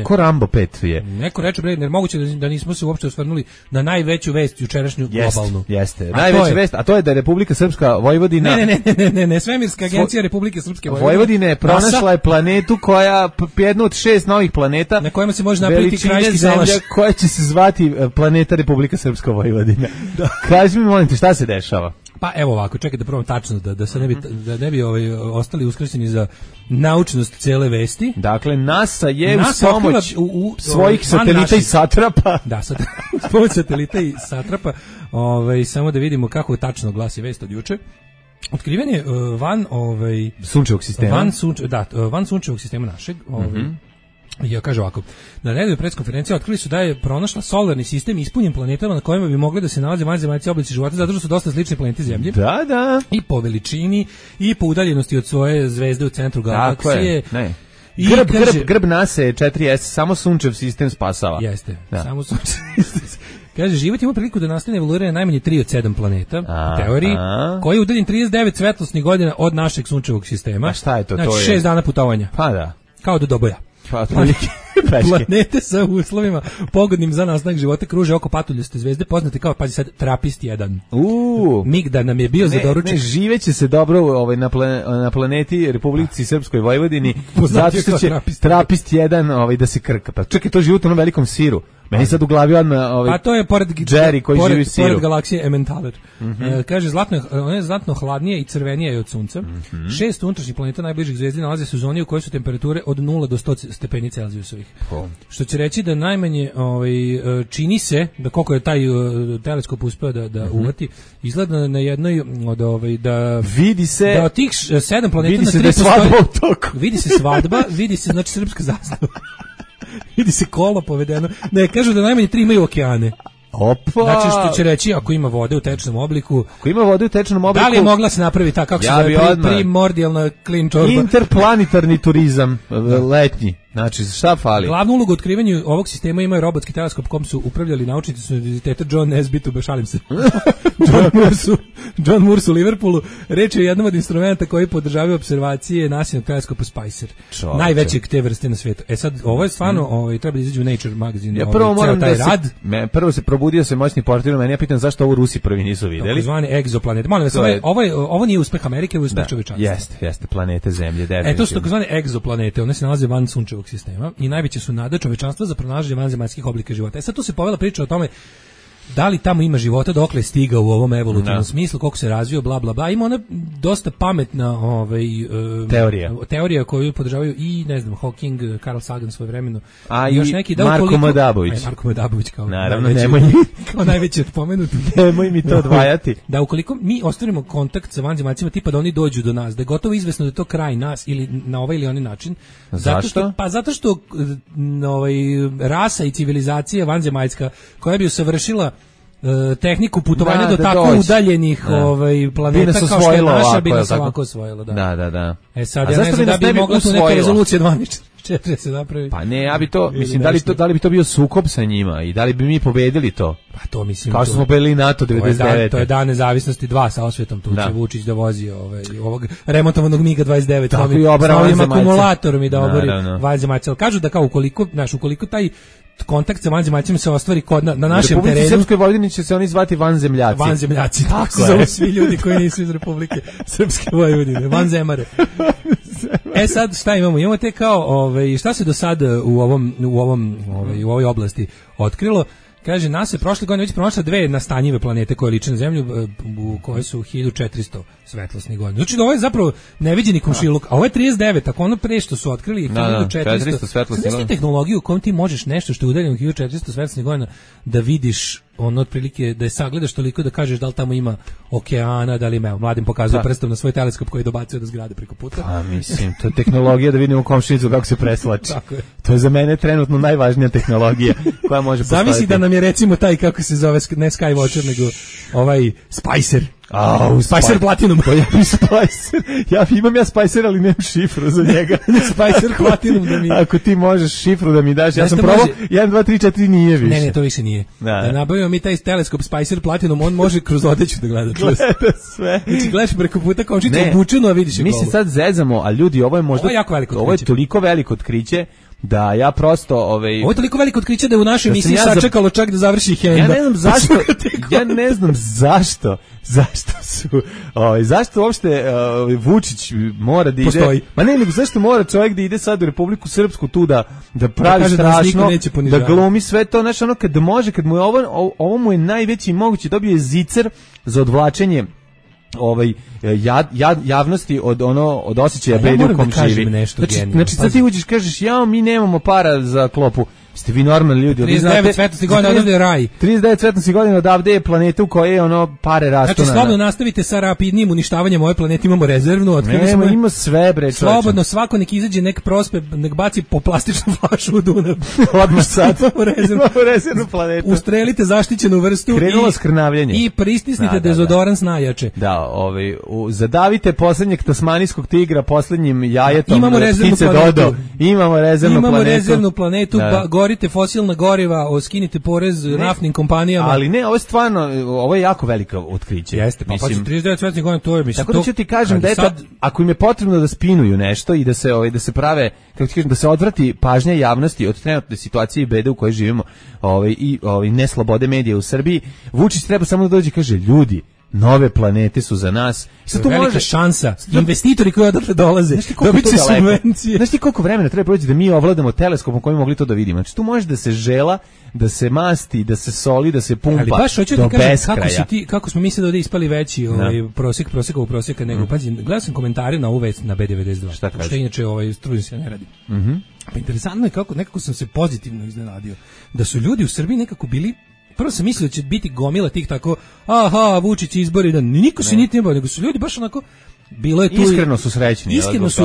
ko Rambo 5 je. Neko reče, bre, moguće da nismo se uopšte osvrnuli na najveću vest jučerašnju globalnu. Jeste. Najveća vest, a to je da je Republika Srpska Vojvodina... Ne, Svemirska agencija Republike Srpske Vojvodine pronašla je planetu koja, jednu od 6 novih planeta, na kojima se može napraviti krajiški salaš, koja će se zvati planeta Republika Srpska Vojvodina. Kaži mi, molim te, šta se dešava? Pa evo ovako, čekaj da probam tačno da se ne bi ostali uskraćeni za naučnost cele vesti. Dakle, NASA je uz pomoć svojih satelita i satrapa. Da, uz pomoć satelita i satrapa. Samo da vidimo kako tačno glasi vest od juče. Otkriven je van sunčevog sistema. Van sunčevog sistema našeg. Ja kažem ovako, na redovnoj preskonferenciji otkrili su da je pronašla solarni sistem ispunjen planetama na kojima bi mogli da se nalaze vanzemaljski oblici života, zato što su dosta slični planeti Zemlji. Da. I po veličini, i po udaljenosti od svoje zvezde u centru galaksije. Tako je, Grb NASA je 4S, samo sunčev sistem spasava. Jeste, samo sunčev sistem. Kaže, život ima priliku da nastane evoluiranje najmanje 3 od 7 planeta, u teoriji, koji je udaljen 39 svetlosnih godina od našeg sunčevog sistema. A šta je to? Znači, to je 6 dana putovanja. Pa da. Kao do Doboja. Planete sa uslovima pogodnim za nastanak života kruže oko patuljaste zvezde poznate kao, pazi sad, Trapist 1. Migda nam je bio za doručak. Ne, živeće se dobro na planeti Republici Srpskoj Vojvodini, zato što će Trapist 1 da se krka. Pa čekaj, to život u onom velikom siru. Meni sad u glavi odmah a to je pored Jerry koji živi u siru. Pored galaksije Emmentaler. Kaže, ona je znatno hladnije i crvenije je od Sunca. 6 unutrašnjih planeta najbližih zvezdi nalaze se u zoni u kojoj su temperature od 0 do 100 stepeni Celzijusovih. Što će reći da najmanje čini se, da koliko je taj teleskop uspeo da uvati, izgleda na jednoj od da vidi se da od tih 7 planeta vidi na 3 postoji. Vidi se svadba, vidi se znači srpska zastava. Vidi se kolo povedeno. Ne, kažu da najmanje 3 imaju okeane. Opa. Znači što će reći ako ima vode u tečnom obliku. Ako ima vode u tečnom obliku. Da li je mogla se napraviti tako kako se zove primordijalna clean čorba? Interplanitarni turizam letnji. Znači, šta fali? Glavnu ulogu u otkrivanju ovog sistema imaju robotski teleskop kom su upravljali naučnici s univerziteta John Nesbitt, šalim se. John Moores u Liverpoolu. Reč je o jednom od instrumenta koji podržavaju observacije nasilnog teleskopa Spicer. Najvećeg te vrste na svijetu. Sad, ovo je stvarno, treba da izađe u Nature magazine. Ja prvo moram prvo se probudio se moćni portir, meni ja pitam zašto ovo Rusi prvi nisu videli. Zvani egzoplanet. Molim vas, ovo nije uspeh Amerike, ovo je uspeh čovječanstva. Jeste, planete Zemlje, definitivno. To su takozvane egzoplanete, one se nalaze van sunčevog sistema i najveće su nada čovečanstva za pronalaženje vanzemaljskih oblika života. Sad tu se povela priča o tome da li tamo ima života, dokle je stigao u ovom evolutivnom smislu, koliko se razvio, bla bla bla. Ima ona dosta pametna teorija koju podržavaju i ne znam Hawking, Carl Sagan svojevremeno. A i još neki Marko Madabović. Marko Madabović kao naravno, nemoj mi kao najveći od pomenutih. Nemoj mi to odvajati. Da ukoliko mi ostvarimo kontakt sa vanzemaljcima tipa da oni dođu do nas, da je gotovo izvesno da je to kraj nas ili na ovaj ili onaj način. Zašto? Zato što rasa i civilizacija vanzemaljska koja bi usavršila tehniku putovanja do tako udaljenih planeta kao što je naša bi nas ovako osvojila. Da. Sad ja ne znam da bi mogla tu neka rezolucija 12.4 se napravi. Pa ne, ja bi to, mislim, da li bi to bio sukob sa njima i da li bi mi pobedili to? Pa to mislim. Kao što smo pobedili NATO 99. To je dan nezavisnosti 2 sa osvetom, tu će Vučić da vozi ovog remontovanog MiG 29 tako i obara ovim akumulatorom i da obori vanzemaljce. Kažu da kao ukoliko taj kontakt sa vanzemaljcima se ostvari na našem terenu. U Srpskoj Vojvodini će se oni zvati vanzemljaci. Vanzemljaci, tako se zove svi ljudi koji nisu iz Republike Srpske Vojvodine, vanzemare. Sad šta imamo? Imamo te kao, šta se do sada u ovoj oblasti otkrilo? Kaže, nas je prošle godine već pronašla 2 nastanjive planete koje liče na Zemlju, u koje su 1400 svetlosnih godina. Znači da ovo je zapravo neviđeni komšiluk, a ovo je 39, ako ono pre što su otkrili je 1400 svetlosnih godina. Tehnologiju u kojom ti možeš nešto što je udaljeno 1400 svetlosnih godina da vidiš ono otprilike, da je sagledaš toliko da kažeš da li tamo ima okeana, da li ima, mladim pokazuje prstom na svoj teleskop koji dobacuje do zgrade preko puta. A mislim, to je tehnologija da vidimo komšinicu kako se preslači. To je za mene trenutno najvažnija tehnologija koja može postaviti. Zamisli da nam je recimo taj, kako se zove, ne Skywatcher, nego ovaj Spicer. Spicer Platinum. Imam ja Spicer, ali nemam šifru za njega. Spicer Platinum da mi... Ako ti možeš šifru da mi daš, ja sam probao 1, 2, 3, 4 nije više. Ne, to više nije. Da nabavimo mi taj teleskop Spicer Platinum, on može kroz odeću da gleda. Gleda sve. Znači gledaš preko puta komšicu obučeno, a vidiš je golo. Mi se sad zezamo, a ljudi, ovo je možda... Ovo je toliko veliko otkriće da ja prosto Ovo je toliko veliko otkriće da je u našoj emisiji sačekalo čak da završi Henda. Ja ne znam zašto zašto uopšte Vučić mora da ide. Postoji. Ma ne, nego zašto mora čovjek da ide sad u Republiku Srpsku tu da pravi strašno, da glumi sve to, znači ono kad mu je ovo mu je najveći mogući, dobio je zicer za odvlačenje javnosti od osjećaja bede u kom živi. Znači sad ti uđeš kažeš mi nemamo para za klopu. Ste vi normalni ljudi, 39 svetlosti godina odavde je raj. 39 svetlosti godina odavde je planeta u kojoj pare rastu. Znači slobodno nastavite sa rapidnim uništavanjem ove planete, imamo rezervnu, ima sve bre čoveče. Slobodno svako nek izađe, nek prospe, nek baci po plastičnu flašu u Dunav. Odmah sad. Rezervnu planetu. Ustrelite zaštićenu vrstu. Krenulo skrnavljenje. I pristisnite dezodorans najjače. Da, zadavite poslednjeg tasmanijskog tigra poslednjim jajetom. Imamo rezervnu planetu. Imamo rezervnu planetu. Gorite fosilna goriva, skinite porez naftnim kompanijama. Ali ne, ovo je stvarno, ovo je jako velika otkriće. Jeste, pa 39 svetlosti godina, to je, mislim. Tako da ću ti kažem da ako im je potrebno da spinuju nešto i da se prave, kako ti kažem, da se odvrati pažnja javnosti od trenutne situacije i bede u kojoj živimo, i neslobode medija u Srbiji, Vučić treba samo da dođe i kaže, ljudi, nove planete su za nas. To je velika šansa. Investitori koji odatle dolaze, dobit će subvencije. Znaš ti koliko vremena treba proći da mi ovladamo teleskopom kojim mogli to da vidimo? Znači tu može da se žela, da se masti, da se soli, da se pumpa. Ali baš hoću da kažem kako smo mislili da ovdje ispali veći prosjeka nego. Pazi, gledao sam komentare na ovu vest na B92. Šta kaže? Što inače stručni se ne radi. Pa interesantno je nekako sam se pozitivno iznenadio. Da su ljudi u Srbiji nekako bili. Prvo sam mislio da će biti gomila tih tako, Vučić izbori, da niko se niti ne bavio, nego su ljudi baš onako, bilo je tu... Iskreno su srećni.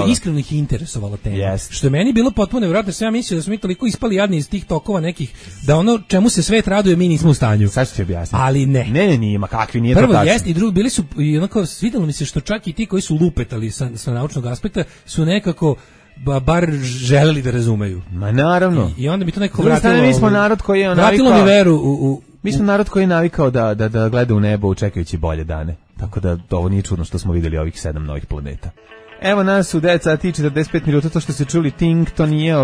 Iskreno ih interesovala tema. Što je meni bilo potpuno nevjerojatno, sam ja mislio da smo mi toliko ispali jadni iz tih tokova nekih, da ono čemu se svet raduje mi nismo u stanju. Sad ću ti objasniti. Ali ne. Ne, ima kakvi, nije to tačno. Prvo jeste i drugo, bili su, i onako, svidjelo mi se što čak i ti koji su lupetali sa naučnog aspekta, su nekako bar želeli da razumeju. Ma naravno. I onda mi to nekako vratilo. Mi smo narod koji je navikao. Vratilo mi veru Mi smo narod koji je navikao da gleda u nebo čekajući bolje dane. Tako da ovo nije čudno što smo vidjeli ovih 7 novih planeta. Evo nas u 9 sati 45 minuta, to što ste čuli Ting, to nije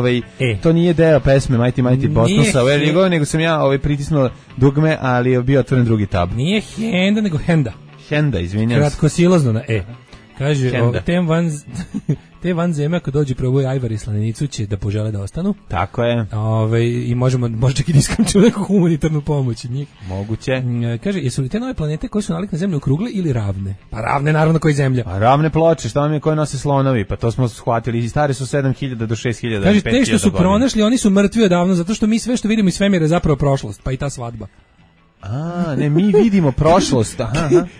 to nije deo pesme Mighty Bosnosa, nego sam ja pritisnuo dugme, ali je bio otvoren drugi tab. Nije Henda, nego Henda. Henda, izvinjam se. Kratkosilazno na Kaže, te vanzeme ako dođe proboj Ajvar i Slanenicu će da požele da ostanu. Tako je. I možda čak i da iskamčimo neku humanitarnu pomoć od njih. Moguće. Kaže, jesu li te nove planete koje su nalik na zemlju okrugle ili ravne? Pa ravne, naravno, koji zemlja. Pa ravne ploče, šta vam je koje nose slonovi? Pa to smo shvatili, i stare su 7000 do 6000. Kaže, te što su pronašli, oni su mrtvi odavno, zato što mi sve što vidimo iz svemira je zapravo prošlost, pa i ta svadba. Ne, mi vidimo prošlost.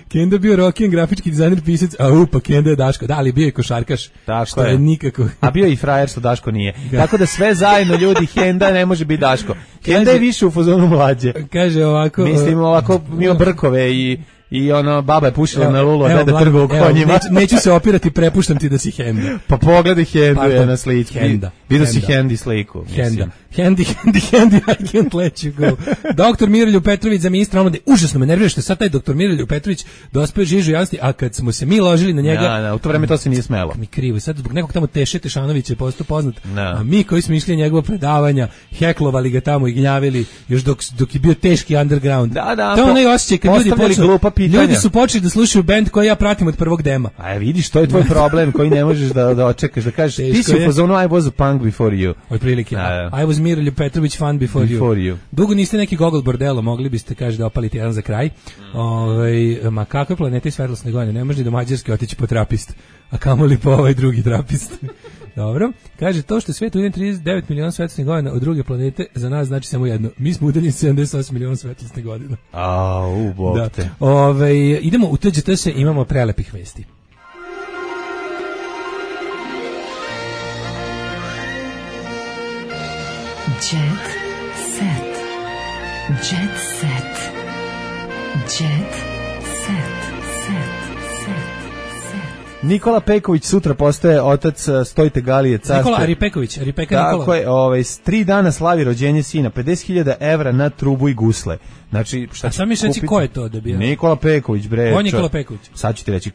Kenda bio rock'n'roll grafički dizajner, pisac, pa Kenda je Daško. Da, ali bio je košarkaš. Tako je. Nikako. A bio je i frajer što Daško nije. Tako da sve zajedno ljudi, Kenda ne može biti Daško. Kenda je više u fazonu mlađe. Kaže ovako. Mislim ovako, ima brkove i baba je pušila na lulu, da trguje u konjima. Neću se opirati, prepuštam ti da si Henda. Pa pogledaj Hendu je na sliku. Vidio si Hendi sliku. Hendi, I can't let you go. Doktor Miroljub Petrović za ministra omlade. Užasno me nervira što sad taj doktor Miroljub Petrović dospeo žižu javnosti, a kad smo se mi ložili na njega... u to vreme to se nije smelo. Mi krivo, sad zbog nekog tamo Teše Tešanovića je postao poznat, a mi koji smo išli njegova predavanja, heklovali ga tamo i gnjavili, još dok je bio teški underground. To je onaj osjećaj kad ljudi su počeli da slušaju bend koji ja pratim od prvog dema. A vidiš, to je tvoj problem koji ne možeš da očekaš, da kažeš, ti si u fazonu I was a punk before you. Otprilike, I was Miroljub Petrović fan before you. Dugo niste neki gogol bordelo, mogli biste, kaže, da opalite jedan za kraj. Ma kakve planete i svetlosne godine, ne može ni do Mađarske otići po trapist, a kamoli po ovaj drugi trapist. Dobro, kaže, to što je svijet udaljen 39 miliona svetlosnih godina od druge planete, za nas znači samo jedno. Mi smo udaljeni 78 miliona svetlosnih godina. Bog te. Idemo u TGT se, imamo prelepih vesti. Jet set. Jet set. Jet set. Nikola Peković sutra postaje otac Stojte Galije carstva. Nikola Aripeković, Nikola. Tako je, 3 dana slavi rođenje sina, 50.000 evra na trubu i gusle. Znači, šta sam mi reći ko je to da bio? Nikola Peković, bre. On Nikola Peković. Sad ću ti reći,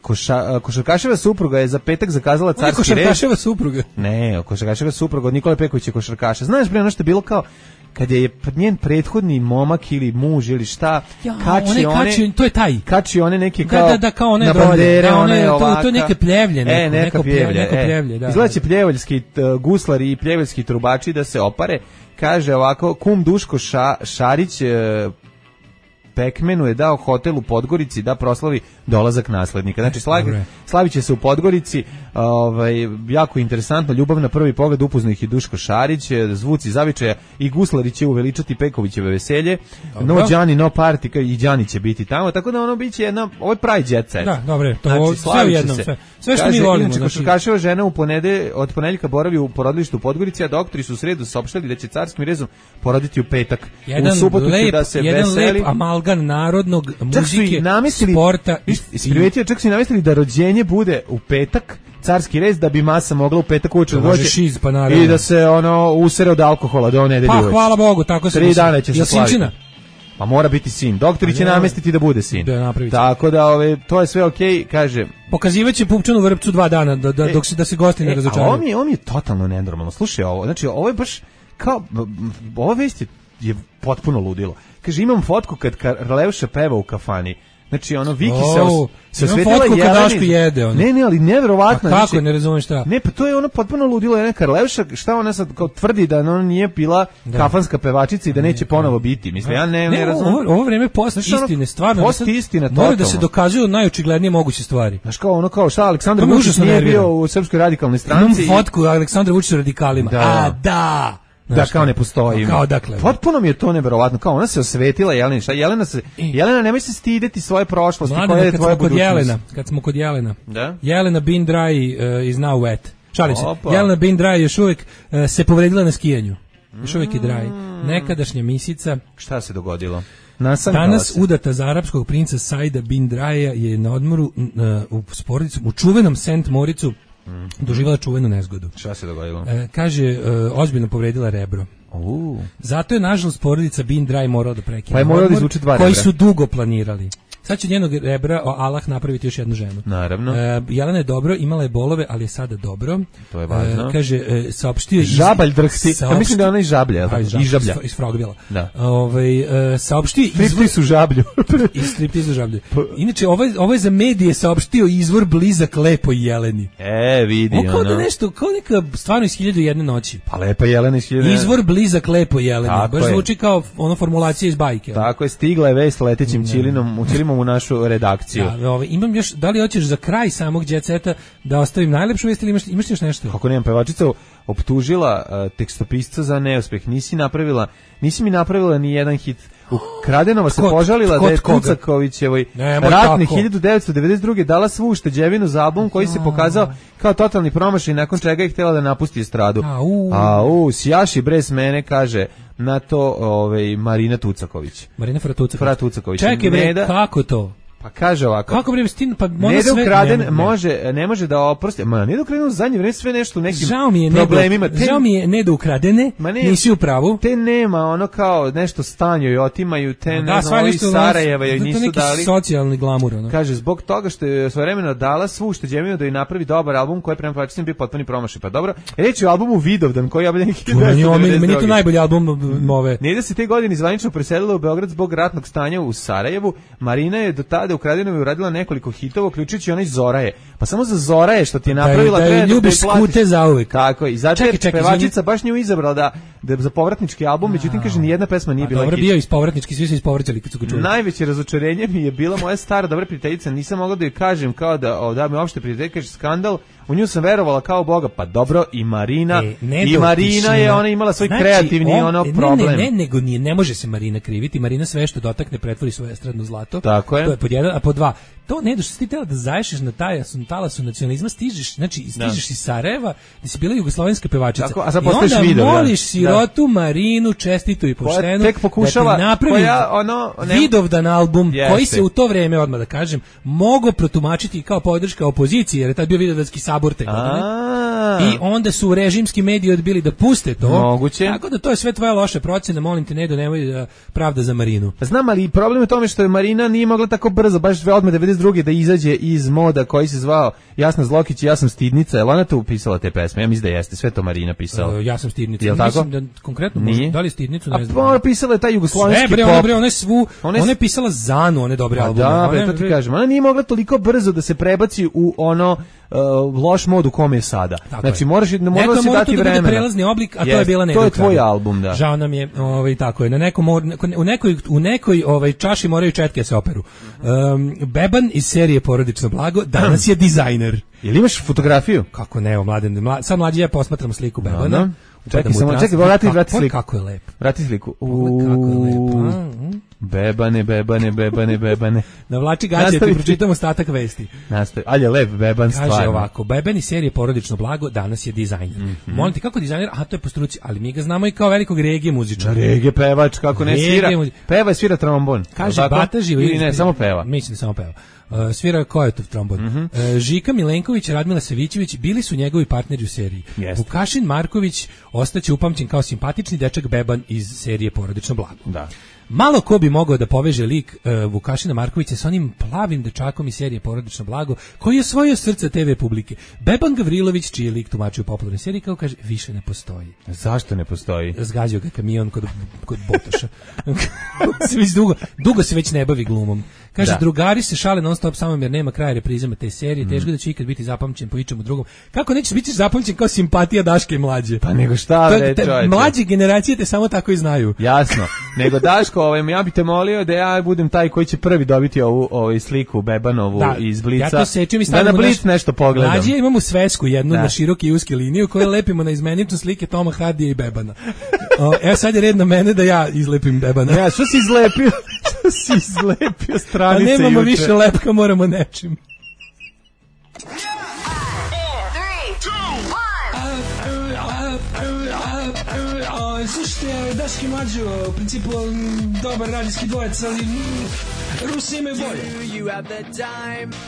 košarkaševa supruga je za petak zakazala carski red. Košarkaševa supruga? Ne, košarkaševa supruga od Nikola Pekovića je košarkaša. Znaš, bre, ono što je bilo kao kad je njen prethodni momak ili muž ili šta, to je taj. Kači one neke kao, kao one na bandere, one ovaka. To je neke pljevlje. Neko pljevlje. Izgleda će pljevaljski guslari i pljevaljski trubači da se opare. Kaže ovako, kum Duško Šarić Pekmenu je dao hotel u Podgorici da proslavi dolazak naslednika. Znači slaviće se u Podgorici, jako interesantno, ljubav na prvi pogled, upoznao ih i Duško Šarić, zvuci zavičaja i Guslarić će uveličati Pekovićeve veselje. No Đani, no party, i Đani će biti tamo, tako da ono biće jedna, ovo je pravi jet set. Da, dobre, to znači, sve u jednom, sve što mi volimo. Inače, košarkaševa žena od ponedeljka boravi u porodilištu u Podgorici, a doktori su u sredu saopštili da će carskim rezom poroditi u petak. Jedan u subotu će da se veseli. Lep amalgan narodnog muzike, sporta i čak su i namestili da rođenje bude u petak, carski rez, da bi masa mogla u petak uveče doći i da se usere od alkohola do nedelje uveče. Pa hvala Bogu, tako se 3 dana će se slaviti. Sinčina? Pa mora biti sin. Doktori će namestiti da bude sin. Tako da to je sve okej, kaže. Pokazivaće pupčanu vrpcu 2 dana dok se da se gosti ne razočaraju. Ovo mi je totalno nenormalno. Slušaj ovo, znači ovo je baš kao ova vest je potpuno ludilo. Kaže, imam fotku kad Karleuša peva u kafani. Znači, Viki se osvetila Jeleni. Ne, ali neverovatno. A kako, ne razumeš šta? Ne, pa to je potpuno ludilo. Jelena Karleuša, šta ona sad kao tvrdi da ona nije bila kafanska pevačica i da neće ponovo biti. Mislim, ja ne razumem. Ovo vreme post istine, stvarno. Post istina, totalno. Mora da se dokazuju najočiglednije moguće stvari. Znaš kao šta, Aleksandar Vučić nije bio u Srpskoj radikalnoj stranci. Imam fotku Aleksandra Vučića radikalima. A, da! Da, kao ne postoji. Kao dakle. Potpuno mi je to neverovatno. Kao ona se osvetila, Jelena nemoj se stideti svoje prošlosti, koja je tvoja budućnost. Kad smo kod Jelena. Da? Jelena Bin Dry is now wet. Šalim se. Jelena Bin Dry još uvijek se povredila na skijanju. Još uvijek je dry. Nekadašnja misica. Šta se dogodilo? Danas udata za arapskog princa Saida Bin Dryja je na odmoru s porodicom u čuvenom St. Moricu doživjela čuvenu nezgodu. Šta se dogodilo? Kaže, ozbiljno povredila rebro. Zato je, nažalost, porodica Bin Dry morala da prekine. Pa je morala da izvuče 2 rebra. Koji su dugo planirali. Sad će njenog rebra Allah napraviti još jednu ženu. Naravno. Jelena je dobro, imala je bolove, ali je sada dobro. To je važno. Kaže, saopštio... Žabalj drhti. Ja mislim da ona i žablja. I žablja. Iz Frogvila. Da. Saopštio... Striptizu žablju. I striptizu žablju. Inače, ovo je za medije saopštio izvor blizak lepoj Jeleni. Vidi. Kao da nešto, kao neka stvarno iz 1001 noći. Pa lepa Jelena iz 1001. Izvor blizak lepoj Jeleni. Baš zvuči kao formulacija iz bajke. Tako je, stigla je vest letećim ćilimom u našu redakciju. Imam još, da li hoćeš za kraj samog Jet Seta da ostavim najlepšu vest ili imaš još nešto? Kako nemam, pevačica optužila tekstopisca za neuspeh. Nisi mi napravila ni jedan hit. Kradenova se požalila da je Tucakovićevoj ratne 1992. dala svu ušteđevinu za album koji se pokazao kao totalni promašaj, nakon čega je htjela da napusti estradu. Sjaši bre s mene, kaže na to Marina Tucaković. Marina Fra Tucaković. Čekaj bre, kako to? Pa kaže ovako. Kako bre stin, pa Neda ukraden ne može da oprosti. Neda ukraden u zadnje vreme sve nešto u nekim problemima. Žao mi je Neda ukradene. Nisi u pravu. Te nema kao nešto stanju i otimaju te iz Sarajeva i nisu dali. To neki socijalni glamur. Kaže zbog toga što je svojevremeno dala svu ušteđevinu da i napravi dobar album koji prema pevačicama bio potpuni promašaj. Pa dobro. Reč je o albumu Vidovdan koji je objavljen 1992. Meni to najbolji album ove. Neda se te godine zvanično preselila u Beograd zbog ratnog stanja u Sarajevu. Marina je do tada u Kradenovoj uradila nekoliko hitova, uključujući onaj Zoraje. Pa samo za Zoraje što ti je napravila da je ljubiš skute zauvek. Tako i zato je pevačica baš nju izabrala da za povratnički album, međutim kaže ni jedna pesma nije bila hit. Dobro, bio iz povratnički, svi su ispovraćali kad su ga čuli. Najveće razočarenje mi je bila moja stara dobra prijateljica, nisam mogla da joj kažem kao da mi uopšte prijatelj kaže skandal. U nju sam verovala kao Boga, pa dobro, i Marina je ona imala svoj kreativni problem. Ne može se Marina kriviti, Marina sve što dotakne pretvori svoje estradno zlato. Tako je. To je pod jedan, a pod dva. To ne što si ti tela da zaješeš na talasu nacionalizma, stižeš iz Sarajeva, da si bila jugoslovenska pevačica. Tako, a sad postaješ video. I onda moliš sirotu Marinu, čestitu i poštenu, tek pokušava, da ti napravi Vidovdan album, koji se u to vreme, odmah da kažem, mogo protumačiti kao podrška opoziciji, jer je tad bio Vidovdanski sabor te godine. I onda su režimski mediji odbili da puste to. Moguće. Tako da to je sve tvoja loša procena, molim te Nedo, nemoj da pravda za Marinu. Znam, ali problem je tome što je Marina nije mogla tako brzo, baš odmah 92. da izađe iz moda koji se zvao Jasna Zlokić i Ja sam stidnica. Je li ona tu upisala te pesme? Ja mislim da jeste, sve to Marina pisala. Ja sam stidnica. Jel' tako? Mislim da konkretno može, da li stidnicu, ne znam. A pisala je taj jugoslovenski pop. Ona je pisala Zanu, one dobre albume. Da, to ti kažem. Ona nije mogla toliko brzo da se prebaci u ono loš mod u kome je sada. Znači moraš da se dati vremena. Neko prelazni oblik, a to je bila To je tvoj album, da. Žao nam je, tako je. U nekoj čaši moraju četke se operu. Beban iz serije Porodično blago danas je dizajner. Jel imaš fotografiju? Kako ne, Mladen. Sad mlađi ja posmatramo sliku Bebana. Čekaj, vrati sliku. Kako je lep. Vrati sliku. Kako je lep. Bebane. Navlači gaće, ti pročitamo ostatak vesti. Nastavi. Ali je lep Beban stvarno. Kaže ovako, Beban iz serije Porodično blago danas je dizajner. Molim ti, kako dizajner? Aha, to je po struci, ali mi ga znamo i kao velikog regije muzičara. Regije pevač, kako ne svira. Peva i svira trombon. Kaže Bata Živojinović. Ili ne, samo peva. Mislim da samo peva. Svira Kojetov trombon. Žika Milenković i Radmila Savićević bili su njegovi partneri u seriji. Vukašin Marković ostaće upamćen kao simpatični dečak Beban iz serije Porodično blago. Da. Malo ko bi mogao da poveže lik Vukašina Markovića sa onim plavim dečakom iz serije Porodično blago, koji je osvojio srce TV publike. Beban Gavrilović, čiji je lik tumačio u popularnoj seriji, kao kaže, više ne postoji. Zašto ne postoji? Zgađao ga kamion kod Botoša. dugo se već ne bavi glumom. Kaže, drugari se šale non stop samo jer nema kraja reprizama te serije, teško da će ikad biti zapamćen po ičemu drugom. Kako nećeš biti zapamćen kao simpatija Daške i Mlađe? Pa nego šta reći, čovječe? Mlađe generacije te samo tako i znaju. Jasno. Nego Daško, ja bih te molio da ja budem taj koji će prvi dobiti ovu sliku Bebanovu iz Blica. Ja to sečem i stavimo da na Blic nešto pogledam. Mlađe imamo svesku jednu na široki i uske liniju koju lepimo na izmenične slike Toma Hardija i Bebana. Evo sad je red na mene da ja izlepim Bebana. Ja, što si izlepio? Što si izlepio stranice juče? A nemamo više lepka, moramo nečim. Slušajte, Daški Mlađo, u principu dobar radijski dvojec, ali Rusi imaju bolje.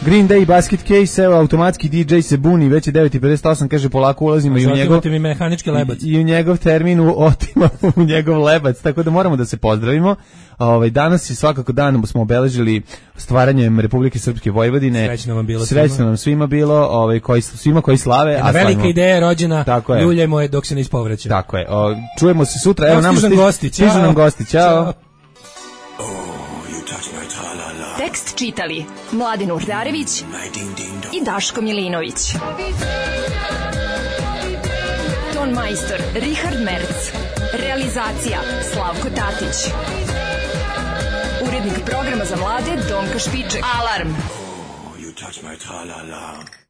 Green Day Basket Case, evo automatski DJ se buni, već je 9:58, kaže polako ulazimo i u njegov mehanički lebac. I u njegov termin otimamo u njegov lebac, tako da moramo da se pozdravimo. Danas je svakako dan smo obeležili stvaranjem Republike Srpske Vojvodine. Srećno nam svima bilo, svima koji slave. Jedna velika ideja je rođena, ljuljajmo je dok se ne ispovraća. Tako je. Čujemo se sutra. Evo nam stižu nam gosti. Ćao. Tekst čitali Mladen Urdarević i Daško Milinović. Ton majstor Richard Merc. Realizacija Slavko Tatić. Urednik programa za mlade Donka Špiček. Alarm! Oh, you touch my tra-la-la.